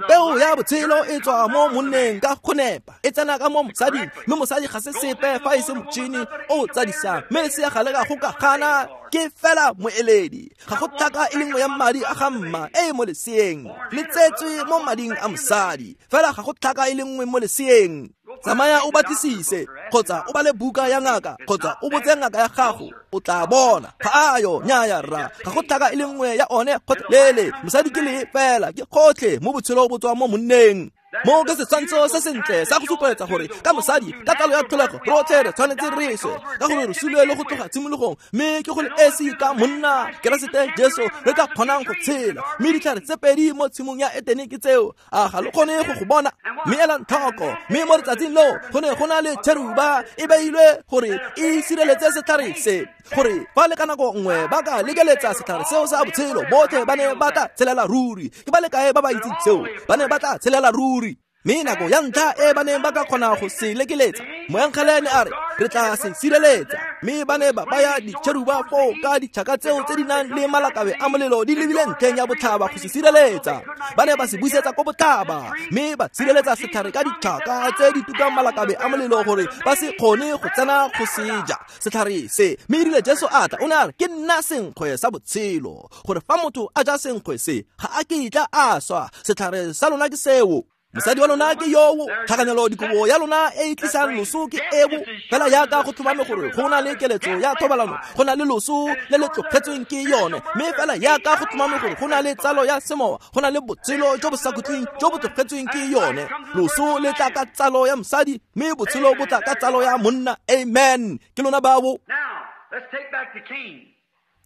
Peo ya botshelo e tswa mo monneng ka go nepa, e tsena ka mo mosading, mme mosadi ga se sepe fa e se motšhini o tsadisang, mme lesea ga le ka go ka gana, ke fela moeledi. Ga go tlhaka e le nngwe ya madi a ga mma e e mo leseeng, le tsetswe mo mading a mosadi, fela ga go tlhaka e le nngwe mo leseeng. Tsamaya o batlisise, kgotsa o bale buka ya ngaka, kgotsa o botse ngaka ya gago, o tla bona. Ga ayo, nnyaya rra, ga go tlhaka e le nngwe ya one gotlhelele. Mosadi ke le fela, ke gotlhe mo botshelo bo tswa mo monneng. Mo ke setshwantsho se sentle sa go supeletsa gore ka mosadi, ka tsalo ya tlholego, rotlhe re tshwanetse re swe, ka gore re sulwe le go tloga tshimologong, mme ke go le esi ka monna Keresete Jesu re ka kgonang go tshela. Mme ditlhare tse pedi mo tshimong ya Etene ke tseo, a ga lo kgone go go bona? Mme elang tlhoko, mme mo letsatsing leo go ne go na le cheruba e beilwe gore e sireletse setlhare se, gore fa le ka nako nngwe ba ka lekeletsa setlhare seo sa botshelo, botlhe ba ne ba tla tshelela ruri. Ke ba le kae ba ba itseng seo? Ba ne ba tla tshelela ruri. Mme nako ya ntlha e ba neng ba ka kgona go se lekeletsa, moengele ne a re, re tla se sireletsa. Mme ba ne ba baya ditšheruba foo ka ditšhaka tseo tse di nang le malakabe a molelo di lebile ntlheng ya botlhaba go se sireletsa. Ba ne ba se busetsa ko botlhaba, mme ba sireletsa setlhare ka ditšhaka tse di tukang malakabe a molelo gore ba se kgone go tsena go se ja setlhare se. Mme erile Jesu a tla, o ne a re, ke nna senkgwe sa botshelo, gore fa motho a ja senkgwe se ga a kitla a swa. Setlhare sa lona ke seo, mosadi wa lona ke yoo, tlhakanelo dikobo ya lona e e tlisang loso ke eo. Fela jaaka go tlhomame gore go na le keletso ya thobalano, go na le loso le le tlogetsweng ke yone. Mme fela jaaka go tlhomame gore go na le tsalo ya semowa, go na le botshelo jo bo sa khutleng jo bo tlogetsweng ke yone. Loso le tla ka tsalo ya mosadi, mme botshelo bo tla ka tsalo ya monna. Amen. Ke lona bao.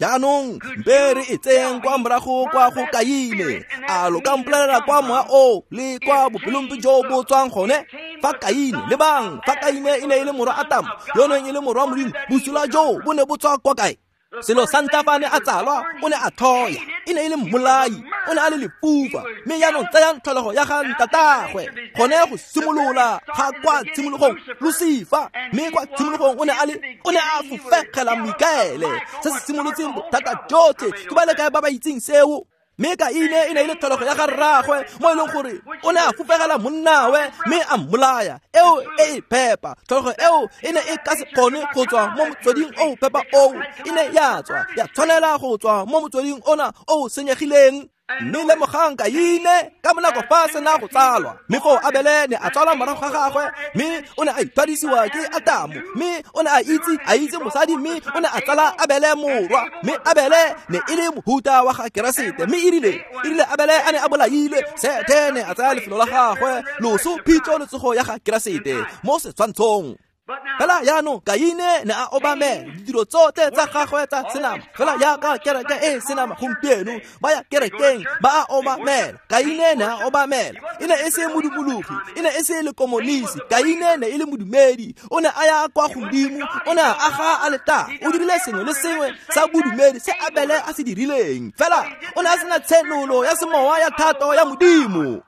Jaanong mpe re e tseyeng kwa morago kwa go Kaine. A lo ka mpolelela kwa mowa o le kwa bopelompe jo bo tswang gone? Fa Kaine, lebang, fa Kaine e ne e le morwa Atamo, yo neng e le morwa Modimo, bosula joo bo ne bo tswa kwa kae? Selo sa ntlha fa ne a tsalwa, o ne a tlhoya, e ne e le mmolai, o ne a le lefufa. Mme jaanong tsayang tlholego ya ga ntatagwe, gone go simolola ga kwa tshimologong Lusifa. Mme kwa tshimologong o ne a fofegela Mikaele, se se simolotseng bothata jotlhe. Ke ba le kae ba ba itseng seo? Mme Kaine e ne e le tlholego ya ga rraagwe, mo e leng gore o ne a fofegela monnawe mme a mmolaya. Eo e e phepa, tlholego eo e ne e ka se kgone go tswa mo motsweding o phepa oo, e ne ya tswa ya tshwanela go tswa mo motsweding ona o senyegileng. Mme lemogang Kaine ka bonako fa sena go tsalwa, mme foo Abele ne a tsalwa morago ga gagwe, mme o ne a ithwadisiwa ke Atamo, mme o ne a itse mosadi, mme o ne a tsala Abele morwa. Mme Abele ne e le mohuta wa ga Keresete. Mme erile Abele a ne a bolailwe, Sethe ne a tsaya lefelo la gagwe, loso, phitlho le tsogo ya ga Keresete mo setshwantshong. Fela jaanong Kaine ne a obamela ditiro tsotlhe tsa gagwe tsa senama, fela jaaka kereke e senama gompieno, ba ya kerekeng ba a obamela. Kaine ne a obamela, e ne e se modumologi, e ne e se lekomonisi. Kaine ne e le modumedi, o ne a ya kwa godimo, o ne a aga aletare, o dirile sengwe le sengwe sa bodumedi se Abele a se dirileng. Fela o ne a sena tshenolo ya semowa ya thato ya Modimo.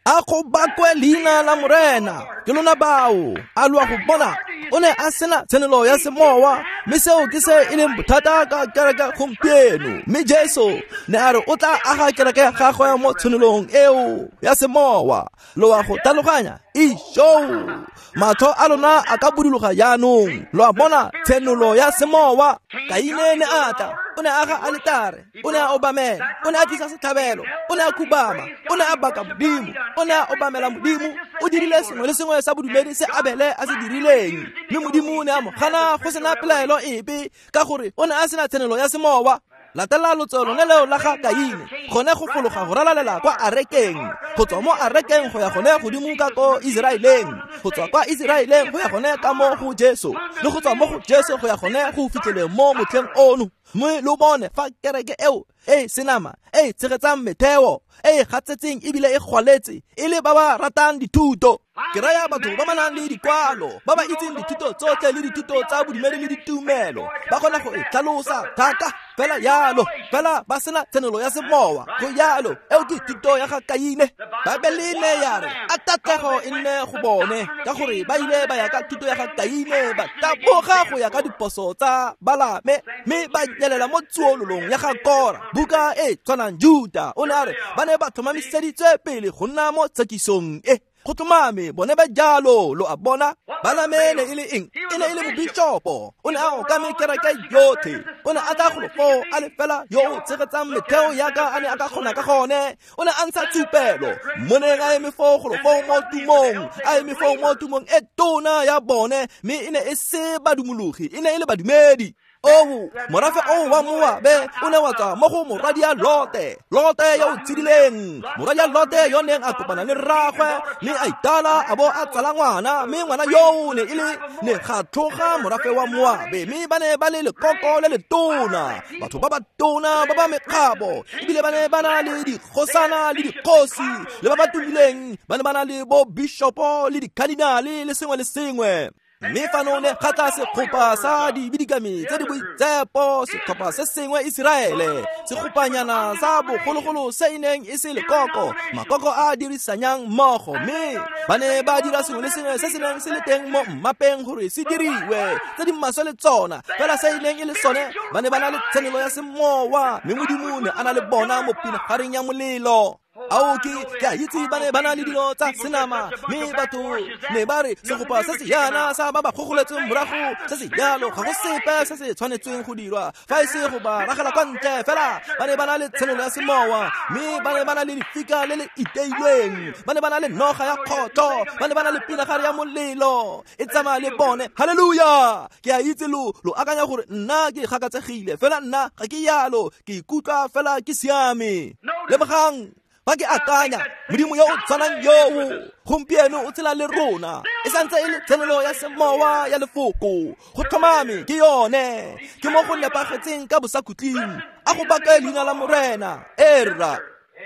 A go bakwe leina la Morena. Ke lona bao. A lo a go bona, o ne a sena tshenolo ya semowa, mme seo ke se e leng bothata ka kereke gompieno. Mme Jesu ne a re o tla aga kereke ya gagwe mo tshenolong eo ya semowa. Lo a go tlhaloganya? Isho! Matlho a lona a ka buduloga jaanong. Lo a bona tshenolo ya semowa. Kaine ne a tla, o ne a aga aletare, o ne a obamela, o ne a tlisa setlhabelo, o ne a khubama, o ne a baka Modimo, o ne a obamela Modimo, o dirile sengwe le sengwe sa bodumedi se Abele a se dirileng. Mme Modimo o ne a mo gana go sena pelaelo epe, ka gore o ne a sena tshenolo ya semowa. Latela lotso lone leo la ga Kaine, gone go fologa go ralalela kwa arekeng, go tswa mo arekeng go ya gone godimo ka ko Iseraeleng, go tswa kwa Iseraeleng go ya gone ka mo go Jesu, le go tswa mo go Jesu go ya gone go fitlheleng mo motlheng ono. Mme lo bone fa kereke eo e senama e tshegetsang metheo e e gatsetseng ebile e gwaletse, e le ba ba ratang dithuto. Ke raya batho ba ba nang le dikwalo, ba ba itseng dithuto tsotlhe le dithuto tsa bodumedi le ditumelo, ba kgona go e tlhalosa thata fela yalo, fela ba sena tshenolo ya semowa. Go yalo, eo ke thuto ya ga Kaine. Baebele ne ya re a tatlhego e nne go bone, ka gore ba ile ba ya ka thuto ya ga Kaine, ba taboga go ya ka diphoso tsa Balame, mme ba nyelela mo tsuololong ya ga Kora. Buka e tshwanang Juta o ne a re ba ne ba tlhomamiseditswe pele go nna mo tshekisong e. Go tlhomame bone ba jalo. Lo a bona, Balame ne e le eng? E ne e le mobishopo, o ne a okame kereke yotlhe, o ne a tla golo foo a le fela yo o tshegetsang metheo yaka a ne a ka kgona ka gone. O ne a ntsha tshupelo, mo neng a eme foo golo foo mo tumong, a eme foo mo tumong e tona ya bone. Mme e ne e se badumologi, e ne e le badumedi. Oo, morafe oo wa Moabe o ne wa tswa mo go morwadia Lote, Lote yo o tshedileng, morwadia Lote yo neng a kopana le rraagwe, mme a itala a bo a tsala ngwana, mme ngwana yoo ne e le ne ga tlhoga morafe wa Moabe. Mme ba ne ba le lekoko le letona, batho ba ba tona ba ba mekgabo, ebile ba ne ba na le dikgosana le dikgosi le ba ba tumileng, ba ne ba na le bo bishopo le dikadinale le sengwe le sengwe. Mme fano ne ga tla segopa sa dibidikami tse di boitsepo, setlhopha se sengwe Iseraele, segopanyana sa bogologolo se e neng e se lekoko, makoko a dirisanyang mmogo, mme ba ne ba dira sengwe le sengwe se se neng se le teng mo mmapeng gore se diriwe, tse di maswe le tsona, fela se e neng e le sone, ba ne ba na le tshenolo ya semowa, mme Modimo ne a na le bona mo pinagareng ya molelo. Ao ke a itse ba ne ba na le dilo tsa senama, mme batho ne ba re segopa se se yana sa ba ba gogoletseng morago se se jalo, ga go sepe se se tshwanetsweng go dirwa fa e se go ba ragela kwa ntle. Fela ba ne ba na le tshenolo ya semowa, mme ba ne ba na le lefika le le iteilweng, ba ne ba na le noga ya kgotlo, ba ne ba na le pinagare ya molelo e tsamaya le bone. Haleluya! Ke a itse lo akanya gore nna ke gakatsegile, fela nna ga ke yalo, ke ikutlwa fela ke siame. Lemogang, fa ke akanya Modimo yo o tshwanang yoo gompieno o tshela le rona, e santse e le tshenolo ya semowa ya lefoko, go tlhomame ke yone, ke mo go nepagetseng ka bosakhutleng. A go bake leina la Morena. Erra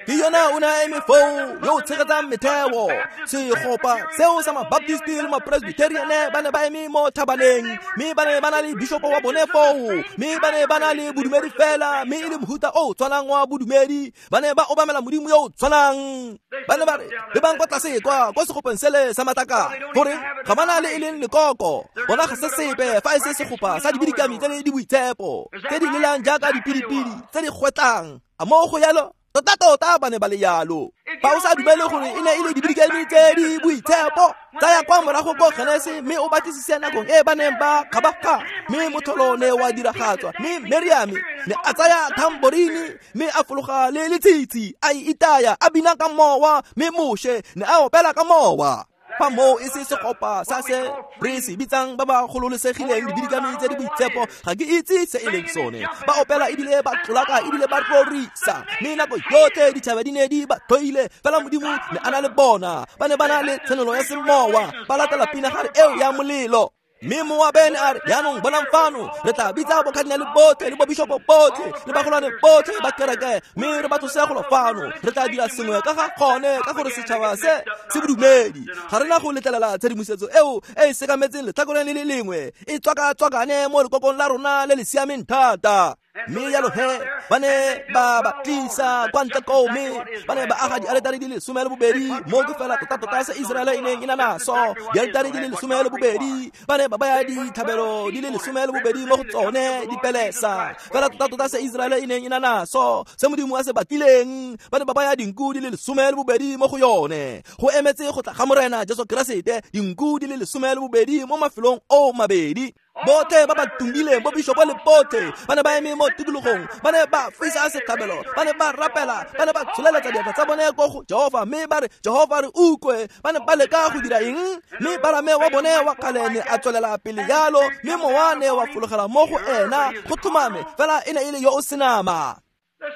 ke yona o ne a eme foo yo o tshegetsang metheo. Segopa seo sa mabaptisti le mapresbyteriane ba ne ba eme mo thabaneng, mme ba ne ba na le bishopo wa bone foo, mme ba ne ba na le bodumedi fela, mme e le mohuta o tshwanang wa bodumedi, ba ne ba obamela Modimo yo o tshwanang. Ba ne ba re lebang kwa tlase kwa segopeng sele sa matlaka, gore ga ba na le e leng lekoko, bona ga se sepe fa e se segopa sa dibidikami tse di boitshepo, tse di lelang jaaka dipidipidi tse di gwetlang. A mo go yalo? Tota-tota ba ne ba le yalo. Fa o sa dumele gore e ne e le dibidikami tse di boitshepo, tsaya kwa morago ko Genese mme o batlisise nakong e ba neng ba kgabaga, mme motlholo ne wa diragatswa, mme Meriame ne a tsaya tamborini mme a fologa le letshitshi, a e itaya, a bina ka mowa, mme Moshe ne a opela ka mowa. Fa moo e se segopa sa se re se bitsang ba ba gololesegileng dibidikami tse di boitshepo, ga ke itse se e leng sone. Ba opela ebile ba tlolaka ebile ba rorisa, mme nako yotlhe ditšhaba di ne di ba tlhoile, fela Modimo ne a na le bona. Ba ne ba na le tshenolo ya semowa, ba latela pinagare eo ya molelo. Mme Moabe ne a re, jaanong bonang fano, re tla bitsa bokadinale botlhe le bobishopo botlhe le bagolwane botlhe ba kereke, mme re ba tlose golo fano. Re tla dira sengwe ka ga gone, ka gore setšhaba se se bodumedi. Ga re na go letlelela tshedimosetso eo e e sekametseng letlhakoreng le le lengwe e tswaka-tswakane mo lekokong la rona le le siameng thata. Mme jalo he ba ne ba ba tlisa kwa ntle koo, mme ba ne ba aga dialetare di le 12, mo ke fela tota-tota se Iseraele e neng e na naso, dialetare di le 12, ba ne ba baya ditlhabelo di le 12 mo go tsone, dipelesa, fela tota-tota se Iseraele e neng e na naso, se Modimo a se batlileng, ba ne ba baya dinku di le 12 mo go yone, go emetse go tla ga Morena Jesu Keresete, dinku di le 12 mo mafelong o mabedi. Botlhe ba ba tumileng, bo bishopo le botlhe, ba ne ba eme mo tikologong, ba ne ba fisa setlhabelo, ba ne ba rapela, ba ne ba tsholeletsa diatla tsa bone ko go Jehova, mme ba re, Jehova re utlwe. Ba ne ba leka go dira eng? Mme Balame wa bone wa kgale ne a tswelela pele jalo, mme mowa ne wa fologela mo go ena, go tlhomame fela e ne e le yo o senama.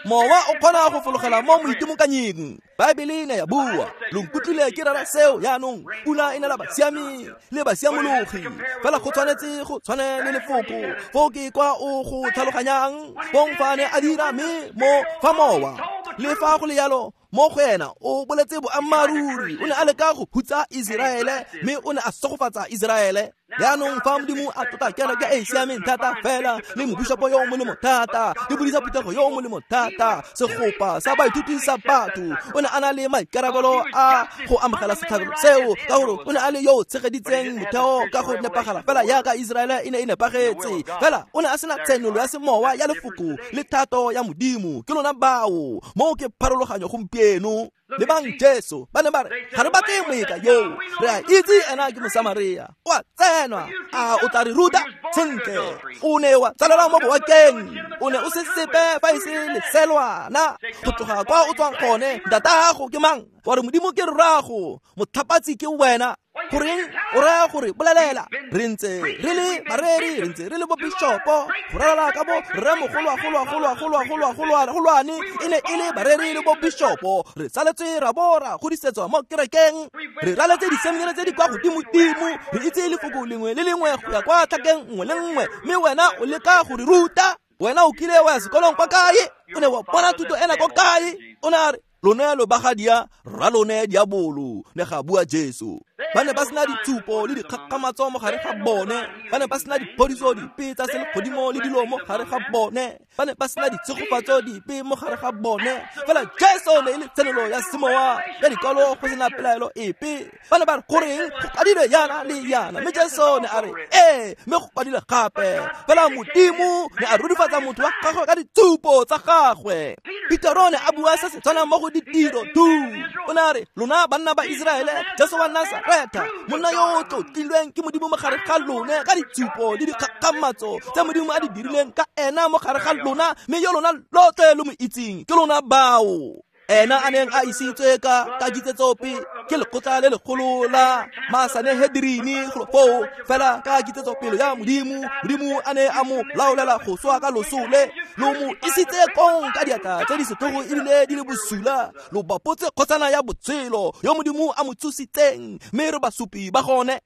Mowa o kgona go fologela mo moitimokanying. Baebele ne ya bua, lo nkutlwile ke rera seo jaanong, pula e nela basiami le basiamologi, fela go tshwanetse go tshwane le lefoko, foo ke kwa o go tlhaloganyang, bong fa ne a dira mme mo fa mowa. Le fa go le yalo, mo go ena o boletse boammaaruri, o ne a leka go hutsa Iseraele, mme o ne a segofatsa Iseraele. Jaanong fa Modimo a tlotla kereke e e siameng thata fela, le mobishopo yo o molemo thata, le bodisa phuthego yo o molemo thata, segopa sa baithuti sa batho, o ne a na le maikarabelo a go amogela setlhabelo seo, ka gore o ne a le yo o tshegeditseng motheo ka go nepagala fela jaaka Iseraele e ne e nepagetse. Fela o ne a sena tshenolo ya semowa ya lefoko le thato ya Modimo. Ke lona bao, moo ke pharologanyo gompieno. Lebang Jesu, ba ne ba re, ga re batle moeka yoo, re a itse ena ke Mosamaria, o a tsenwa, a o tla re ruta? Sentle, o ne wa tsalelwa mo boakeng, o ne o se sepe fa e se leselwana, go tloga kwa o tswang gone, ntatago ke mang? Wa re Modimo ke rrago, motlhapatsi ke wena. Goreng o raya gore bolelela? Re ntse re le bareri, re ntse re le bobishopo, go ralala ka bo rremogolwagolwagolwagolwagolwane e ne e le bareri le bobishopo, re saletswe ra bo ra godisetswa mo kerekeng, re raletse diseminare tse di kwa godimodimo, re itse lefoko lengwe le lengwe go ya kwa tlhakeng nngwe le nngwe, mme wena o leka go re ruta. Wena o kile wa ya sekolong kwa kae? O ne wa bona thuto ena kwa kae? O ne a re, lone lo bagadia rra lone diabolo, ne ga bua Jesu. Ba ne ba sena ditsupo le dikgakgamatso mo gare ga bone. Ba ne ba sena diphodiso dipe tsa selegodimo le dilo mo gare ga bone. Ba ne ba sena ditshegofatso dipe mo gare ga bone. Fela Jesu ne e le tshenolo ya semowa ya dikwalo go sena pelaelo epe. Ba ne ba re goreng go kwadilwe yana le yana, mme Jesu ne a re ee, mme go kwadilwe gape. Fela Modimo ne a rurifatsa motho wa gagwe ka ditsupo tsa gagwe. Petero ne a bua se se tshwanang mo go Ditiro 2. O ne a re lona banna ba Iseraele, Jesu wa Nasaretha, monna yo o tlotlilweng ke Modimo mo gare ga lone ka ditsupo le dikgakgamatso tse Modimo a di dirileng ka ena mo gare ga lona, mme yo lona lotlhe lo mo itseng ke lona bao. Ena a neng a isitswe ka kitsetsope ke lekgotla le legolo la Masanehedrini golo foo, fela ka kitsetsopele ya Modimo, Modimo a ne a mo laolela go swa ka loso le lo mo isitse kong ka diatla tse di setlhogo ebile di le bosula, lo bapotse kgosana ya botshelo yo Modimo a mo tsositseng, mme re basupi ba gone.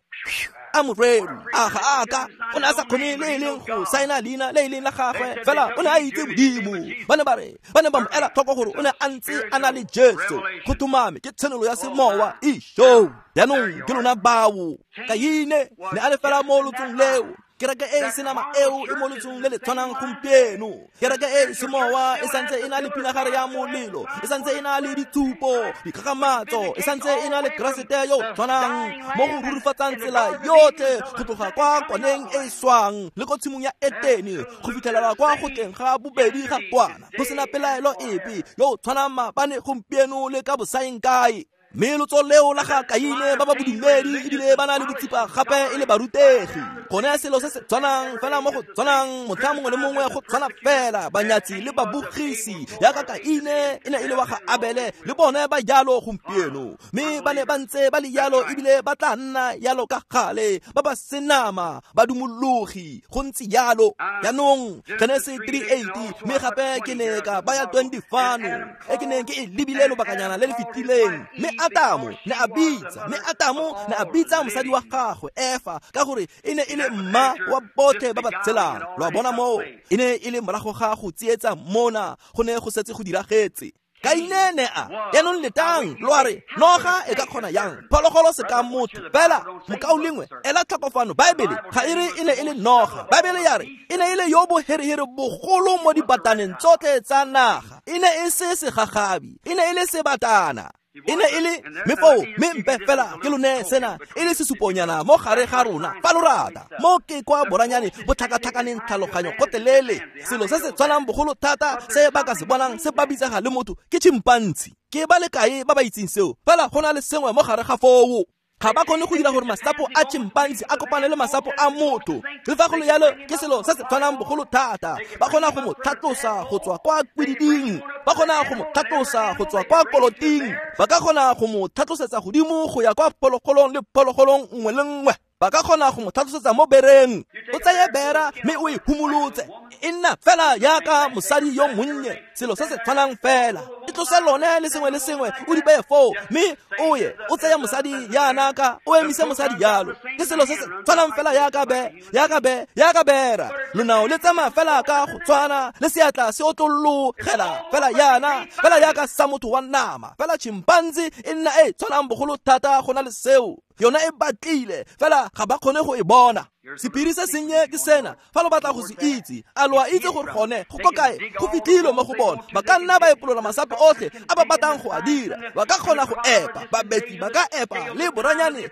A moreri a ga a ka o ne a sa kgone le e leng go saena leina le e leng la gagwe, fela o ne a itse Modimo. Ba ne ba re ba ne ba mo ela tlhoko gore o ne a ntse a na le Jesu. Go tumame ke tshenolo ya semowa isho. Jaanong ke lona bao. Kaine ne a le fela mo lotsong leo. Kereke e senama eo e mo lotsong le le tshwanang gompieno. Kereke e semowa e santse e na le pinagare ya molelo, e santse e na le dithupo, dikgakgamatso, e santse e na le Keresete yo tshwanang mo go rurifatsang tsela yotlhe go tloga kwa kwaneng e e swang le ko tshimong ya Etene go fitlhelela kwa go tleng ga bobedi ga kwana, go sena pelaelo epe, yo tshwanang maabane gompieno le ka bosaeng kae. Mme lotso leo la ga Kaine ba ba bodumedi ebile ba na le botsipa gape e le barutegi. Gone selo se se tshwanang fela mo go tshwanang motlha mongwe le mongwe go tshwana fela, banyatsi le babogisi yaka Kaine e ne e le wa ga Abele, le bone ba jalo gompieno. Mme ba ne ba ntse ba le jalo ebile ba tla nna jalo ka gale, ba ba senama, ba dumologi, go ntse jalo. Jaanong Genese 3:8, mme gape ke ne ka baya 20 fano e ke neng ke e lebile lobakanyana le le fetileng. Mme Adamo ne a bitsa, mme Adamo ne a bitsa mosadi wa gagwe Efa, ka gore e ne e le mma wa botlhe ba ba tshelang. Lo a bona moo, e ne e le morago ga go tsietsa mona, go ne go setse go diragetse. Kaine ne a jaanong letang lo a re noga e ka kgona yang phologolo se ka motho. Fela mokaulengwe ela tlhoko fano, Baebele ga e re e ne e le noga. Baebele ya re e ne e le yo boherehere bogolo mo dibataneng tsotlhe tsa naga. E ne e se segagabi, e ne e le sebatana. E ne e le mme foo, mme mpe fela ke lone sena e le sesuponyana mo gare ga rona fa lo rata. Mo ke kwa boranyane bo tlhakatlhakaneng tlhaloganyo gotelele. Selo se se tshwanang bogolo thata se ba ka se bonang se ba bitsega le motho ke chimpanzi. Ke ba le kae ba ba itseng seo? Fela go na le sengwe mo gare ga foo. Ga ba kgone go dira gore masapo a chimpanzi a kopane le masapo a motho. Le fa go le jalo ke selo se se tshwanang bogolo thata. Ba kgona go mo tlhatlosa go tswa kwa kwididing, ba kgona go mo tlhatlosa go tswa kwa koloting, ba ka kgona go mo tlhatlosetsa godimo go ya kwa phologolong le phologolong nngwe le nngwe. Ba ka kgona go mo tlhatlosetsa mo bereng. O tseye bera mme o e humolotse, e nna fela yaka mosadi yo monnye, selo se se tshwanang fela. E tlose lone le sengwe le sengwe o di beye foo, mme o ye o tseye mosadi yana ka o emise mosadi jalo. Ke selo se se tshwanang fela yaka be, yaka be, yaka bera. Lonao le tsamaya fela ka go tshwana, le seatla se otlologela fela yana, fela yaka sa motho wa nama. Fela chimpanzi e nna e tshwanang bogolo thata go na le seo. Yona e batlile fela ga ba kgone go e bona. Sephiri se sennye ke sena, fa lo batla go se itse, a lo a itse gore gone go ko kae go fitlhilwe mo go bone. Ba ka nna ba epolola masapo otlhe a ba batlang go a dira. Ba ka kgona go epa, babetli ba ka epa le boranyane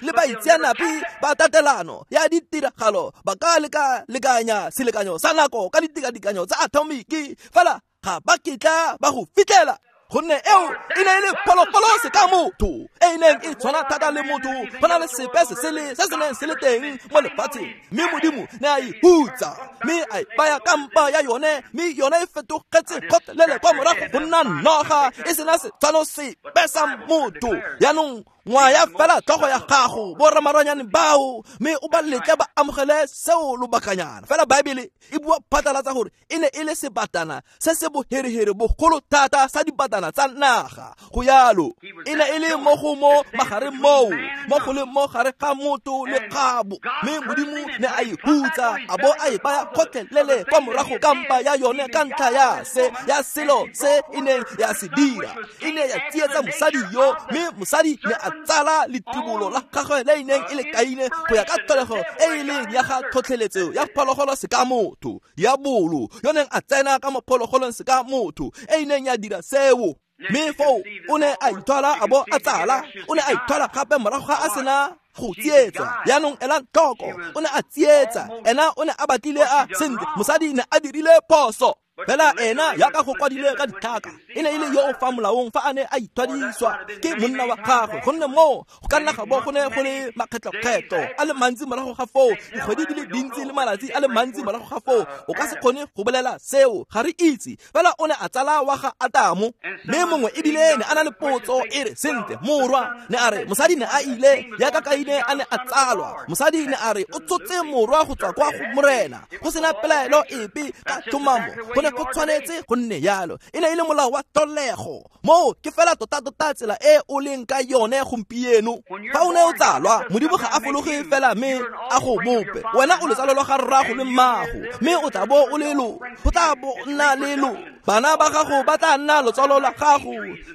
le baitseanape ba tatelano ya ditiragalo. Ba ka leka-lekanya selekanyo sa nako ka ditikadikanyo tsa atomiki, fela ga ba kitla ba go fitlhela. Gonne eo e ne e le phologolo se ka motho e e neng e tshwana thata le motho, go na le sepe se sele se se neng se le teng mo lefatsheng. Mme Modimo ne a e hutsa, mme a e baya ka mpa ya yone, mme yone e fetogetse kgotlelele kwa morago go nna noga e sena setshwano sepe sa motho. Jaanong ngwaya fela tlhogo ya gago boramaranyane bao, mme o ba letle ba amogele seo lobakanyana. Fela Baebele e bua phatlalatsa gore e ne e le sebatana se se boherehere bogolo thata sa dibatana dibatana tsa naga. Go yalo e ne e le mo go mo magareng moo, mo go le mo gare ga motho le kgabo. Mme Modimo ne a e hutsa, a bo a e baya kgotlhelele kwa morago ka mpa ya yone ka ntlha ya se ya selo se e neng ya se dira. E ne ya tsietsa mosadi yo, mme mosadi ne a tsala letibolo la gagwe le e neng e le Kaine go ya ka tlholego e e leng ya ga tlhotlheletso ya phologolo se ka motho, diabolo yo neng a tsena ka mo phologolong se ka motho e e neng ya dira seo. Mme foo o ne a ithwala a bo a tsala, o ne a ithwala gape morago ga a sena go tsietsa. Jaanong elang tlhoko, o ne a tsietsa, ena o ne a batlile a sentle, mosadi ne a dirile phoso. Fela ena yaka go kwadile ka ditlhaka, e ne e le yo o fa molaong fa a ne a ithwadiswa ke monna wa gagwe, gonne moo go ka nna ga bo go ne go le makgetlokgetlo a le mantsi morago ga foo, dikgwedi di le dintsi le malatsi a le mantsi morago ga foo. O ka se kgone go bolela seo, ga re itse. Fela o ne a tsala wa ga Adamo. Mme mongwe ebile ne a na le potso e re, sentle morwa, ne a re mosadi ne a ile yaka Kaine a ne a tsalwa. Mosadi ne a re o tsotse morwa go tswa kwa go Morena, go sena pelaelo epe ka tlhomamo. Go ne go tshwanetse go nne yalo, e ne e le molao wa tlholego. Moo ke fela tota-tota tsela e o leng ka yone gompieno. Fa o ne o tsalwa, Modimo ga a fologe fela mme a go bope. Wena o letsalo lwa ga rrago le mmago, mme o tla bo o le lo, go tla bo nna le lo. Bana ba gago ba tla nna lotsalo la gago.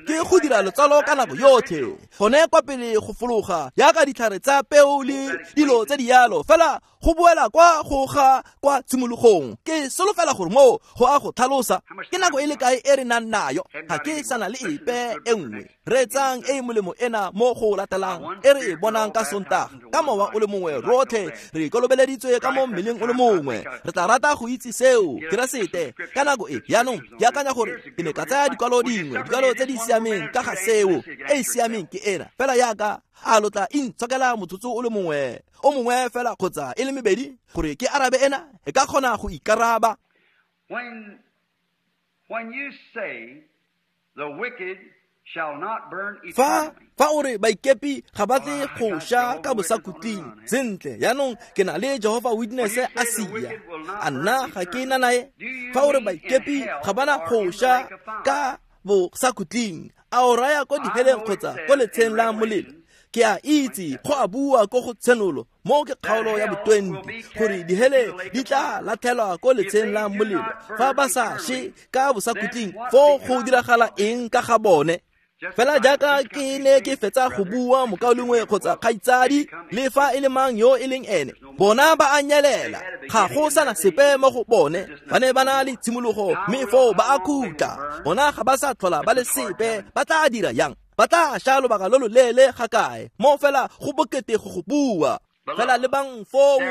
Ke go dira lotsalo ka nako yotlhe, gone kwa pele go fologa yaka ditlhare tsa peo le dilo tse di yalo, fela go boela kwa go ga kwa tshimologong. Ke solofela gore moo go a go tlhalosa. Ke nako e le kae e re nang nayo? Ga ke sana le epe e nngwe. Reetsang e e molemo ena mo go latelang e re e bonang ka Sontaga. Ka mowa o le mongwe rotlhe re kolobeleditswe ka mo mmeleng o le mongwe. Re tla rata go itse seo, Keresete, ka nako e. Jaanong ke akanya gore ke ne ka tsaya dikwalo dingwe, dikwalo tse di siameng ka ga seo. E e siameng ke ena fela yaka a lo tla intshokela motsotso o le mongwe, o mongwe fela kgotsa e le mebedi gore ke arabe ena, e ka kgona go ikaraba. When you say the wicked shall not burn Fa eternally, fa o re baikepi ga ba tle go sha ka bosakhutleng, sentle jaanong ke na le Jehovah Witness a sia, a nna ga ke na nae. Fa o re baikepi ga bana go sha ka bosakhutleng, a o raya ko diheleng kgotsa ko letsheng la molelo? Ke a itse go a bua ko go Tshenolo, mo ke kgaolo ya bo-20, gore dihele di tla latlhelwa ko letsheng la molelo fa ba sa she ka bosakhutleng. Foo go diragala eng ka ga bone? Fela jaaka ke ne ke fetsa go bua, mokaulengwe kgotsa kgaitsadi, le fa e le mang yo e leng ene, bona ba a nyelela, ga go sana sepe mo go bone. Ba ne ba na le tshimologo, mme foo ba a khutla. Bona ga ba sa tlhola ba le sepe. Ba tla dira yang? Ba tla sha lobaka lo loleele ga kae? Mo fela go bokete go go bua. Fela lebang foo,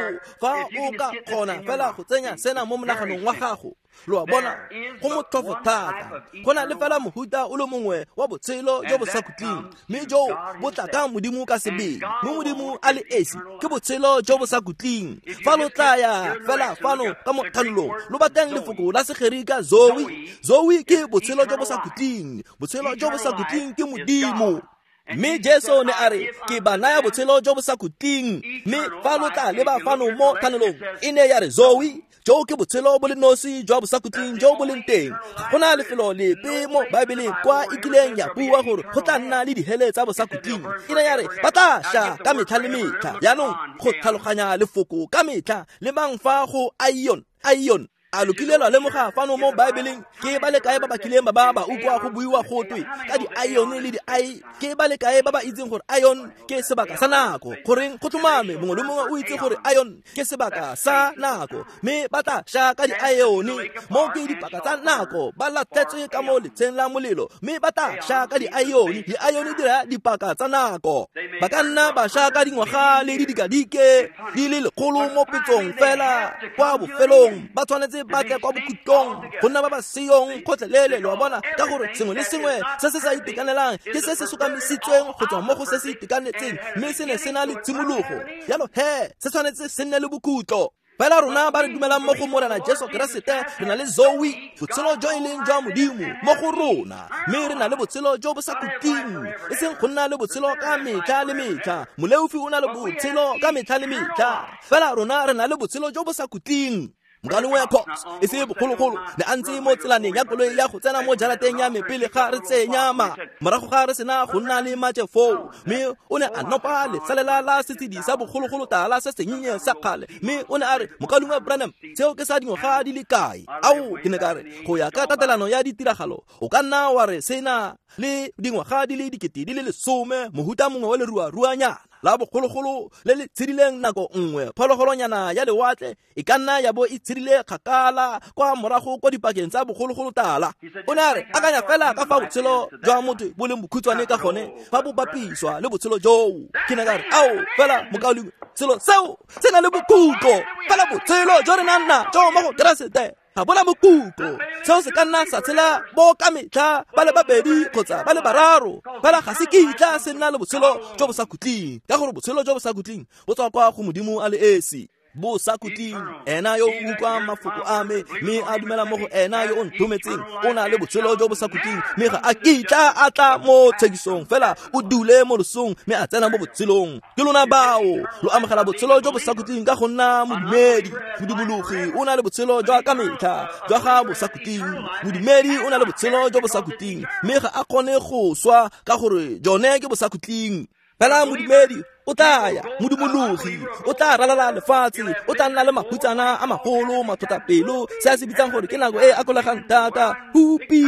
fa o ka kgona fela go tsenya sena mo monaganong wa gago, lo a bona, go motlhofo thata. Go na le fela mohuta o le mongwe wa botshelo jo bo sa khutleng, mme jo bo tla ka Modimo ka sebele. Mme Modimo a le esi ke botshelo jo bo sa khutleng. Fa lo tla ya fela fano ka mo thanolong, lo batlang lefoko la Segerika Zoe. Zoe ke botshelo jo bo sa khutleng. Botshelo jo bo sa khutleng ke Modimo. Mme Jesu ne a re, ke ba naya botshelo jo bo sa khutleng. Mme fa lo tla leba fano mo thanolong, e ne ya re Zoe, jo ke botshelo bo le nosi jwa bosakhutleng jo bo leng teng. Ga gona lefelo lepe mo Baebeleng kwa e kileng ya bua gore go tla nna le dihele tsa bosakhutleng. E ne ya re ba tla sha ka metlha le metlha. Jaanong go tlhaloganya lefoko ka metlha, lebang fa go aion, aion. A lo kile lwa lemoga fano mo Baebeleng ke ba le kae ba ba kileng ba ba ba utlwa go buiwa go twe ka di-ion le di-i? Ke ba le kae ba ba itseng gore ion ke sebaka sa nako? Goreng go tlhomame mongwe le mongwe o itse gore ion ke sebaka sa nako, mme ba tla sha ka di-ion. Mo ke dipaka tsa nako, ba latlhetswe ka mo letsheng la molelo, mme ba tla sha ka di-ion. Di-ion di raya dipaka tsa nako. Ba ka nna ba sha ka dingwaga le didikadike di le lekgolo mo petsong fela kwa bofelong ba tshwanetse ba tle kwa bokhutlong go nna ba ba seyong kgotlhelele. Lo a bona, ka gore sengwe le sengwe se se sa itekanelang ke se se sokamisitsweng go tswa mo go se se itekanetseng, mme se ne se na le tshimologo. Jalo he se tshwanetse se nne le bokhutlo. Fela rona ba re dumelang mo go Morena Jesu Keresete, re na le Zoe, botshelo jo e leng jwa Modimo mo go rona, mme re na le botshelo jo bo sa khutleng, e seng go nna le botshelo ka metlha le metlha. Moleofi o na le botshelo ka metlha le metlha, fela rona re na le botshelo jo bo sa khutleng. Mokalengwe Cox e se bogologolo ne a ntse mo tselaneng ya koloi ya go tsena mo jarateng ya me pele ga re tsenya ma morago ga re sena go nna le matše foo, mme o ne a nopa lesalela la setshedi sa bogologolo tala se sennye sa kgale, mme o ne a re, Mokalengwe Branham, seo ke sa dingwaga di le kae? Ao, ke ne ka re, go ya ka tatelano ya ditiragalo o ka nna wa re sena le dingwaga di le 10,000, mohuta mongwe wa leruaruanyana la bogologolo le le tshedileng nako nngwe, phologolonyana ya lewatle e ka nna ya bo e tshedile kgakala kwa morago kwa dipakeng tsa bogologolo tala. O ne a re, akanya fela ka fa botshelo jwa motho bo leng bokhutshwane ka gone fa bo bapiswa le botshelo joo. Ke ne ka re, ao, fela mokaulengwe, selo seo se na le bokhutlo, fela botshelo jo re nang najo mo go Keresete ga bona bokhutlo. Seo se ka nna sa tshela bo ka metlha ba le babedi kgotsa ba le bararo, fela ga se kitla se nna le botshelo jo bo sa khutleng, ka gore botshelo jo bo sa khutleng bo tswa kwa go Modimo a le esi. Bo sa khutleng, ena yo o utlwang mafoko a me mme a dumela mo go ena yo o nthometseng o na le botshelo jo bo sa khutleng, mme ga a kitla a tla mo tshekisong, fela o dule mo losong mme a tsena mo botshelong. Ke lona bao lo amogela botshelo jo bo sa khutleng ka go nna modumedi. Modumologi o na le botshelo jwa ka metlha jwa ga bo sa khutleng. Modumedi o na le botshelo jo bo sa khutleng mme ga a kgone go swa ka gore jone ke bo sa khutleng. Fela modumedi o tla ya, modumologi o tla ralala lefatshe, o tla nna le mahutsana a magolo, matlhotlhapelo, se a se bitsang gore ke nako e e akolegang thata, hupi,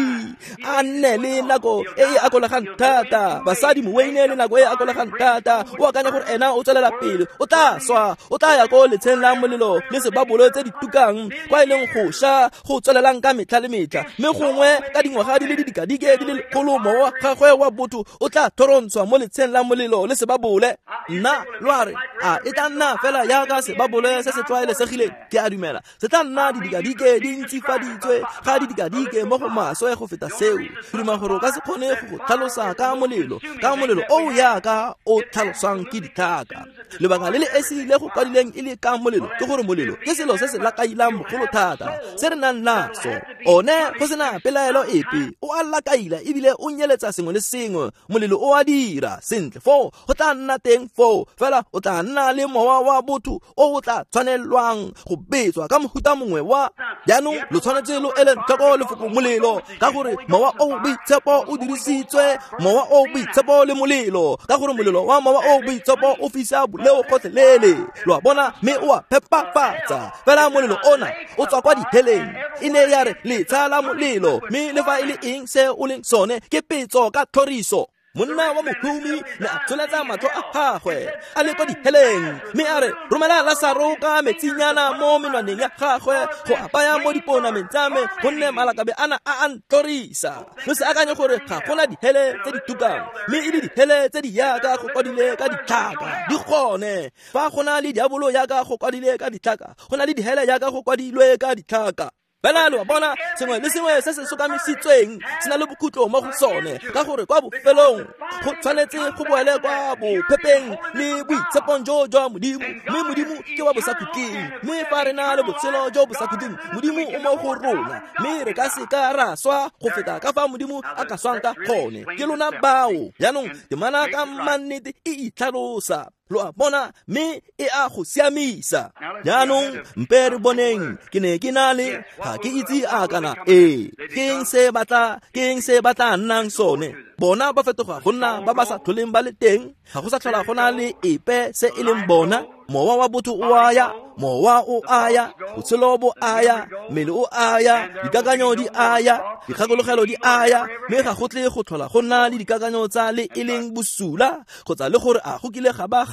a nne le nako e e akolegang thata, basadi moweine le nako e e akolegang thata, o akanya gore ena o tswelela pele, o tla swa, o tla ya ko letsheng la molelo le sebabolo tse di tukang, kwa e leng go sha go tswelelang ka metlha le metlha, mme gongwe ka dingwaga di le didikadike di le lekgolo mowa wa gagwe wa botho o tla thorontshwa mo letsheng la molelo le sebabole. Nna lo a re, a e tla nna fela jaaka sebabole se se tlwaelesegileng? Ke a dumela se tla nna didikadike di ntsifaditswe ga didikadike mo go maswe go feta seo. Ke duma gore o ka se kgone go go tlhalosa ka molelo, ka molelo o yaka o tlhaloswang ke ditlhaka. Lebaka le le esi le go kwadileng e le ka molelo ke gore molelo ke selo se se lakailang bogolo thata se re nang naso. One go sena pelaelo epe o a lakaila ebile o nyeletsa sengwe le sengwe. Molelo o a dira sentle foo, go tla nna teng foo, fela o tla nna le mowa wa botho o o tla tshwanelwang go betswa ka mohuta mongwe wa. Jaanong lo tshwanetse lo ele tlhoko lefoko molelo, ka gore mowa o boitshepo o dirisitswe, mowa o boitshepo le molelo, ka gore molelo wa mowa o boitshepo o fisa boleo gotlhelele, lo a bona, mme o a phepafatsa. Fela molelo ona o tswa kwa diheleng, e ne ya re letsha la molelo, mme le fa e le eng se o leng sone ke petso ka tlhoriso. Monna wa mohumi ne a tsholetsa matlho a gagwe a le kwa diheleng, mme a re, romela Lasaro ka metsinyana mo menwaneng ya gagwe go apaya mo diponameng tsa me, gonne malakabe ana a a ntlhorisa. Lo se akanye gore ga gona dihele tse di tukang, mme e le dihele tse di yaka go kwadile ka ditlhaka di gone. Fa go na le diabolo yaka go kwadile ka ditlhaka, go na le dihele yaka go kwadilwe ka ditlhaka. Fela lo a bona, sengwe le sengwe se se sokamisitsweng se na le bokhutlo mo go sone, ka gore kwa bofelong go tshwanetse go boele kwa bophepeng le boitshepong jo jwa Modimo, mme Modimo ke wa bosakhutleng. Mme fa re na le botshelo jo bosakhutleng, Modimo o mo go rona, mme re ka se ka ra swa go feta ka fa Modimo a ka swang ka gone. Ke lona bao. Jaanong temana ka mannete e itlhalosa, lo a bona, mme e a go siamisa. Jaanong mpe re boneng, ke ne ke na le, ga ke itse a kana ee, ke eng se ba tla nnang sone. Bona ba fetoga go nna ba ba sa tlholeng ba le teng, ga go sa tlhola go na le epe se e leng bona. Mowa wa botho o a ya, mowa o a ya, botshelo bo a ya, mmele o a ya, dikakanyo di a ya, dikgakologelo di a ya, mme ga go tle go tlhola go nna le dikakanyo tsa le e leng bosula kgotsa le gore a go kile ga ba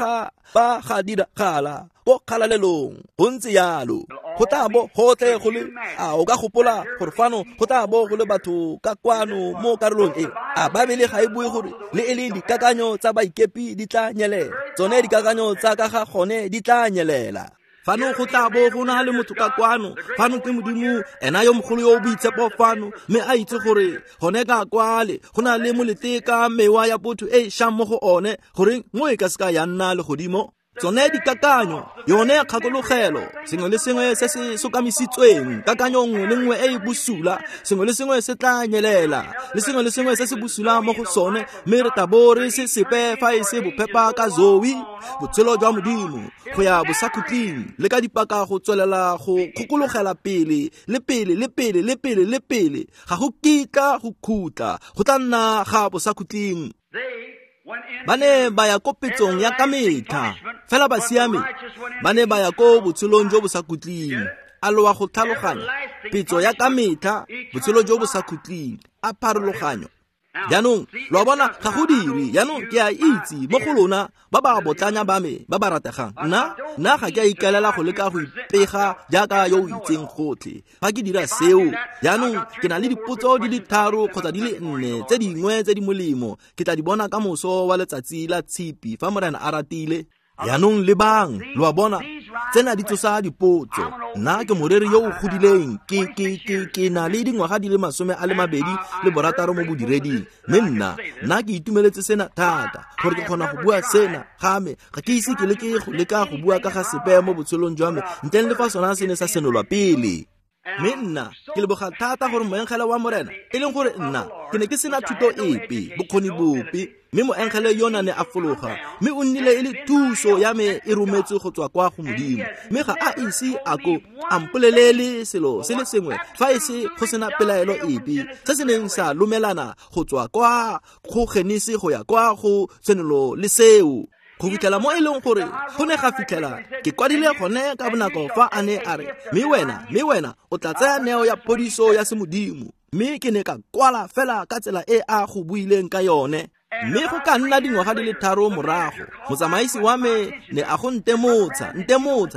ga diragala ko kgalalelong. Go ntse yalo, go tla bo gotlhe go le. A o ka gopola gore fano go tla bo go le batho ka kwano mo karolong e? A Babele ga e bue gore le e le dikakanyo tsa baikepi di tla nyelela, tsone dikakanyo tsa ka ga gone di tla nyelela. Fano go tla bo go na le motho ka kwano, fano ke Modimo ena yo mogolo yo o boitshepo fano, mme a itse gore gone ka kwale go na le molete ka mewa ya botho e e shang mo go one, goreng mo e ka se ka ya nna legodimo. Tsone dikakanyo, yone kgakologelo, sengwe le sengwe se se sokamisitsweng, kakanyo nngwe le nngwe e e bosula, sengwe le sengwe se tla nyelela, le sengwe le sengwe se se bosula mo go sone, mme re tla bo re se sepe fa e se bophepa ka Zoe, botshelo jwa Modimo, go ya bosakhutleng, le ka dipaka go tswelela go kgokologela pele, le pele, le pele, le pele, le pele, ga go kitla go khutla, go tla nna ga bosakhutleng. Ba ne ba ya ko petsong ya ka metlha, fela ba siame, ba ne ba ya ko botshelong jo bo sa khutleng. A lo wa go tlhaloganya? Petso ya ka metlha, botshelo jo bo sa khutleng, a pharologanyo. Jaanong, lo a bona, ga go dire. Jaanong ke a itse mo go lona ba ba botlanya ba me ba ba rategang. Nna ga ke a ikaelela go leka go ipega jaaka yo o itseng gotlhe. Fa ke dira seo, jaanong ke na le dipotso di le 3 kgotsa di le 4 tse dingwe tse di molemo. Ke tla di bona ka moso wa letsatsi la Tshipi fa Morena a ratile. Jaanong lebang, lo a bona, tsena di tsosa dipotso. Nna ke moreri yo o godileng, ke na le dingwaga di le 26 mo bodireding. Mme nna ke itumeletse sena thata, gore ke kgona go bua sena ga me. Ga ke ise ke leke go leka go bua ka ga sepe mo botshelong jwa me, ntleng le fa sona se ne sa senolwa pele. Mme nna ke leboga thata gore moengele wa Morena, e leng gore nna ke ne ke sena thuto epe, bokgoni bope, mme moengele yona ne a fologa, mme o nnile e le thuso ya me e rometswe go tswa kwa go Modimo. Mme ga a ise a ko a mpolelele selo se le sengwe fa e se go sena pelaelo epe, se se neng sa lomelana go tswa kwa go Genesi go ya kwa go Tshenolo le seo. Go fitlhela mo e leng gore go ne ga fitlhela ke kwadile gone ka bonako fa a ne a re, mme wena o tla tsaya neo ya phodiso ya semodimo. Mme ke ne ka kwala fela ka tsela e a go buileng ka yone. Mme go ka nna dingwaga di le 3 morago, motsamaisi wa me ne a go ntemotsa,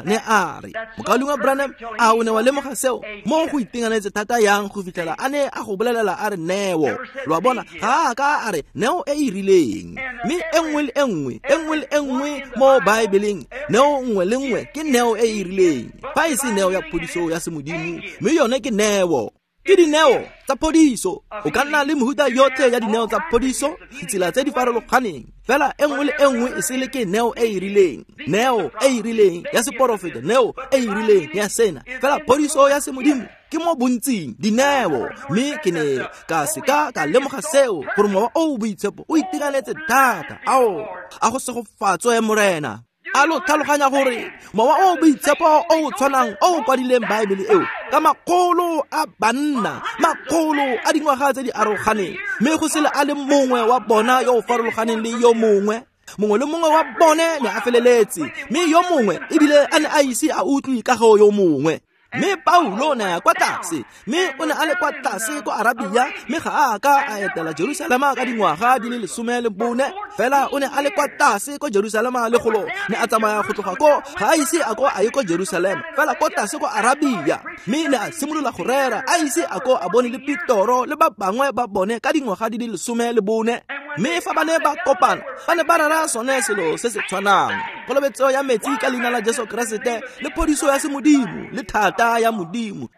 ne a re, Mokaulengwe Branham, a o ne wa lemoga seo? Mo go itekanetse thata yang go fitlhela a ne a go bolelela a re neo. Lo a bona, ga a ka a re neo e e rileng. Mme e nngwe le e nngwe, e nngwe le e nngwe mo Baebeleng, neo nngwe le nngwe ke neo e e rileng. Fa e se neo ya phodiso ya semodimo, mme yone ke neo. Ke dineo tsa phodiso. O ka nna le mehuta yotlhe ya dineo tsa phodiso, ditsela tse di farologaneng. Fela e nngwe le e nngwe e sele ke neo e e rileng, neo e e rileng ya seporofeto, neo e e rileng ya sena. Fela phodiso ya semodimo ke mo bontsing dineo. Mme ke ne ka seka ka lemoga seo, gore Mowa o o Boitshepo o itekanetse thata. Ao, a go segofatswe Morena. A lo tlhaloganya gore Mowa o o Boitshepo o o tshwanang o o kwadileng Baebele eo ka makgolo a banna, makgolo a dingwaga tse di aroganeng, mme go sele a le mongwe wa bona yo o farologaneng le yo mongwe. Mongwe le mongwe wa bone ne a feleletse, mme yo mongwe ebile a ne a ise a utlwe ka go yo mongwe. Mme Paulo ne a ya kwa tlase, mme o ne a le kwa tlase kwa Arabia, mme ga a ka a etela Jerusalema ka dingwaga di le 14. Fela o ne a le kwa tlase kwa Jerusalema le golo, ne a tsamaya go tloga ko, ga a ise a ko a ye kwa Jerusalema, fela kwa tlase kwa Arabia. Mme ne a simolola go rera, a ise a ko a bone le Petoro le ba bangwe ba bone ka dingwaga di le 14. Mme fa ba ne ba kopana, ba ne ba rera sone selo se se tshwanang, kolobetso ya metsi ka leina la Jesu Keresete, le phodiso ya semodimo, le thata ya Modimo.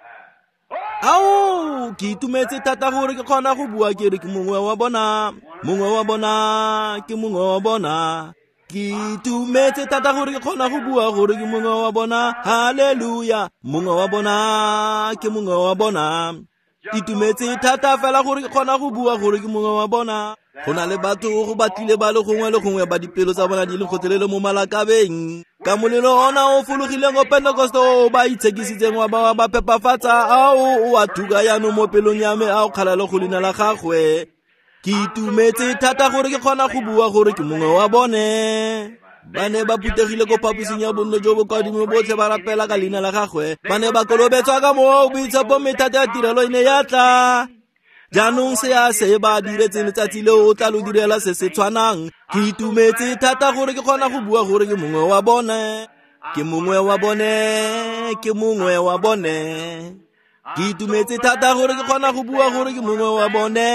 Ao, ke itumetse thata gore ke kgona go bua ke re ke mongwe wa bona, mongwe wa bona, ke mongwe wa bona. Ke itumetse thata gore ke kgona go bua gore ke mongwe wa bona. Haleluya, mongwe wa bona, ke mongwe wa bona. Itumetse thata fela gore ke kgona go bua gore ke mongwe wa bona. Go na le batho go batlile ba le gongwe le gongwe ba dipelo tsa bona di le gotlhelele mo malakabeng. Ka molelo ona o fologileng o Pentecost o ba itshekisitseng wa ba ba phepafatsa, ao o a thuka jaanong mo pelong ya me, a o kgalale go leina la gagwe. Ke itumetse thata gore ke kgona go bua gore ke mongwe wa bone. Ba ne ba phuthegile ko phaposing ya bonno jo bo kwa godimo, botlhe ba rapela ka leina la gagwe. Ba ne ba kolobetswa ka Mowa o Boitshepo, mme thata ya tirelo e ne ya tla. Jaanong se a se ba diretseng letsatsi leo o tla lo direla se se tshwanang. Ke itumetse thata gore ke kgona go bua gore ke mongwe wa bone. Ke mongwe wa bone, ke mongwe wa bone. Ke itumetse thata gore ke kgona go bua gore ke mongwe wa bone.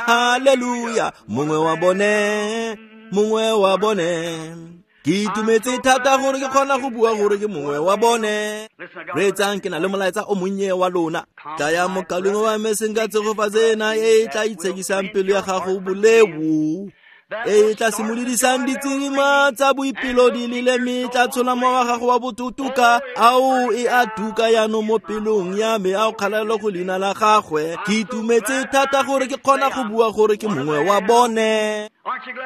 Haleluya, mongwe wa bone, mongwe wa bone. Ke itumetse thata gore ke kgona go bua gore ke mongwe wa bone. Reetsang, ke na le molaetsa o monnye wa lona. Tlaya mokaulengwe wa me, senka tshegofatso ena e e tla itshekisang pelo ya gago boleo. E tla simolodisang ditsirima tsa boipelo di lele mme tla tshola mowa gago wa botutuka. Ao e a tuka yaanong mo pelong ya me, a o kgalelo go leina la gagwe. Ke itumetse thata gore ke kgona go bua gore ke mongwe wa bone.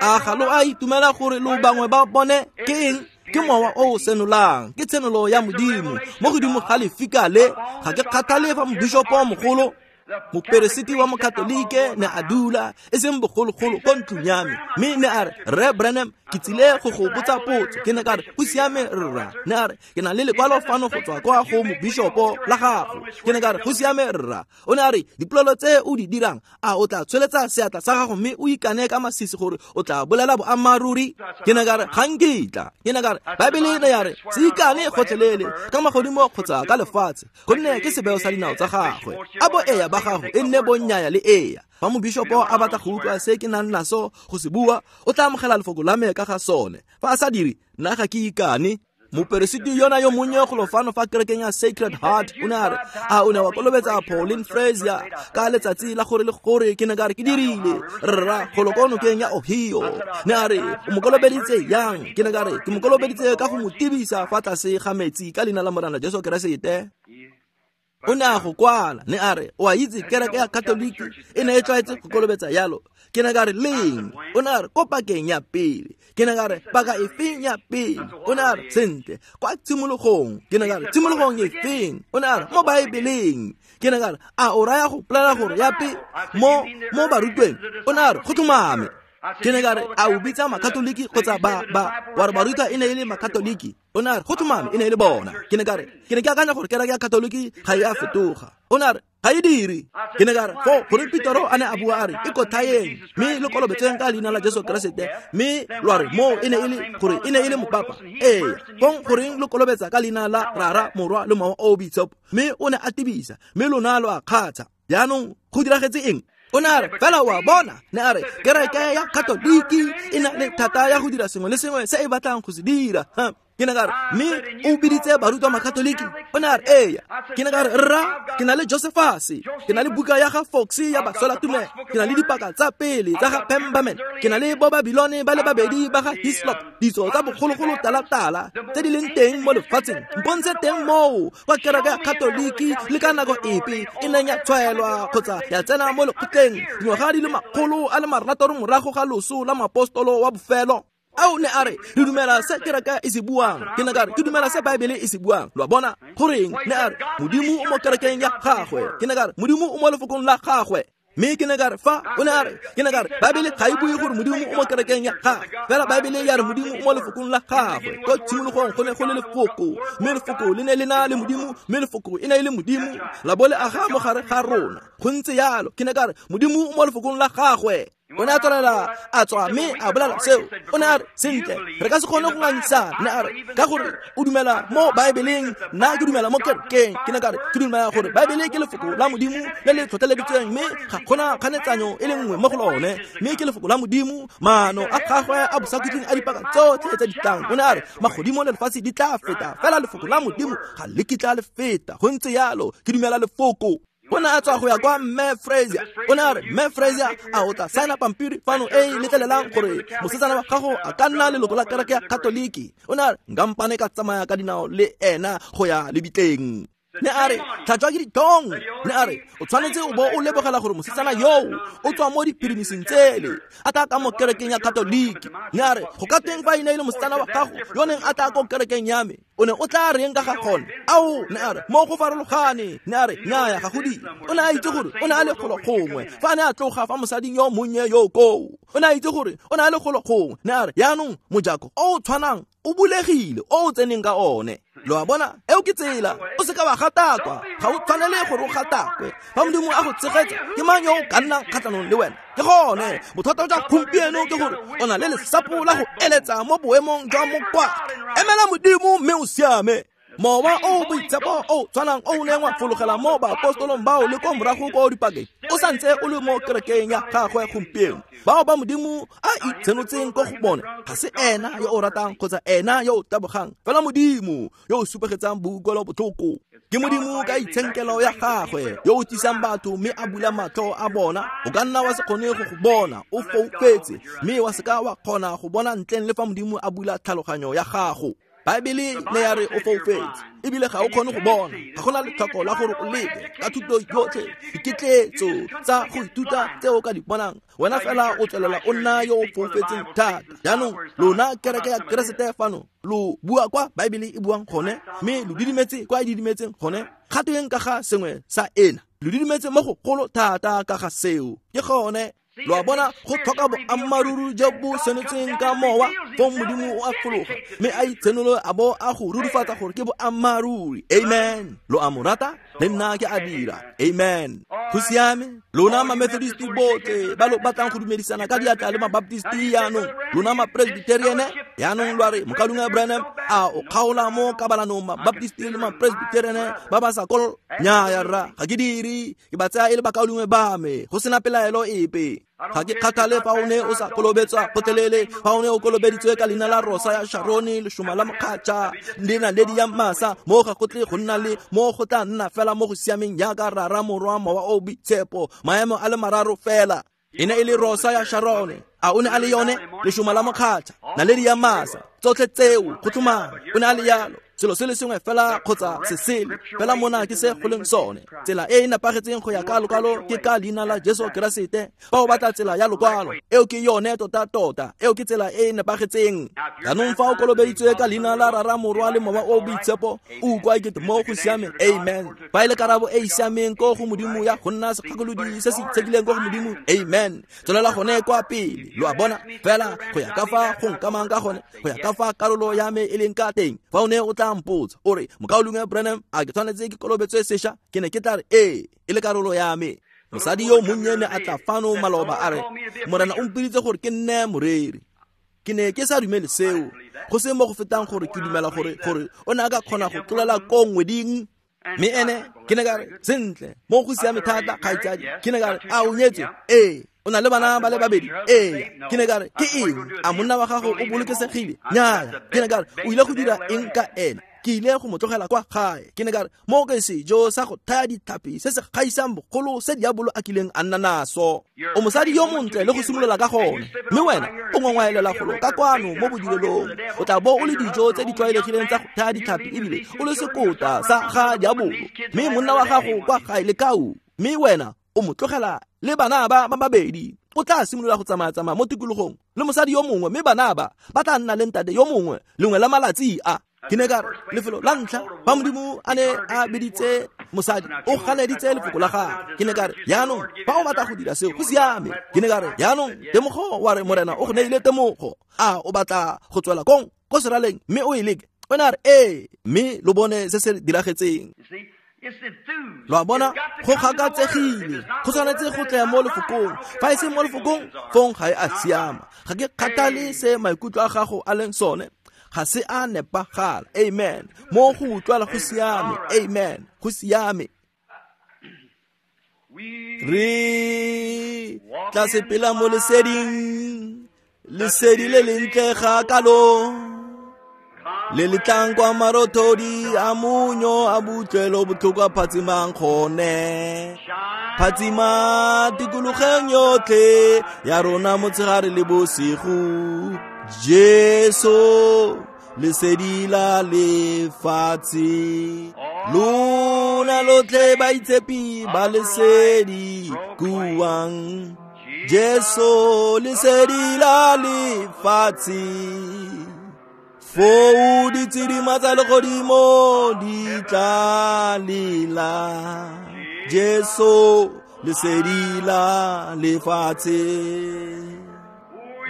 A ga lo a itumela gore lo bangwe ba bone? Ke eng? Ke mowa o o senolang, ke tshenolo ya Modimo mo godimo ga lefika le. Ga ke kgathale fa mobishopo mogolo, moperesiti wa mokatolike ne a dula e seng bogologolo ko ntlong ya me, mme ne a re, Rre Branham, ke tsile go go botsa potso. Ke ne ka re, go siame rra. Ne a re, ke na le lekwalo fano go tswa kwa go mobishopo la gago. Ke ne ka re, go siame rra. O ne a re, dipolelo tse o di dirang, a o tla tsweletsa seatla sa gago mme o ikane ka masisi gore o tla bolela boammaaruri? Ke ne ka re, ga nkitla. Ke ne ka re, Baebele ne ya re, se ikane gotlhelele ka magodimo kgotsa ka lefatshe, gonne ke sebeo sa dinao tsa gagwe. A bo eya ba gago e nne bonnyaya le eya. Fa mobishopo a batla go utlwa se ke nang naso go se bua, o tla amogela lefoko la me ka ga sone. Fa a sa dire, nna ga ke ikane. Moperesiti yona yo monnye golo fano fa kerekeng ya Sacred Heart o ne a re, a o ne wa kolobetsa Pauline Frazier ka letsatsi la gore le gore? Ke ne ka re, ke dirile rra, golo ko nokeng ya Ohio. Ne a re, o mo kolobeditse yang? Ke ne ka re, ke mo kolobeditse ka go mo tibisa fa tlase ga metsi ka leina la Morena Jesu Keresete. O ne a go kwala. Ne a re, o a itse kereke ya Katoliki e ne e tlwaetse go kolobetsa yalo. Ke ne ka re, leng? O ne a re, ko pakeng ya pele. Ke ne ka re, paka e feng ya pele? O ne a re, sentle, kwa tshimologong. Ke ne ka re, tshimologong e feng? O ne a re, mo Baebeleng. Ke ne ka re, a o raya go bolela gore ya pe mo barutweng? O ne a re, go tlhomame. Ke ne ka re, a o bitsa makatoliki kgotsa ba wa re barutwa e ne e le makatoliki? O ne a re, go tlhomame e ne e le bona. Ke ne ka re, ke ne ke akanya gore kereke ya Katoliki ga e a fetoga. O ne a re, ga e dire. Ke ne ka re, fo gore Petero a ne a bua a re, ikotlhaeng mme le kolobetseng ka leina la Jesu Keresete, mme lwa re moo e ne e le gore e ne e le mopapa. Ee, fong goreng lo kolobetsa ka leina la Rara, Morwa le Mowa o o Boitshepo? Mme o ne a tibisa, mme lona lo a kgatsha. Jaanong go diragetse eng? O ne a re, fela wa bona, ne a re, kereke ya Katoliki e na le thata ya go dira sengwe le sengwe se e batlang go se dira. Ke ne ka re, mme o biditse barutwa makatoliki? O ne a re, eya. Ke ne ka re, rra, ke na le Josephus, ke na le buka ya ga Fox ya baswelatumelo, ke na le dipaka tsa pele tsa ga Pemberman, ke na le bo Babilone ba le babedi ba ga Hislop, ditso tsa bogologolo tala-tala tse di leng teng mo lefatsheng. Mpontshe teng moo kwa kereke ya Katoliki le ka nako epe e neng ya tshwaelwa kgotsa ya tsena mo lekgotleng dingwaga di le 600 morago ga loso la moapostolo wa bofelo. Ao, ne a re, re dumela se kereke e se buang. Ke ne ka re, ke dumela se Baebele e se buang. Lo a bona? Goreng? Ne a re, Modimo o mo kerekeng ya gagwe. Ke ne ka re, Modimo o mo lefokong la gagwe. Mme ke ne ka re, fa o ne a re, ke ne ka re, Baebele ga e bue gore Modimo o mo kerekeng ya gagwe, fela Baebele ya re Modimo o mo lefokong la gagwe. Ko tshimologong go ne go le lefoko, mme lefoko le ne le na le Modimo, mme lefoko e ne e le Modimo, la bo le aga mo gare ga rona. Go ntse yalo. Ke ne ka re, Modimo o mo lefokong la gagwe. O ne a tswelela a tswa mme a bolela seo. O ne a re, sentle, re ka se kgone go ngangisana. Ne a re, ka gore o dumela mo Baebeleng, nna ke dumela mo kerekeng. Ke ne ka re, ke dumela gore Baebele ke lefoko la Modimo le le tlhotlheleditsweng, mme ga gona kganetsanyo e le nngwe mo go lone, mme ke lefoko la Modimo, maano a gagwe a bosakhutleng a dipaka tsotlhe tse di tlang. O ne a re, magodimo le lefatshe di tla feta, fela lefoko la Modimo ga le kitla le feta. Go ntse yalo, ke dumela lefoko. O ne a tswa go ya kwa Mme Frazier. O ne a re, Mme Frazier, a o tla saena pampiri fano e e letlelelang gore mosetsana wa gago a ka nna leloko la kereke ya Katoliki? O ne a re, nka mpane ka tsamaya ka dinao le ena go ya lebitleng. Ne a re, tlhatswa ke ditlhong. Ne a re, o tshwanetse o bo o lebogela gore mosetsana yoo o tswa mo diphirimисing tsele, a tla ka mo kerekeng ya Katoliki. Ne a re, go ka tweng fa e ne e le mosetsana wa gago yo neng a tla ko kerekeng ya me? O ne o tla reng ka ga gone? Ao, ne a re, mo go farologane. Ne a re, nnyaya, ga go dire. O ne a itse gore o ne a le golo gongwe fa a ne a tloga fa mosading yo monnye yo koo. O ne a itse gore o ne a le golo gongwe. Ne a re, yaanong mojako o o tshwanang o bulegile o o tseneng ka one. Lo a bona, eo ke tsela. O seka wa gatakwa, ga o tshwanele gore o gatakwe. Fa Modimo a go tshegetsa, ke mang yo o ka nnang kgatlhanong le wena? Ke gone bothata jwa gompieno ke gore o na le lesapo la go eletsa mo boemong jwa mokwatla. Emela Modimo mme o siame. Mowa o boitshepo o tshwanang o neng wa fologela mo baapostolong bao le ko morago ko dipakeng o santse o le mo kerekeng ya gagwe gompieno. Bao ba Modimo a itshenotseng ko go bone ga se ena yo o ratang kgotsa ena yo o tabogang, fela Modimo yo o supegetsang boutlwelo botlhoko. Ke Modimo ka itshenkelo ya gagwe yo o tlisang batho mme a bula matlho a bona. O ka nna wa se kgone go go bona, o foufetse, mme wa se ka wa kgona go bona ntleng le fa Modimo a bula tlhaloganyo ya gago. Baebele ne ya re o foufetse ebile ga o kgone go bona, ga gona letlhoko la gore o leke ka thuto yotlhe, diketletso tsa go ithuta tse o ka di bonang, wena fela o tswelela o nna yo o foufetseng thata. Jaanong lona kereke ya Keresete fano lo bua kwa Baebele e buang gone, mme lo didimetse kwa e didimetseng gone. Ga tweng ka ga sengwe sa ena? Lo didimetse mo go golo thata ka ga seo. Ke gone. Lo a bona, go tlhoka boammaaruri jo bo senotsweng ka mowa, fong Modimo o a fologa mme a itshenolo a bo a go rurifatsa gore ke boammaaruri. Amen. Lo a mo rata? Le nna ke a dira. Amen. Go siame. Lona ma-Methodist botlhe ba lo batlang go dumedisana ka diatla le ma-Baptist yaanong, lona ma-Presbyterian yaanong lo a re, Mokaulengwe Branham, a o kgaola mo kabalanong ma-Baptist le ma-Presbyterian ba ba sa kol? Nnyaya rra, ga ke dire. Ke ba tsaya e le bakaulengwe ba me, go sena pelaelo epe. Ga ke kgathale fa o ne o sa kolobetswa gotlhelele, fa o ne o kolobeditswe ka leina la Rosa ya Sharone, lešoma la mokgatšha, le naledi ya masa, mo ga go tle go nna le mo go tla nna fela mo go siameng jaaka Rara, Morwa, Mowa o Boitshepo, maemo a le mararo fela. E ne e le Rosa ya Sharone, a o ne a le yone, lešoma la mokgatšha, naledi ya masa, tsotlhe tseo go tlhomama o ne a le yalo. Selo se le sengwe fela kgotsa se sele fela, mona ke se go leng sone. Tsela e e nepagetseng go ya ka lokwalo ke ka leina la Jesu Keresete. Fa o batla tsela ya lokwalo, eo ke yone tota-tota, eo ke tsela e e nepagetseng. Jaanong fa o kolobeditswe ka leina la Rara, Morwa le Mowa o Boitshepo, o utlwa ekete mo go siame. Amen. Fa e le karabo e e siameng ko go Modimo ya go nna segakolodi se se itshekileng ko go Modimo, amen. Tswelela gone kwa pele. Lo a bona, fela go ya ka fa go nkamang ka gone, go ya ka fa karolo ya me e leng ka teng. Fa o ne o tla mpotsa o re, Mokaulengwe Branham, a ke tshwanetse ke kolobetswe sesha? Ke ne ke tla re ee, e le karolo ya me. Mosadi yo monnye ne a tla fano maloba a re, Morena o mpiditse gore ke nne moreri. Ke ne ke sa dumele seo, go se mo go fetang gore ke dumela gore gore o ne a ka kgona go tlolela ko ngweding. Mme ene ke ne ka re, sentle, mo go siame thata, kgaitsadi. Ke ne ka re, a o nyetswe? Ee. O na le bana ba le babedi? Ee. Ke ne ka re, ke eng? A monna wa gago o bolokesegile? Nnyaya. Ke ne ka re, o ile go dira eng ka ene? Ke ile go mo tlogela kwa gae. Ke ne ka re, mo ke sejo sa go thaya ditlhapi se se gaisang bogolo se diabolo a kileng a nna naso. O mosadi yo montle le go simolola ka gone, mme wena o ngongwaelela golo ka kwano mo bodirelong. O tla bo o le dijo tse di tlwaelegileng tsa go thaya ditlhapi ebile o le sekota sa ga diabolo. Mme monna wa gago kwa gae le kau, mme wena o mo tlogela le bana ba ba babedi. O tla simolola go tsamaya-tsamaya mo tikologong le mosadi yo mongwe, mme bana ba ba tla nna le ntate yo mongwe lengwe la malatsi a. Ke ne ka re, lefelo la ntlha fa Modimo a ne a biditse mosadi, o ganeditse lefoko la gagwe. Ke ne ka re, jaanong fa o batla go dira seo, go siame. Ke ne ka re, jaanong temogo, wa re Morena o go neile temogo, a o batla go tswela kong ko seraleng mme o e leke? O ne a re ee, mme lo bone se se diragetseng. Lo a bona, go gakatsegile, go tshwanetse go tle mo lefokong. Fa e se mo lefokong, fong ga e a siama. Ga ke kgathale se maikutlo a gago a leng sone, ga se a nepagala. Amen. Mo go utlwala go siame. Amen. Go siame. Re tla sepela mo leseding, lesedi le lentle ga kalo, le le tlang kwa marothodi a monyo a butlwelo botlhoko a phatsimang gone. Phatsima tikologeng yotlhe ya rona motshegare le bosigo. Jesu lesedi la lefatshe, lona lotlhe baitshepi ba lesedi kuang. Jesu lesedi la lefatshe, foo ditshedima tsa legodimo di tla lela. Jesu lesedi la lefatshe,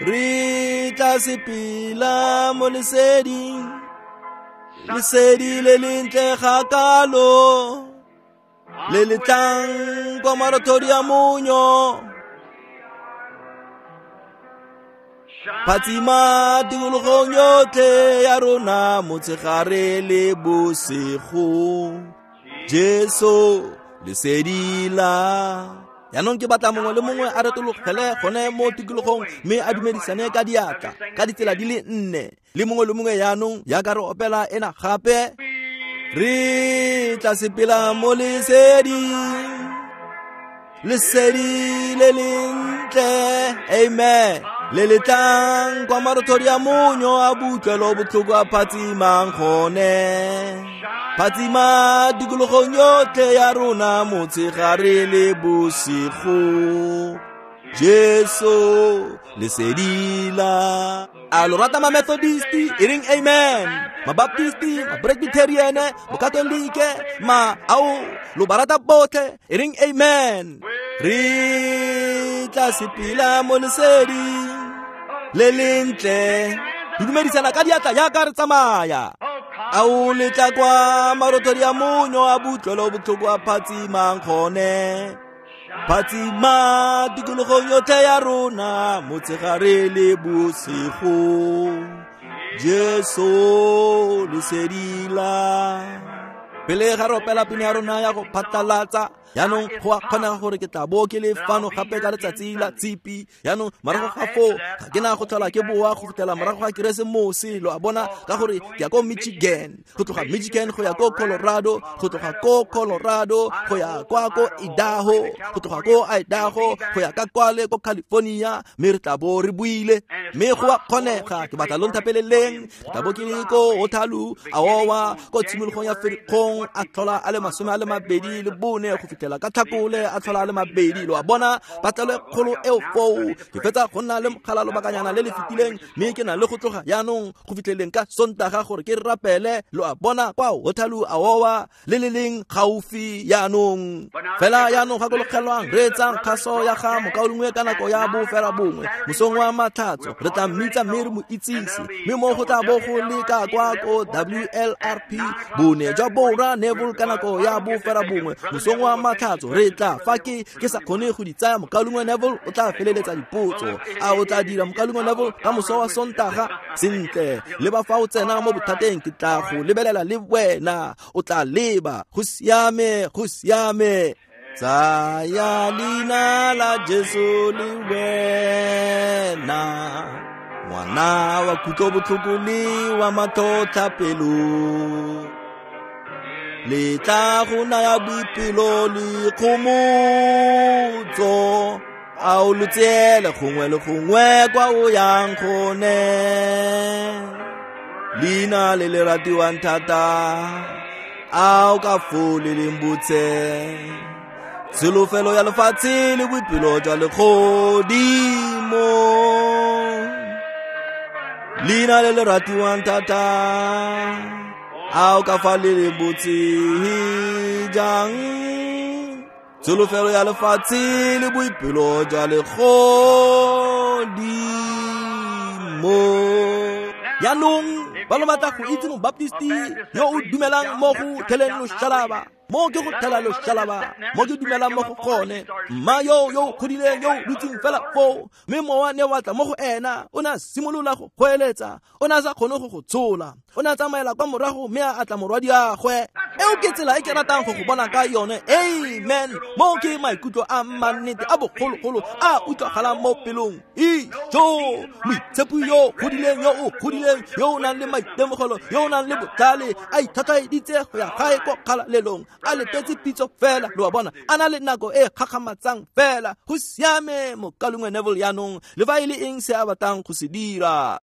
re tla sepela mo leseding, lesedi le lentle ga kalo, le le tlang kwa marothodi a monyo. Phatsima tikologong yotlhe ya rona motshegare le bosigo. Jesu lesedi la. Jaanong ke batla mongwe le mongwe a retologele gone mo tikologong mme a dumedisane ka diatla ka ditsela di le nne le mongwe le mongwe. Jaanong jaaka re opela ena gape, Re tla sepela mo leseding, lesedi le lentle, amen, le le tlang kwa marothodi a monyo a butlwelo botlhoko a phatsimang gone. Phatsima tikologong yotlhe ya rona motshegare le bosigo. Jesu lesedi la. A lo rata ma-Methodisti e reng amen, ma-Baptisti, ma-Presbyterian, ma-Katolike, ma ao lo ba rata botlhe e reng amen. Re tla sepela mo leseding le lentle, re dumedisana ka diatla jaaka re tsamaya. Ao le tla kwa marothodi a monyo a butlwelo botlhoko a phatsimang gone. Phatsima tikologong yotlhe ya rona motshegare le bosigo. Jesu lesedi la. Pele ga re opela pina ya rona ya go phatlalatsa, jaanong go a kgonega gore ke tla bo ke le fano gape ka letsatsi la tshipi. Jaanong morago ga foo ga ke na go tlhola ke boa go fitlhela morago ga Keresemose, lo a bona, ka gore ke ya ko Michigan, go tloga Michigan go ya ko Colorado, go tloga ko Colorado go ya kwa ko Idaho, go tloga ko Idaho go ya ka kwale ko California, mme re tla bo re buile. Mme go a kgonega, ke batla lo nthapeleleng, ke tla bo ke le ko Waterloo, Iowa, ko tshimologong ya Ferikgong a tlhola a le 24 go fitlhela ka Tlhakole a tlhola a le 2. Lo a bona, patlelo e kgolo eo foo. Ke fetsa go nna le mogala lobakanyana le le fetileng, mme ke na le go tloga jaanong go fitlheleng ka Sontaga gore ke rapele, lo a bona, kwa Waterloo, Iowa, le le leng gaufi jaanong. Fela jaanong gakologelwang, reetsang kgaso ya ga mokaulengwe ka nako ya bofela bongwe mosong wa Matlhatso. Re tla mmitsa mme re mo itsise, mme mo go tla bo go le ka kwa ko WLRP bone jwa Borwa Neville ka nako ya bofela bongwe mosong wa Matlhatso. Re tla fa ke sa kgone go di tsaya, mokaulengwe Neville o tla feleletsa dipotso. A o tla dira mokaulengwe Neville ka moso wa Sontaga? Sentle, leba fa o tsena mo bothateng, ke tla go lebelela le wena, o tla leba. Go siame, go siame. Tsaya leina la Jesu le wena, ngwana wa kutlobotlhoko le wa matlhotlhapelo, le tla go naya boipelo le kgomotso. A o lo tseele gongwe le gongwe kwa o yang gone. Leina le le ratiwang thata, a o ka foo le leng botse, tsholofelo ya lefatshe le boipelo jwa legodimo. Leina le le ratiwang thata, a o ka fa le leng botse jang, tsholofelo ya lefatshe le boipelo jwa legodimo. Jaanong ba lo batla go itse mobaptisti yo o dumelang mo go theleng loshalaba, mo ke go thela loshalaba, mo ke dumelang mo go gone. Mma yo yo godileng yo dutseng fela foo, mme mowa ne wa tla mo go ena, o ne a simolola go goeletsa, o ne a sa kgone go go tshola, o ne a tsamaela kwa morago mme a atla morwadiagwe. Eo ke tsela e ke ratang go go bona ka yone. Amen. Mo ke maikutlo a mannete a bogologolo a utlwagalang mo pelong. Ijo, moitshepi yo godileng, yo o godileng, yo o nang le maitemogelo, yo o nang le botlhale, a ithatlaeditse go ya gae ko kgalalelong, a letetse pitso fela, lo a bona, a na le nako e gakgamatsang fela. Go siame, mokaulengwe Neville jaanong, le fa e le eng se a batlang go se dira.